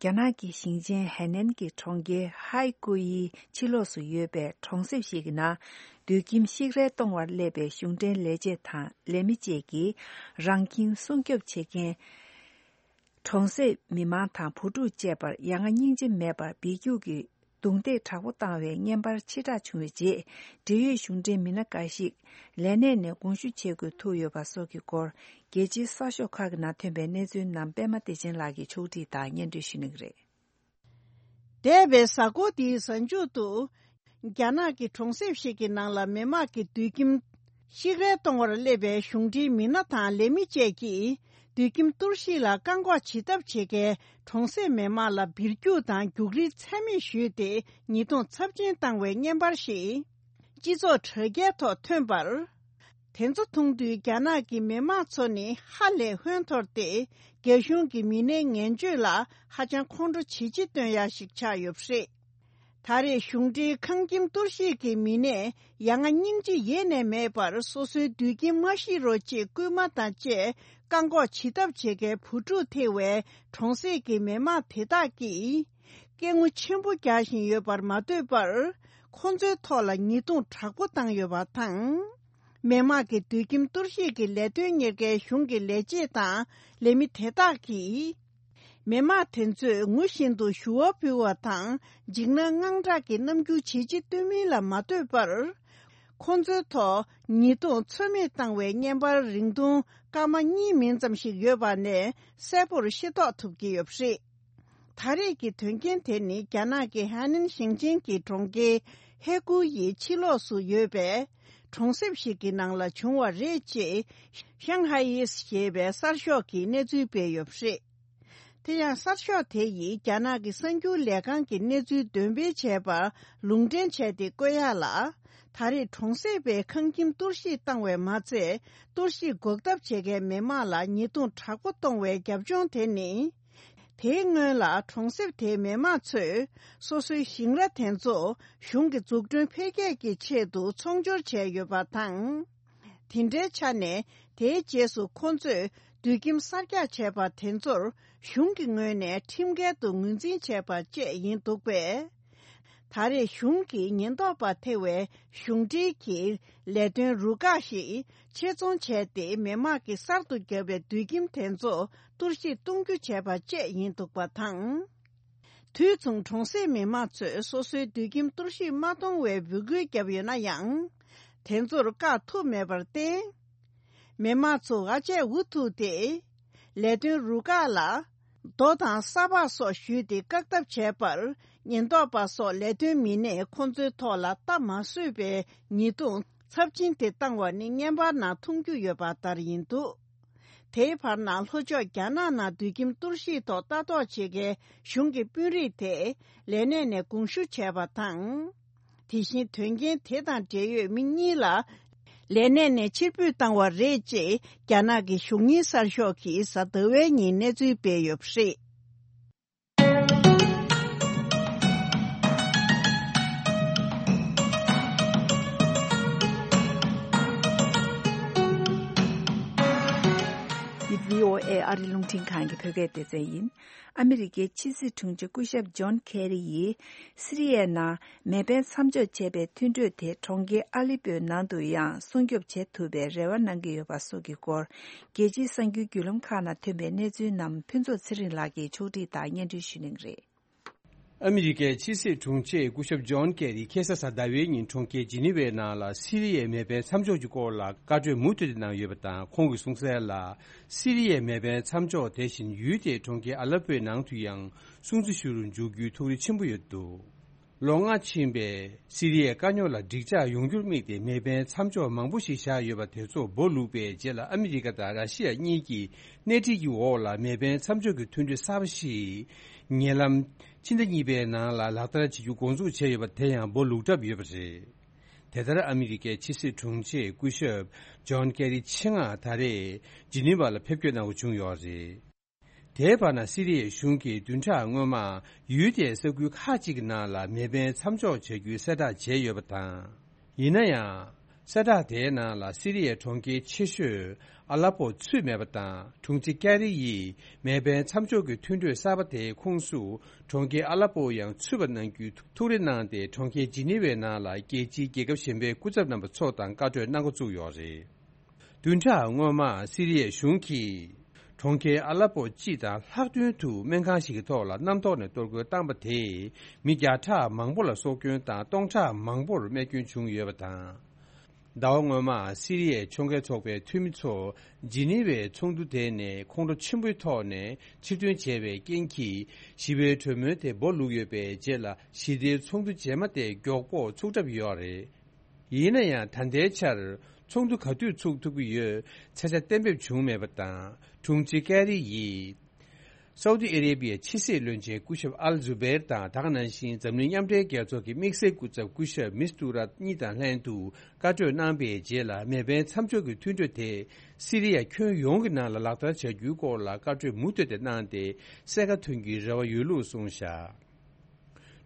རྒྱ་ནག་གི་ཞིང་ཆེན་ཧའེ་ནན་གྱི་གྲོང་ཁྱེར་ཧའེ་ཀུ་ཡི་ཕྱི་ལོགས་སུ་ཡོད་པའི་གྲོང་གསེབ་ཞིག་གི་ནང་། སྡོད་ཁྱིམ་བཤིག་རལ་གཏོང་བར་སླེབས་པའི་གཞུང་འབྲེལ་ལས་བྱེད་དང་ལས་མི་བཅས་ཀྱིས་རང་ཁྱིམ་སྲུང་སྐྱོབ་བྱེད་མཁན། གྲོང་གསེབ་མི་མང་དང་བུ་ཕྲུག་བཅས་པར་ཡ་ང་སྙིང་རྗེ་མེད་པར་སྦས་རྒྱུགས་ཀྱིས་རྡུང་རྡེག་དྲག་པོ་བཏང་བའི་བརྙན་པར་ཕྱིར་བསྒྲགས་བྱུང་བའི་རྗེས། འབྲེལ་ཡོད་གཞུང་འབྲེལ་མི་སྣ་འགའ་ཞིག་ལས་གནས་ནས་དགོངས་ཞུ་བྱེད་དགོས་ཐུག་ཡོད་པ་སོགས་ཀྱི་སྐོར། རྒྱལ་སྤྱིའི་གསར་ཤོག་ཁག་གི་ནང་ཐོན་པའི་གནས་ཚུལ་རྣམས་པད་མ་བདེ་ཆེན་ལགས་ཀྱིས་ཕྱོགས་སྒྲིག་དང་སྙན་སྒྲོན་ཞུ་གནང་གི་རེད། འདས་པའི་གཟའ་འཁོར་འདིའི་གཟའ་མཇུག་ཏུ། རྒྱ་ནག་གི་གྲོང་གསེབ་ཞིག་གི་ནང་ལ་མི་དམངས་ཀྱི་སྡོད་ཁྱིམ་བཤིག་རལ་གཏོང་བར་སླེབས་པའི་གཞུང་འབྲེལ་མི་སྣ་དང་ལས་མི་བཅས་ཀྱིས་སྡོད་ཁྱིམ་གཏོར་བཤིག་ལ་བཀག་འགོག་བྱེད་ཐབས་བྱེད་མཁན་གྲོང་གསེབ་མི་དམངས་ལ་སྦིར་རྒྱུག་དང་རྒྱུག་རིལ་ཚད་མེད་ཞུས་ཏེ་ཉེས་རྡུང་ཚབས་ཆེན་བཏང་བའི་བརྙན་པར་ཞིག་སྤྱི་ཚོགས་དྲ་རྒྱའི་ཐོག་ཐོན་པར། དེ་ཚོ་མཐོང་དུས་རྒྱ་ནག་གི་མི་དམངས་ཚོ་ནི་ཧ་ལས་ཧོན་འཐོར་ཏེ་རྒྱ་གཞུང་གི་མི་སྣའི་ངན་སྤྱོད་ལ་ཧ་ཅང་ཁོང་ཁྲོ་ཇེ་ཆེ་སྟོན་ཡ་ཞིག་ཆགས་ཡོད་པ་རེད། ད་རེས་གཞུང་འབྲེལ་ཁང་ཁྱིམ་གཏོར་བཤིག་གི་མི་སྣས་ཡ་ང་སྙིང་རྗེ་ཡེ་ནས་མེད་པར་སོ་སོའི་སྡོད་ཁྱིམ་མ་བཤིག་རོགས་ཅེས་སྐུལ་མ་དང་བཅས་བཀག་འགོག་བྱེད་ཐབས་བྱེད་མཁན་བུ་ཕྲུག་ཐེ་བའི་གྲོང་གསེབ་ཀྱི་མི་དམངས་དེ་དག་གིས་སྐད་ངོ་ཆེན་པོ་རྒྱག་བཞིན་ཡོད་པར་མ་ལྟོས་པར་ཁོང་ཚོའི་ཐོག་ལ་ཉེས་རྡུང་དྲག་པོ་བཏང་ཡོད་པ་དང་། མི་དམངས་ཀྱི་སྡོད་ཁྱིམ་གཏོར་བཤིག་གི་ལས་དོན་གཉེར་མཁན་གཞུང་གི་ལས་བྱེད་དང་ལས་མི་དེ་དག་གིས། མི་དམངས་དེ་ཚོས་ངུ་བཞིན་དུ་ཞུ་བ་ཕུལ་བ་དང་འཇིགས་སྣང་དངངས་སྐྲག་གི་རྣམ་འགྱུར་ཇེ་ཆེ་སྟོན་མིན་ལ་མ་ལྟོས་པར། ཁོང་ཚོའི་ཐོག་ཉེས་རྡུང་ཚོད་མེད་བཏང་བའི་བརྙན་པར་རིང་ཐུང་སྐར་མ་གཉིས་མིན་ཙམ་ཞིག་ཡོད་པ་ནས་གསལ་པོར་ཤེས་རྟོགས་ཐུབ་ཀྱི་ཡོད་པ་རེད། ད་རེས་ཀྱི་དོན་རྐྱེན་དེ་ནི་རྒྱ་ནག་གི་ཧ་ནན་ཞིང་ཆེན་གྱི་གྲོང་ཁྱེར་ཧེ་ཀུ་ཡི་ཕྱི་ལོགས་སུ་ཡོད་པའི་གྲོང་གསེབ་ཞིག་གི་ནང་ལ་བྱུང་བ་རེད་ཅེས་ཤང་ཧའེ་ཡིས་ཞེས་པའི་གསར་ཤོག་གིས་གནས་ཚུལ་སྤེལ་ཡོད་པ་རེད། དེ་ཡང་གསར་ཤོག་དེ་ཡིས་རྒྱ་ནག་གི་གསར་འགྱུར་ལས་ཁང་གི་གནས་ཚུལ་འདོན་སྤེལ་བྱས་པར་ལུང་འདྲེན་བྱས་ཏེ་བཀོད་ཡ་ལ། ད་རེས་གྲོང་གསེབ་པའི་ཁང་ཁྱིམ་གཏོར་བཤིག་བཏང་བས་མ་ཚད་གཏོར་བཤིག་འགོག་ཐབས་བྱེད་མཁན་མི་དམངས་ལ་ཉེས་རྡུང་དྲག་པོ་གཏོང་བའི་རྒྱབ་ལྗོངས་དེ་ནི། དེའི་སྔོན་ལ་གྲོང་གསེབ་དེའི་མི་དམངས་ཚོས་སོ་སོའི་ཞིང་ར་དེ་ཚོ་གཞུང་གི་འཛུགས་སྐྲུན་འཕེལ་རྒྱས་ཀྱི་ཆེད་དུ་ཚོང་སྦྱོར་བྱས་ཡོད་པ་དང་། དེ་འདྲའི་ཆ་ནས་དེའི་རྗེས་སུ་ཁོང་ཚོས་སྡོད་ཁྱིམ་གསར་རྒྱག་བྱས་པ་དེ་ཚོར་གཞུང་གི་ངོས་ནས་ཁྲིམས་འགལ་དུ་ངོས་འཛིན་བྱས་པ་བཅས་ཡིན་འདུག་པས། ད་རེས་གཞུང་གིས་ཉེན་རྟོག་པ་ཐེ་བའི་གཞུང་འབྲེལ་གྱི་ལས་དོན་རུ་ཁག་ཞིག་ཆེད་རྫོང་བྱས་ཏེ་མི་དམངས་ཀྱིས་གསར་དུ་བརྒྱབ་པའི་སྡོད་ཁྱིམ་དེ་ཚོ་གཏོར་བཤིག་གཏོང་རྒྱུ་བྱས་པ་བཅས་ཡིན་འདུག་པ་དང་། དུས་མཚུངས་གྲོང་གསེབ་མི་དམངས་ཚོས་སོ་སོའི་སྡོད་ཁྱིམ་གཏོར་བཤིག་མ་གཏོང་བའི་འབོད་སྐུལ་བརྒྱབ་ཡོད་ན་ཡང་། དེ་ཚོར་བཀག་ཐུབ་མེད་པར་བརྟེན། མི་དམངས་ཚོ་ཨ་ཆད་འུ་ཐུག་སྟེ། ལས་དོན་རུ་ཁག་ལ། རྡོ་དང་ས་ཕག་སོགས་གཞུས་ཏེ་བཀག་ཐབས་བྱས་པར། ཉེན་རྟོག་པ་སོགས་ལས་དོན་མི་སྣས་ཁོང་ཚོའི་ཐོག་ལ་ལྟ་མ་བཟོད་པའི་ཉེས་རྡུང་ཚབས་ཆེན་དེ་བཏང་བ་ནི་བརྙན་པར་ནང་མཐོང་རྒྱུ་ཡོད་པ་ལྟར་ཡིན་འདུག། དེའི་བར་ན་ལྷོ་ཕྱོགས་རྒྱ་ནག་ནང་སྡོད་ཁྱིམ་གཏོར་བཤིག་ཐོག་ལྟ་རྟོག་བྱེད་མཁན་གཞུང་གི་དཔོན་རིགས་དེས་ལས་གནས་ནས་དགོངས་ཞུ་བྱས་པ་དང་། དེ་བཞིན་དོན་རྐྱེན་དེ་དང་འབྲེལ་ཡོད་མི་གཉིས་ལ་ལས་གནས་ནས་ཕྱིར་འབུད་བཏང་བ་རེད་ཅེས་རྒྱ་ནག་གི་གཞུང་གཉེར་གསར་ཤོག་གིས་གཟའ་ཟླ་བའི་ཉིན་གནས་ཚུལ་སྤེལ་ཡོད་པ་རེད། འདི་བྷི་ཨོ་ཨེ་ཨ་རི་རླུང་འཕྲིན་ཁང་གི་བོད་སྐད་སྡེ་ཚན་ཡིན། ཨ་མི་རི་ཀའི་ཕྱི་སྲིད་དྲུང་ཆེ་སྐུ་ཞབས་ཇོན་ཁེ་རི་ཡིས་སི་རི་ཡའི་ནང་མེ་འཕེན་མཚམས་འཇོག་བྱས་པའི་མཐུན་གྲོས་དེ་གྲོང་ཁྱེར་ཨ་ལི་པོའི་ནང་དུ་ཡང་སྲུང་སྐྱོབ་བྱེད་ཐུབ་པའི་རེ་བ་གནང་གི་ཡོད་པ་སོགས་ཀྱི་སྐོར། རྒྱལ་སྤྱིའི་གསར་འགྱུར་བརྒྱུད་ལམ་ཁག་ནང་ཐོན་པའི་གནས་ཚུལ་རྣམས་ཕུན་ཚོགས་ཚེ་རིང་ལགས་ཀྱིས་ཕྱོགས་སྒྲིག་དང་སྙན་སྒྲོན་ཞུ་གནང་གི་རེད། ཨ་མི་རི་ཀའི་ཕྱི་སྲིད་དྲུང་ཆེ་སྐུ་ཞབས་ཇོན་ཀེ་རི་ཁ་སང་གཟའ་ཟླ་བའི་ཉིན་གྲོང་ཁྱེར་ཇི་ནི་ཝའི་ནང་ལ་སི་རི་ཡའི་མེ་འཕེན་མཚམས་འཇོག་གི་སྐོར་ལ་བཀའ་གྲོས་མུ་མཐུད་དེ་གནང་ཡོད་པ་དང་། ཁོང་གིས་གསུངས་གསལ་ལ། སི་རི་ཡའི་མེ་འཕེན་མཚམས་འཇོག་དེ་བཞིན་ཡུལ་དེའི་གྲོང་ཁྱེར་ཨ་ལ་པོའི་ནང་དུ་ཡང་སྲུང་བརྩི་ཞུ་རུ་འཇུག་རྒྱུའི་ཐུགས་རེ་ཆེན་པོ་ཡོད་འདུག་ལོ་ལྔ་ཕྱིན་པའི་སི་རི་ཡའི་དཀའ་རྙོག་ལ་འགྲིག་འཇགས་ཡོང་རྒྱུར་དམིགས་ཏེ་མེ་འཕེན་མཚམས་འཇོག་མང་པོ་ཞིག་བཞག་ཡོད་པ་དེ་ཚོ་སྦོ་ལུག་པའི་རྗེས་ལ། ཨ་མི་རི་ཀ་དང་ར་ཤི་ཡ་གཉིས་ཀྱིས་སྣེ་ཁྲིད་ཀྱི་འོག་ལ་མེ་འཕེན་མཚམས་འཇོག་གི་མཐུན་གྲོས་གསར་པ་ཞིག་ཉེ་ལམ་ཕྱི་ཟླ་གཉིས་པའི་ནང་ལ་ལག་བསྟར་བྱེད་རྒྱུ་འགོ་འཛུགས་བྱས་ཡོད་པ་དེ་ཡང་སྦོ་ལུག་གྲབས་ཡོད་པ་རེད། དེ་ལྟར་ཨ་མི་རི་ཀའི་ཕྱི་སྲིད་དྲུང་ཆེ་སྐུ་ཞབས་ཇོན་ཀེ་རི་ཆེད་མངགས་ད་རེས་ཇི་ནི་ཝ་ལ་ཕེབས་སྐྱོད་གནང་དགོས་བྱུང་ཡོད་རེད། དེའི་བར་ན་སི་རི་ཡའི་གཞུང་གིས་བདུན་ཕྲག་སྔོན་མ་ཡུལ་དེའི་ས་ཁུལ་ཁག་ཅིག་གི་ནང་ལ་མེ་འཕེན་མཚམས་འཇོག་བྱ་རྒྱུའི་གསལ་བསྒྲགས་བྱས་ཡོད་པ་དང་། ཡིན་ན་ཡང་། གསལ་བསྒྲགས་དེའི་ནང་ལ་སི་རི་ཡའི་གྲོང་ཁྱེར་ཆེ་ཤོས་ཨ་ལ་པོ་ཚུད་མེད་པ་དང་། དྲུང་ཆེ་ཀེ་རི་ཡིས་མེ་འཕེན་མཚམས་འཇོག་གི་མཐུན་གྲོས་གསར་པ་དེའི་ཁོངས་སུ་གྲོང་ཁྱེར་ཨ་ལ་པོ་ཡང་ཚུད་པ་གནང་རྒྱུའི་ཐུགས་རེ་གནང་སྟེ། གྲོང་ཁྱེར་ཇི་ནི་ཝའི་ནང་ལ་རྒྱལ་སྤྱིའི་རྒྱལ་ཁབ་གཞན་པའི་སྐུ་ཚབ་རྣམ་པ་ཚོ་དང་བཀའ་གྲོས་གནང་འགོ་བཙུགས་ཡོད་རེད། བདུན་ཕྲག་སྔོན་མ་སི་རི་ཡའི་གཞུང་གིས་གྲོང་ཁྱེར་ཨ་ལ་པོ་སྤྱི་དང་ལྷག་དོན་དུ་སྨན་ཁང་ཞིག་གི་ཐོག་ལ་གནམ་ཐོག་ནས་གཏོར་རྒོལ་བཏང་པ་དེས་མི་བརྒྱ་ཕྲག་མང་པོ་ལ་སྲོག་སྐྱོན་དང་སྟོང་ཕྲག་མང་པོར་རྨས་སྐྱོན་བྱུང་ཡོད་པ་དང་། ཟླ་བ་སྔོན་མ་སི་རི་ཡའི་ཕྱོགས་འགལ་ཚོགས་པའི་འཐུས་མི་ཚོ་ཇི་ནི་ཝའི་ཚོགས་འདུ་དེ་ནས་ཁོང་ཁྲོ་ཆེན་པོའི་ཐོག་ནས་ཕྱིར་ཐོན་བྱས་པའི་རྐྱེན་གྱིས། ཞི་བའི་གྲོས་མོལ་དེ་སྦོ་ལུག་ཡོད་པའི་རྗེས་ལ། ཞི་བདེའི་ཚོགས་འདུ་རྗེས་མ་དེ་མགྱོགས་པོ་ཚུགས་གྲབས་ཡོད་རེད། ཡིན་ན་ཡང་། ད་ལྟའི་ཆར་ཚོགས་འདུ་ག་དུས་ཚུགས་ཐུབ་ཀྱི་ཡོད་ཚ་ཆ་གཏན་འབེབས་བྱུང་མེད་པ་དང་། དྲུང་ཆེ་ཀེ་རི་ཡིས་སའུ་ཏི་ཨ་རེ་བྷི་ཡའི་ཕྱི་སྲིད་བློན་ཆེན་སྐུ་ཞབས་ཨལ་ཛུ་བེར་དང་། དེ་ག་ནང་བཞིན་འཛམ་གླིང་མཉམ་འབྲེལ་རྒྱལ་ཚོགས་ཀྱི་དམིགས་བསལ་སྐུ་ཚབ་སྐུ་ཞབས་མིས་ཏུ་ར་གཉིས་དང་ལྷན་དུ་བཀའ་གྲོས་གནང་པའི་རྗེས་ལ། མེ་འཕེན་མཚམས་འཇོག་གི་མཐུན་གྲོས་དེ་སི་རི་ཡ་ཁྱོན་ཡོངས་ཀྱི་ནང་ལ་ལག་བསྟར་བྱ་རྒྱུའི་སྐོར་ལ་བཀའ་གྲོས་མུ་མཐུད་དེ་གནང་སྟེ། གསལ་ཁ་ཐོན་རྒྱུའི་རེ་བ་ཡོད་ལུགས་གསུངས་བཞག་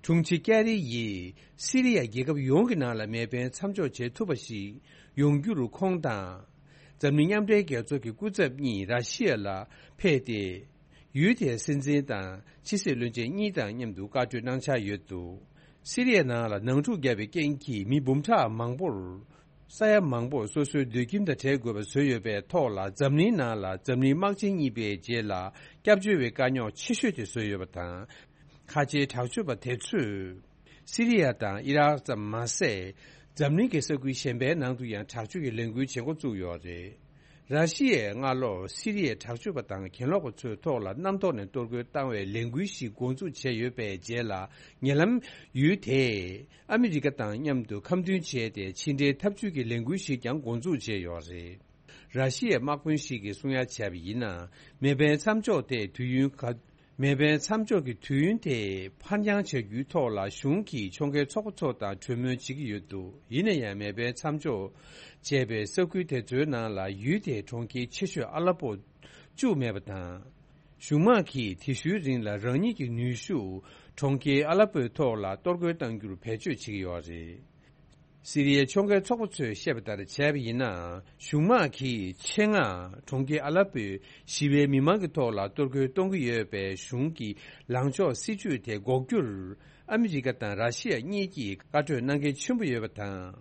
དྲུང་ཆེ་ཀེ་རི་ཡིས་སི་རི་ཡ་རྒྱལ་ཁབ་ཡོངས་ཀྱི་ནང་ལ་མེ་འཕེན་མཚམས་འཇོག་བྱེད་ཐུབ་པ་ཞིག་ཡོང་རྒྱུར། ཁོང་དང་འཛམ་གླིང་མཉམ་འབྲེལ་རྒྱལ་ཚོགས་ཀྱི་སྐུ་ཚབ་གཉིས་ར་ཤི་ཡ་ལ་ཕེབས་ཏེ། ཡུལ་དེའི་སྲིད་འཛིན་དང་ཕྱི་སྲིད་བློན་ཆེན་གཉིས་དང་མཉམ་དུ་བཀའ་གྲོས་གནང་འཆར་ཡོད་འདུག་སི་རི་ཡའི་ནང་ལ་ནང་འཁྲུག་བརྒྱབ་པའི་རྐྱེན་གྱིས་མི་འབུམ་ཕྲག་མང་པོར། ས་ཡ་མང་པོར་སོ་སོའི་སྡོད་ཁྱིམ་དང་བྲལ་དགོས་པ་བཟོས་ཡོད་པའི་ཐོག་ལ། འཛམ་གླིང་ནང་ལ་འཛམ་གླིང་དམག་ཆེན་གཉིས་པའི་རྗེས་ལ་སྐྱབས་བཅོལ་བའི་དཀའ་རྙོག་ཆེ་ཤོས་དེ་བཟོས་ཡོད་པ་དང་། ཁ་ཆེའི་དྲག་སྤྱོད་པ་དེ་ཚོས་སི་རི་ཡ་དང་ཨི་རག་ཙམ་མ་ཟད། འཛམ་གླིང་གི་ས་ཁུལ་གཞན་པའི་ནང་དུ་ཡང་དྲག་སྤྱོད་ཀྱི་ལས་འགུལ་བྱེད་འགོ་བཙུགས་ཡོད་རེད། ར་ཤི་ཡས་སྔ་ལོ་སི་རི་ཡའི་དྲག་སྤྱོད་པ་དང་གྱེན་ལོག་པ་ཚོའི་ཐོག་ལ་གནམ་ཐོག་ནས་གཏོར་རྒོལ་བཏང་བའི་ལས་འགུལ་ཞིག་འགོ་འཛུགས་བྱས་ཡོད་པའི་རྗེས་ལ། ཉེ་ལམ་ཡུལ་དེས་ཨ་མི་རི་ཀ་དང་མཉམ་དུ་ཁ་མཐུན་བྱས་ཏེ། ཕྱི་འབྲེལ་འཐབ་ཇུས་ཀྱི་ལས་འགུལ་ཞིག་ཀྱང་འགོ་འཛུགས་བྱས་ཡོད་རེད། ར་ཤི་ཡའི་དམག་དཔོན་ཞིག་གིས་གསུང་ཡ་བྱས་པ་ཡིན་ན། མེ་འཕེན་མཚམས་འཇོག་དེ་དུས་ཡུན་ག་མེ་འཕེན་མཚམས་འཇོག་གི་དུས་ཡུན་དེ་ཕར་འགྱངས་བྱ་རྒྱུའི་ཐོག་ལ་གཞུང་གིས་ཕྱོགས་འགལ་ཚོགས་པ་ཚོ་དང་གྲོས་མོལ་བྱེད་ཀྱི་ཡོད་འདུག་ཡིན་ན་ཡང་། མེ་འཕེན་མཚམས་འཇོག་བྱས་པའི་ས་ཁུལ་དེ་ཚོའི་ནང་ལ་ཡུལ་དེའི་གྲོང་ཁྱེར་ཆེ་ཤོས་ཨ་ལ་པོ་བཅུག་མེད་པ་དང་། གཞུང་དམག་གིས་དེ་ཤུལ་རིང་ལ་རང་ཉིད་ཀྱི་ནུས་ཤུགས་གྲོང་ཁྱེར་ཨ་ལ་པོའི་ཐོག་ལ་གཏོར་རྒོལ་གཏང་རྒྱུར་བེད་སྤྱོད་བྱེད་ཀྱི་ཡོད་རེད། སི་རི་ཡའི་ཕྱོགས་འགལ་ཚོགས་པ་ཚོས་བཤད་པ་ལྟར་བྱས་པ་ཡིན་ན། གཞུང་དམག་གིས་ཆེད་མངགས་གྲོང་ཁྱེར་ཨ་ལ་པོའི་ཞི་བའི་མི་མང་གི་ཐོག་ལ་གཏོར་རྒོལ་གཏོང་གི་ཡོད་པའི་གཞུང་གི་ལངས་ཕྱོགས་སྲིད་ཇུས་དེ་འགོག་རྒྱུར། ཨ་མི་རི་ཀ་དང་ར་ཤི་ཡ་གཉིས་ཀྱིས་བཀའ་གྲོས་གནང་གལ་ཆེན་པོ་ཡོད་པ་དང་།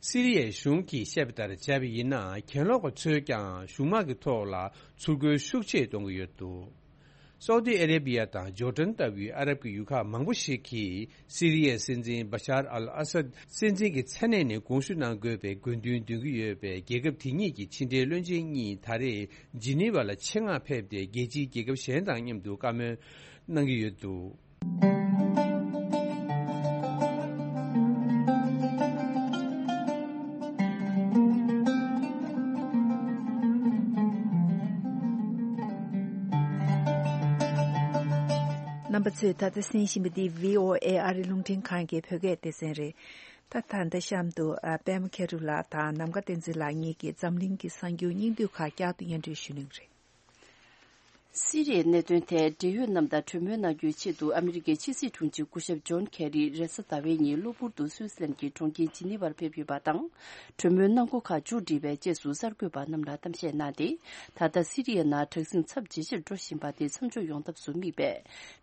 སི་རི་ཡའི་གཞུང་གིས་བཤད་པ་ལྟར་བྱས་པ་ཡིན་ན། གྱེན་ལོག་པ་ཚོས་ཀྱང་གཞུང་དམག་གི་ཐོག་ལ་ཚུར་རྒོལ་ཤུགས་ཆེ་གཏོང་གི་ཡོད་འདུག་སའུ་ཏི་ཨ་རེ་བྷི་ཡ་དང་ཇོར་ཌན་ལྟ་བུའི་ཨ་རབ་ཀྱི་ཡུལ་ཁག་མང་པོ་ཞིག་གིས། སི་རི་ཡའི་སྲིད་འཛིན་བ་ཤར་ཨལ་ཨ་སད་སྲིད་འཛིན་གྱི་མཚན་གནས་ནས་དགོངས་ཞུ་གནང་དགོས་པའི་དགོས་འདུན་འདོན་གྱི་ཡོད་པས། རྒྱལ་ཁབ་དེ་གཉིས་ཀྱི་ཕྱི་འབྲེལ་བློན་ཆེན་གཉིས་ད་རེས་ཇི་ནི་ཝ་ལ་ཆེད་མངགས་ཕེབས་ཏེ། རྒྱལ་སྤྱིའི་རྒྱལ་ཁབ་གཞན་དང་མཉམ་དུ་བཀའ་མོལ་གནང་གི་ཡོད་འདུག་རྣམ་པ་ཚོས་ད་ལྟ་གསན་བཞིན་པ་འདི་བྷི་ཨོ་ཨེ་ཨ་རི་རླུང་འཕྲིན་ཁང་གི་བོད་སྐད་སྡེ་ཚན་རེད། ད་ད་ལྟ་གཤམ་དུ་ཨ་པད་མ་མཁས་གྲུབ་ལགས་དང་ནམ་མཁའ་བསྟན་འཛིན་ལགས་གཉིས་ཀྱིས་འཛམ་གླིང་གི་གསར་འགྱུར་སྙིང་བསྡུས་ཁག་བསྐྱར་དུ་སྙན་སྒྲོན་ཞུ་གནང་གི་རེད། སི་རི་ཡའི་གནད་དོན་ཐད་འབྲེལ་ཡོད་རྣམས་དང་གྲོས་མོལ་གནང་རྒྱུའི་ཆེད་དུ་ཨ་མི་རི་ཀའི་ཕྱི་སྲིད་དྲུང་ཆེ་སྐུ་ཞབས་ཇོན་ཁེ་རི་རེས་གཟའ་ཟླ་བའི་ཉིན་གློ་བུར་དུ་སུད་སི་ལན་གྱི་གྲོང་ཁྱེར་ཇི་ནི་ཝར་ཕེབས་ཡོད་པ་དང་། གྲོས་མོལ་གནང་སྒོ་ཁག་མཇུག་བསྒྲིལ་བའི་རྗེས་སུ་གསར་འགོད་པ་རྣམས་ལ་གཏམ་བཤད་གནང་སྟེ། ད་ལྟ་སི་རི་ཡའི་ནང་དྲག་ཟིང་ཚབས་ཇེ་ཆེར་འགྲོ་བཞིན་པ་དེ་མཚམས་འཇོག་ཡོང་ཐབས་སུ་དམིགས་པའི་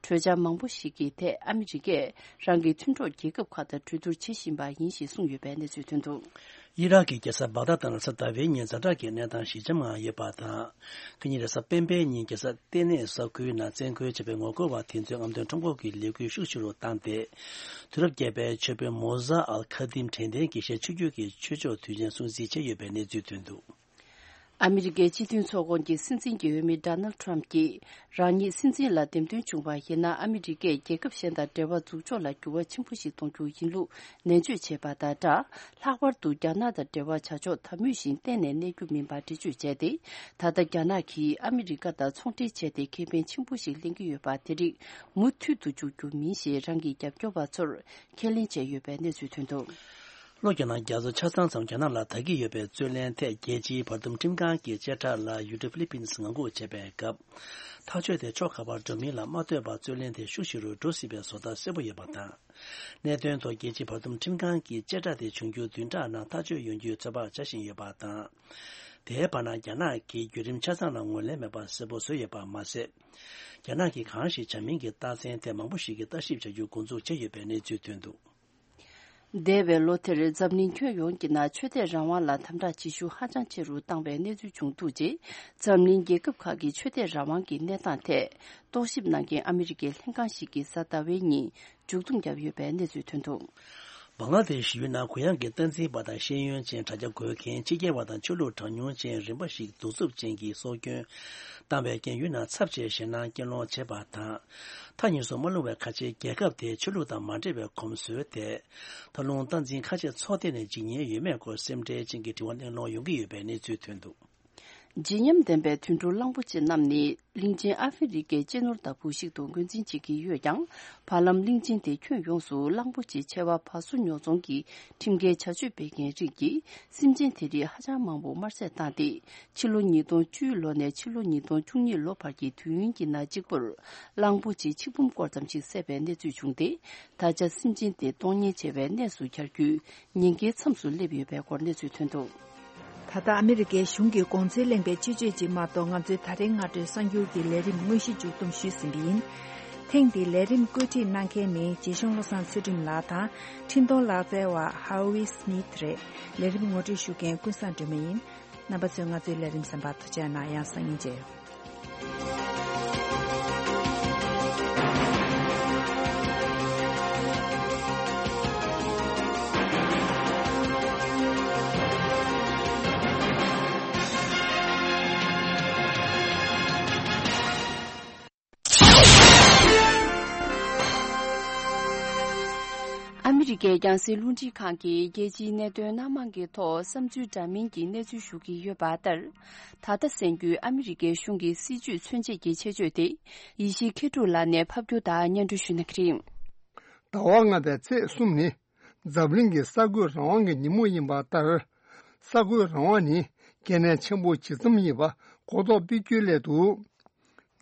གྲོས་འཆར་མང་པོ་ཞིག་གི་ཐད་ཨ་མི་རི་ཀས་རང་གི་མཐུན་གྲོགས་རྒྱལ་ཁབ་ཁག་དང་གྲོས་བསྡུར་བྱེད་བཞིན་པ་ཡིན་ཞེས་གསུངས་ཡོད་པའི་གནས་ཚུལ་ཐོན་འདུག་ཨི་རག་གི་རྒྱལ་ས་བག་དྷ་དང་རེས་གཟའ་ཟླ་བའི་ཉིན་ཛ་དྲག་གི་གནས་སྟངས་ཞི་འཇམ་ངང་ཡོད་པ་དང་། ཁ་ཉིན་རེས་གཟའ་སྤེན་པའི་ཉིན་རྒྱལ་ས་ལྟེ་གནས་ས་ཁུལ་ནང་བཙན་རྒོལ་བྱས་པའི་ངོ་རྒོལ་བ་དེ་ཚོའི་རྔམ་སྟོན་ཁྲོམ་སྐོར་གྱི་ལས་འགུལ་ཤུགས་ཆེ་རུ་བཏང་སྟེ། དུས་རབས་བརྒྱད་པའི་ཆོས་དཔོན་མོ་ཟ་ཨལ་ཁ་དིམ་དྲན་རྟེན་དགེ་བཤེས་ཆོས་བརྒྱུད་ཀྱི་ཆོས་ཕྱོགས་དུས་ཆེན་སྲུང་བརྩི་བྱས་ཡོད་པའི་གནས་ཚུལ་ཐོན་འདུག། ཨ་མི་རི་ཀའི་སྤྱི་མཐུན་ཚོགས་ཁོངས་ཀྱི་སྲིད་འཛིན་གྱི་འོས་མི་ཌོ་ནལ་ཊམ་གྱིས་རང་ཉིད་སྲིད་འཛིན་ལ་འདེམས་ཐོན་བྱུང་བ་ཡིན་ན། ཨ་མི་རི་ཀས་རྒྱལ་ཁབ་གཞན་དང་འབྲེལ་བ་འཛུགས་ཕྱོགས་ལ་འགྱུར་བ་ཆེན་པོ་ཞིག་གཏོང་རྒྱུ་ཡིན་ལུགས་ནན་བརྗོད་བྱས་པ་དང་སྦྲགས། ལྷག་པར་དུ་རྒྱ་ནག་དང་འབྲེལ་བ་བྱ་ཕྱོགས་དམ་མོས་ཤིང་གཏན་ནས་གནས་རྒྱུ་མིན་པ་འགྲེལ་བརྗོད་བྱས་ཏེ། ད་ལྟ་རྒྱ་ནག་གིས་ཨ་མི་རི་ཀ་དང་ཚོང་འབྲེལ་བྱས་ཏེ་ཁེ་ཕན་ཆེན་པོ་ཞིག་ལེན་གྱི་ཡོད་པ་དེ་རིགས་མུ་མཐུད་དུ་འཇོག་རྒྱུ་མིན་ཞེས་རང་གི་རྒྱབ་སྐྱོར་བ་ཚོར་ཁས་ལེན་བྱས་ཡོད་པའི་གནས་ཚུལ་ཐོན་འདུག། ལྷོ་རྒྱ་ནག་རྒྱ་མཚོ་ཆ་ཚང་མཚམས་རྒྱ་ནག་ལ་དར་གྱི་ཡོད་པའི་རྩོད་གླེང་ཐད། རྒྱལ་སྤྱིའི་བར་འདུམ་ཁྲིམས་ཁང་གི་བཅད་ཁྲ་ལ་ཡུལ་གྲུ་ཧྥི་ལི་པིན་སི་ངང་སྒུག་བྱས་པའི་སྐབས། ཐག་གཅོད་དེ་ཕྱོགས་ག་པར་འགྲོ་མིན་ལ་མ་ལྟོས་པར་རྩོད་གླེང་དེ་ཤུགས་ཆེ་རུ་འགྲོ་སྲིད་པའི་བཟོ་ལྟ་གསལ་པོ་ཡོད་པ་དང་། གནད་དོན་ཐོག་རྒྱལ་སྤྱིའི་བར་འདུམ་ཁྲིམས་ཁང་གི་བཅད་ཁྲ་དེ་འབྱུང་འགྱུར་བདུན་ཕྲག་ནང་ཐག་གཅོད་ཡོང་རྒྱུའི་ཚོད་དཔག་བྱ་བཞིན་ཡོད་པ་དང་། དེའི་བར་ན་རྒྱ་ནག་གིས་བརྒྱུད་རིམ་ཆ་ཚང་ལ་ངོས་ལེན་མེད་པ་གསལ་པོ་བཟོས་ཡོད་པ་མ་ཟད། རྒྱ་ནག་གིས་གང་ཞིག་བྱ་མིན་གྱི་རྟགས་མཚན་ཐད་མང་པོ་ཞིག་གིས་ལྟ་ཞིབ་བྱ་རྒྱུ་འགོ་འཛུགས་བྱས་ཡོད་པའི་གནས་ཚུལ་ཐོན་འདུག། འདས་པའི་ལོ་དེར་འཛམ་གླིང་ཁྱོན་ཡོངས་ཀྱི་ནང་ཆོས་དད་རང་དབང་ལ་དམ་དྲག་བྱེད་ཤུགས་ཧ་ཅང་ཆེ་རུ་བཏང་བའི་གནས་ཚུལ་བྱུང་འདུག་ཅེས། འཛམ་གླིང་རྒྱལ་ཁབ་ཁག་གི་ཆོས་དད་རང་དབང་གི་གནས་སྟངས་ཐད་རྟོག་ཞིབ་གནང་མཁན་ཨ་མི་རི་ཀའི་ལྷན་ཁང་ཞིག་གིས་གཟའ་ཟླ་བའི་ཉིན་མཇུག་སྡོམ་བརྒྱབ་ཡོད་པའི་གནས་ཚུལ་ཐོན་འདུག། བང་ལ་དེ་ཤི་ཡུལ་ནང་གུ་ཡངས་ཀྱི་སྟངས་འཛིན་པ་དང་ཤེས་ཡོན་ཅན་དྲ་རྒྱ་འགོད་མཁན་ཕྱི་རྒྱལ་བ་དང་ཆོས་ལུགས་གྲངས་ཉུང་ཅན་རིམ་པ་ཞིག་གདུག་རྩུབ་ཅན་གྱིས་སྲོག་སྐྱོན་བཏང་བའི་རྐྱེན་ཡུལ་ནང་ཚབས་ཆེའི་ཞེད་སྣང་སྐྱེད་སློང་བྱས་པ་དང་། མཐའ་གཉིས་སུ་མ་ལྷུང་བའི་ཁ་ཆེའི་རྒྱལ་ཁབ་དེའི་ཆོས་ལུགས་དང་མ་འབྲེལ་བའི་གོམས་སྲོལ་དེ། ད་རུང་སྟངས་འཛིན་ཁ་ཤས་ཚོགས་སྡེ་ནས་འཇིགས་ཉེན་ཡོད་མེད་སྐོར་སེམས་ཁྲལ་ཅན་གྱི་དྲི་བ་གླེང་སློང་ཡོང་གི་ཡོད་པའི་གནས་ཚུལ་ཐོན་འདུག། བརྗིད་ཉམས་ལྡན་པའི་དུད་འགྲོ་གླང་པོ་ཆེ་རྣམས་ནི་གླིང་ཆེན་ཨ་ཧྥེ་རི་ཀའི་གཅེས་ནོར་ལྟ་བུ་ཞིག་ཏུ་ངོས་འཛིན་བྱེད་ཀྱི་ཡོད་ཀྱང་། བར་ལམ་གླིང་ཆེན་དེ་ཁྱོན་ཡོངས་སུ་གླང་པོ་ཆེ་ཆེ་བ་བ་སོ་ཉོ་ཚོང་གི་ཁྲིམས་འགལ་བྱ་སྤྱོད་སྤེལ་མཁན་རིགས་ཀྱིས་སེམས་ཅན་དེ་རིགས་ཧ་ཅང་མང་པོ་དམར་བསད་བཏང་སྟེ། ཕྱི་ལོ་ཉིས་སྟོང་བཅུའི་ལོ་ནས་ཕྱི་ལོ་ཉིས་སྟོང་བཅུ་གཉིས་ལོ་བར་གྱི་དུས་ཡུན་གྱི་ནང་གཅིག་པུར་གླང་པོ་ཆེ་ཆིག་འབུམ་སྐོར་ཙམ་ཞིག་བསད་པའི་གནས་ཚུལ་བྱུང་སྟེ། ད་ཆ་སེམས་ཅན་དེ་གཏོང་ཉེན་ཆེ་བའི་གནས་སུ་གྱར་རྒྱུའི་ཉེན་ཁའི་མཚམས་སུ་སླེབས་ཡོད་པའི་སྐོར་གནས་ཚུལ་ཐོན་འདུག། ད་ལྟ་ཨ་མི་རི་ཀའི་གཞུང་གི་གོང་ཚད་གླེང་བའི་སྤྱི་སྤྱོད་ཅིག་མ་གཏོགས་ང་ཚོའི་ད་རེས་སྔ་དྲོའི་གསར་འགྱུར་གྱི་ལས་རིམ་དངོས་གཞི་མཇུག་བསྡོམས་ཞུས་ཟིན་པ་ཡིན། ཐེངས་འདིའི་ལས་རིམ་བཀོད་སྒྲིག་གནང་མཁན་ནི་རྗེ་ཤང་བློ་བཟང་ཚུལ་ཁྲིམས་ལགས་དང་། འཕྲིན་གཏོང་ལག་རྩལ་བ་ཧའོ་ཝི་སྨིད་རེད། ལས་རིམ་ངོ་སྤྲོད་ཞུ་མཁན་ཀུན་བཟང་སྒྲོལ་མ་ཡིན། རྣམ་པ་ཚོས་ང་ཚོའི་ལས་རིམ་གསན་པར་ཐུགས་རྗེ་གནང་། ཡང་སང་ཉིན་མཇལ་ཡོང་། ཨ་མི་རི་ཀའི་རྒྱང་སྲིང་རླུང་འཕྲིན་ཁང་གིས་རྒྱལ་སྤྱིའི་གནད་དོན་སྣ་མང་གི་ཐོག་བསམ་ཚུལ་འདྲ་མིན་གྱི་གནས་ཚུལ་ཞུ་གི་ཡོད་པ་ལྟར། ད་ལྟ་གསན་རྒྱུའི་ཨ་མི་རི་ཀའི་གཞུང་གི་སྲིད་བྱུས་མཚོན་བྱེད་ཀྱི་ཆེད་བརྗོད་དེ། ཡེ་ཤེས་མཁས་གྲུབ་ལགས་ནས་ཕབ་སྒྱུར་དང་སྙན་སྒྲོན་ཞུ་གནང་གི་རེད། ཟླ་བ་ལྔ་པའི་ཚེས་གསུམ་ནི། འཛམ་གླིང་གི་གསར་འགོད་རང་དབང་གི་ཉིན་མོ་ཡིན་པ་ལྟར། གསར་འགོད་རང་དབང་ནི་གལ་གནད་ཆེན་པོ་ཇི་ཙམ་ཡིན་པ་གོ་རྟོགས་སྤེལ་རྒྱུའི་སླད་དུ།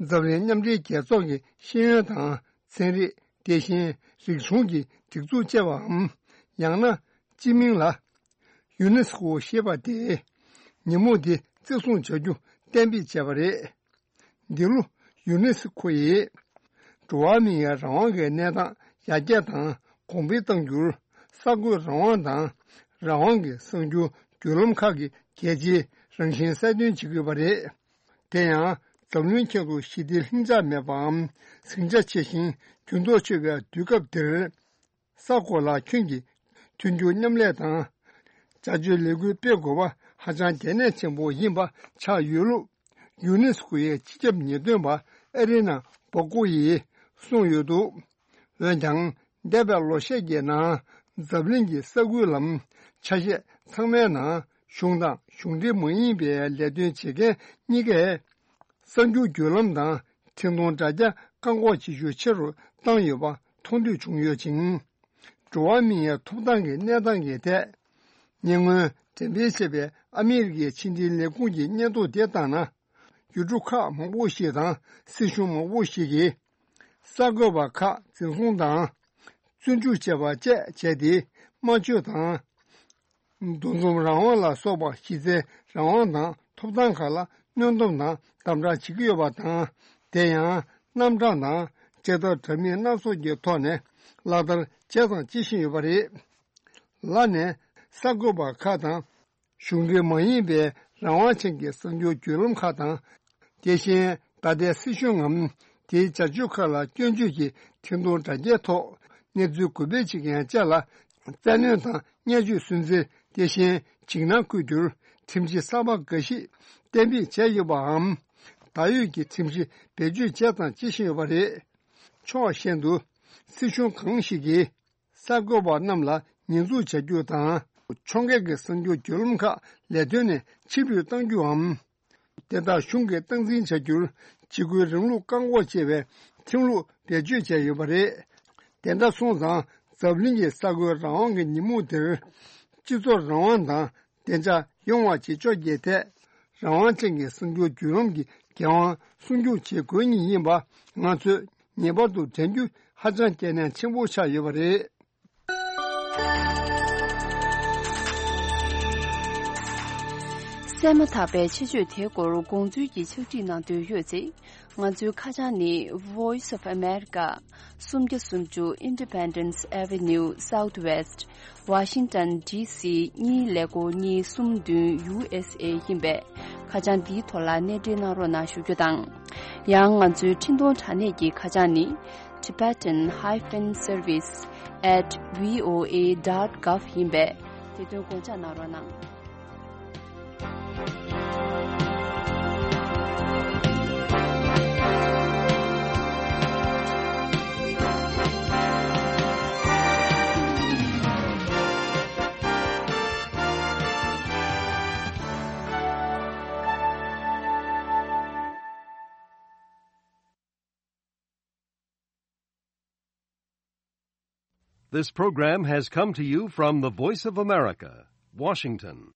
འཛམ་གླིང་མཉམ་འབྲེལ་རྒྱལ་ཚོགས་ཀྱི་ཤེས་ཡོན་དང་ཚན་རིག་དེ་བཞིན་རིག་གཞུང་གི་སྒྲིག་འཛུགས་བཅས་པའམ། ཡང་ན་སྤྱི་མིང་ལ་ཡུ་ནེ་སི་ཀོ་ཞེས་པ་དེས་ཉིན་མོ་འདི་བརྩི་སྲུང་བྱ་རྒྱུ་གཏན་འབེབས་བྱས་པ་རེད། འདི་ལོ་ཡུ་ནེ་སི་ཀོ་ཡིས་འགྲོ་བ་མིའི་རང་དབང་གི་གནས་སྟངས་ཡར་རྒྱས་དང་གོང་འཕེལ་གཏང་རྒྱུར། གསར་འགོད་རང་དབང་དང་རང་དབང་གི་གསར་འགྱུར་བརྒྱུད་ལམ་ཁག་གི་གལ་ཆེའི་རང་བཞིན་གསལ་སྟོན་བྱེད་དགོས་པ་རེད། དེ་ཡང་འཛམ་གླིང་ཁྱོན་དུ་ཞི་བདེ་ལྷིང་འཇགས་མེད་པའམ་ཟིང་ཆ་ཆེ་ཞིང་འགྱུར་ལྡོག་ཆེ་བའི་དུས་སྐབས་འདིར། གསར་འགོད་ལ་ཁྱོན་གྱིས་མཐུན་འགྱུར་མཉམ་ལས་དང་བྱ་སྤྱོད་ལས་འགུལ་སྤེལ་དགོས་པ་ཧ་ཅང་གལ་གནད་ཆེན་པོ་ཡིན་པ་ཆགས་ཡོད་ལུགས་ཡུ་ནེ་སི་ཀོ་ཡི་སྤྱི་ཁྱབ་ཉེས་དོན་པ་ཨེ་རི་ན་བོ་ཀོ་ཡིས་གསུངས་ཡོད་འདུག། འོན་ཀྱང་འདས་པའི་ལོ་ཤས་ཀྱི་ནང་འཛམ་གླིང་གི་གསར་འགོད་ལམ་ཆ་ཤས་ཚང་མའི་ནང་གཞུང་དང་གཞུང་འབྲེལ་མ་ཡིན་པའི་ལས་དོན་བྱེད་མཁན་གཉིས་ཀས། གསར་འགྱུར་བརྒྱུད་ལམ་དང་འཕྲིན་གཏོང་དྲ་རྒྱ་བཀག་འགོག་བྱེད་ཤུགས་ཆེ་རུ་བཏང་ཡོད་པ་མཐོང་ཐོས་བྱུང་ཡོད་ཅིང་། འགྲོ་བ་མིའི་ཐོབ་ཐང་གི་གནས་སྟངས་ཀྱི་ཐད། ཉེ་སྔོན་འགྲེམས་སྤེལ་བྱས་པའི་ཨ་མི་རི་ཀའི་ཕྱི་འབྲེལ་ལས་ཁུངས་ཀྱི་སྙན་ཐོ་དེ་ལྟར་ན། ཡུལ་གྲུ་ཁག་མང་པོ་ཞིག་དང་སྲིད་གཞུང་མང་པོ་ཞིག་གིས། གསར་འགོད་པ་ཁག་འཛིན་བཟུང་དང་། བཙོན་འཇུག་བྱས་པ་བཅས་བྱས་ཏེ། སྨྲ་བརྗོད་དང་། འདུ་འཛོམས་རང་དབང་ལ་སོགས་པ་གཞི་རྩའི་རང་དབང་དང་ཐོབ་ཐང་ཁག་ལ་གནོན་སྡོམ་དང་དམ་དྲག་བྱེད་ཀྱི་ཡོད་པ་དང་། དེ་ཡང་རྣམ་གྲངས་དང་བྱེད་ཐབས་འདྲ་མིན་སྣ་ཚོགས་ཀྱི་ཐོག་ནས་ལག་བསྟར་བྱས་དང་བྱེད་བཞིན་ཡོད་པ་རེད། ལར་ནས་ གསར་འགོད་པ་ཁག་དང་། གཞུང་འབྲེལ་མ་ཡིན་པའི་རང་དབང་ཅན་གྱི་གསར་འགྱུར་བརྒྱུད་ལམ་ཁག་དང་། དེ་བཞིན་ད་ལྟའི་སྲིད་གཞུང་ངམ་དེའི་བྱ་སྤྱོད་ཁག་ལ་སྐྱོན་བརྗོད་ཀྱི་འཕྲིན་གཏོང་དྲ་རྒྱའི་ཐོག་གནས་ཚུལ་གུས་པས་ཅིག་ཡང་བཅས་ལ་བཙན་གནོན་དང་བརྙས་བཅོས་སུན་གཙེར། དེ་བཞིན་འཇིགས་སྣང་བསྐུལ་རྒྱུར་ཁྲིམས་གཞི་གསར་པ་འགའ་ཞིག་གཏན་འབེབས་བྱས་ཡོད་པའམ། ད་ཡོད་ཀྱི་ཁྲིམས་གཞི་བེད་སྤྱོད་བྱས་དང་བྱེད་བཞིན་ཡོད་པ་རེད། ཕྱོགས་གཞན་དུ། སྲིད་གཞུང་གང་ཞིག་གིས། གསར་འགོད་པ་རྣམས་ལ་ཉེས་འཛུགས་བྱ་རྒྱུ་དང་། ཕྱོགས་འགལ་གྱི་གསར་འགྱུར་བརྒྱུད་ལམ་ཁག་ལས་དོན་ནས་ཕྱིར་འབུད་གཏང་རྒྱུའམ། དེ་དག་གཞུང་གིས་སྟངས་འཛིན་བྱ་རྒྱུར་འཇིགས་སྐུལ་རིང་ལུགས་བཀག་འགོག་ཅེས་པའི་ཁྲིམས་ལུགས་བེད་སྤྱོད་བྱས་ཡོད་པ་རེད། དེ་འདྲ་སོང་ཙང་། འཛམ་གླིང་གི་གསར་འགོད་རང་དབང་གི་ཉིན་མོ་དེར། སྤྱི་ཚོགས་རང་དབང་དང་བདེ་འཇགས་ཡོང་བ་བྱེད་ཕྱོགས་ཀྱི་ཐད། རང་དབང་ཅན་གྱི་གསར་འགྱུར་བརྒྱུད་ལམ་གྱི་འགན་དབང་སྲུང་སྐྱོང་བྱེད་དགོས་ངེས་ཡིན་པ། ང་ཚོས་ངེས་པར་དུ་དྲན་རྒྱུ་ཧ་ཅང་གལ་གནད་ཆེན་པོ་ཆགས་ཡོད་པ་རེད། གསན་མ་ཐག་པའི་ཆེད་བརྗོད་དེའི་སྐོར་དགོངས་ཚུལ་གྱི་ཕྱག་བྲིས་གནང་འདོད་ཡོད་ཚེ། ང་ཚོའི་ཁ་བྱང་ནི། Voice of America, སུམ་བརྒྱ་སུམ་ཅུ་Independence Avenue Southwest, Washington D C གཉིས་ཀླད་ཀོར་གཉིས་གསུམ་བདུན། U S A ཡིན་པས། ཁ་བྱང་འདིའི་ཐོག་ལ་གནས་འབྲེལ་གནང་རོགས་གནང་ཞུ་རྒྱུ་དང་། ཡང་ང་ཚོའི་འཕྲིན་གཏོང་དྲ་གནས་ཀྱི་ཁ་བྱང་ནི། Tibetan hyphen service at V O A dot gov ཡིན་པས། དེ་དོན་དགོངས་འཇགས་གནང་རོགས་གནང་། This program has come to you from the Voice of America, Washington.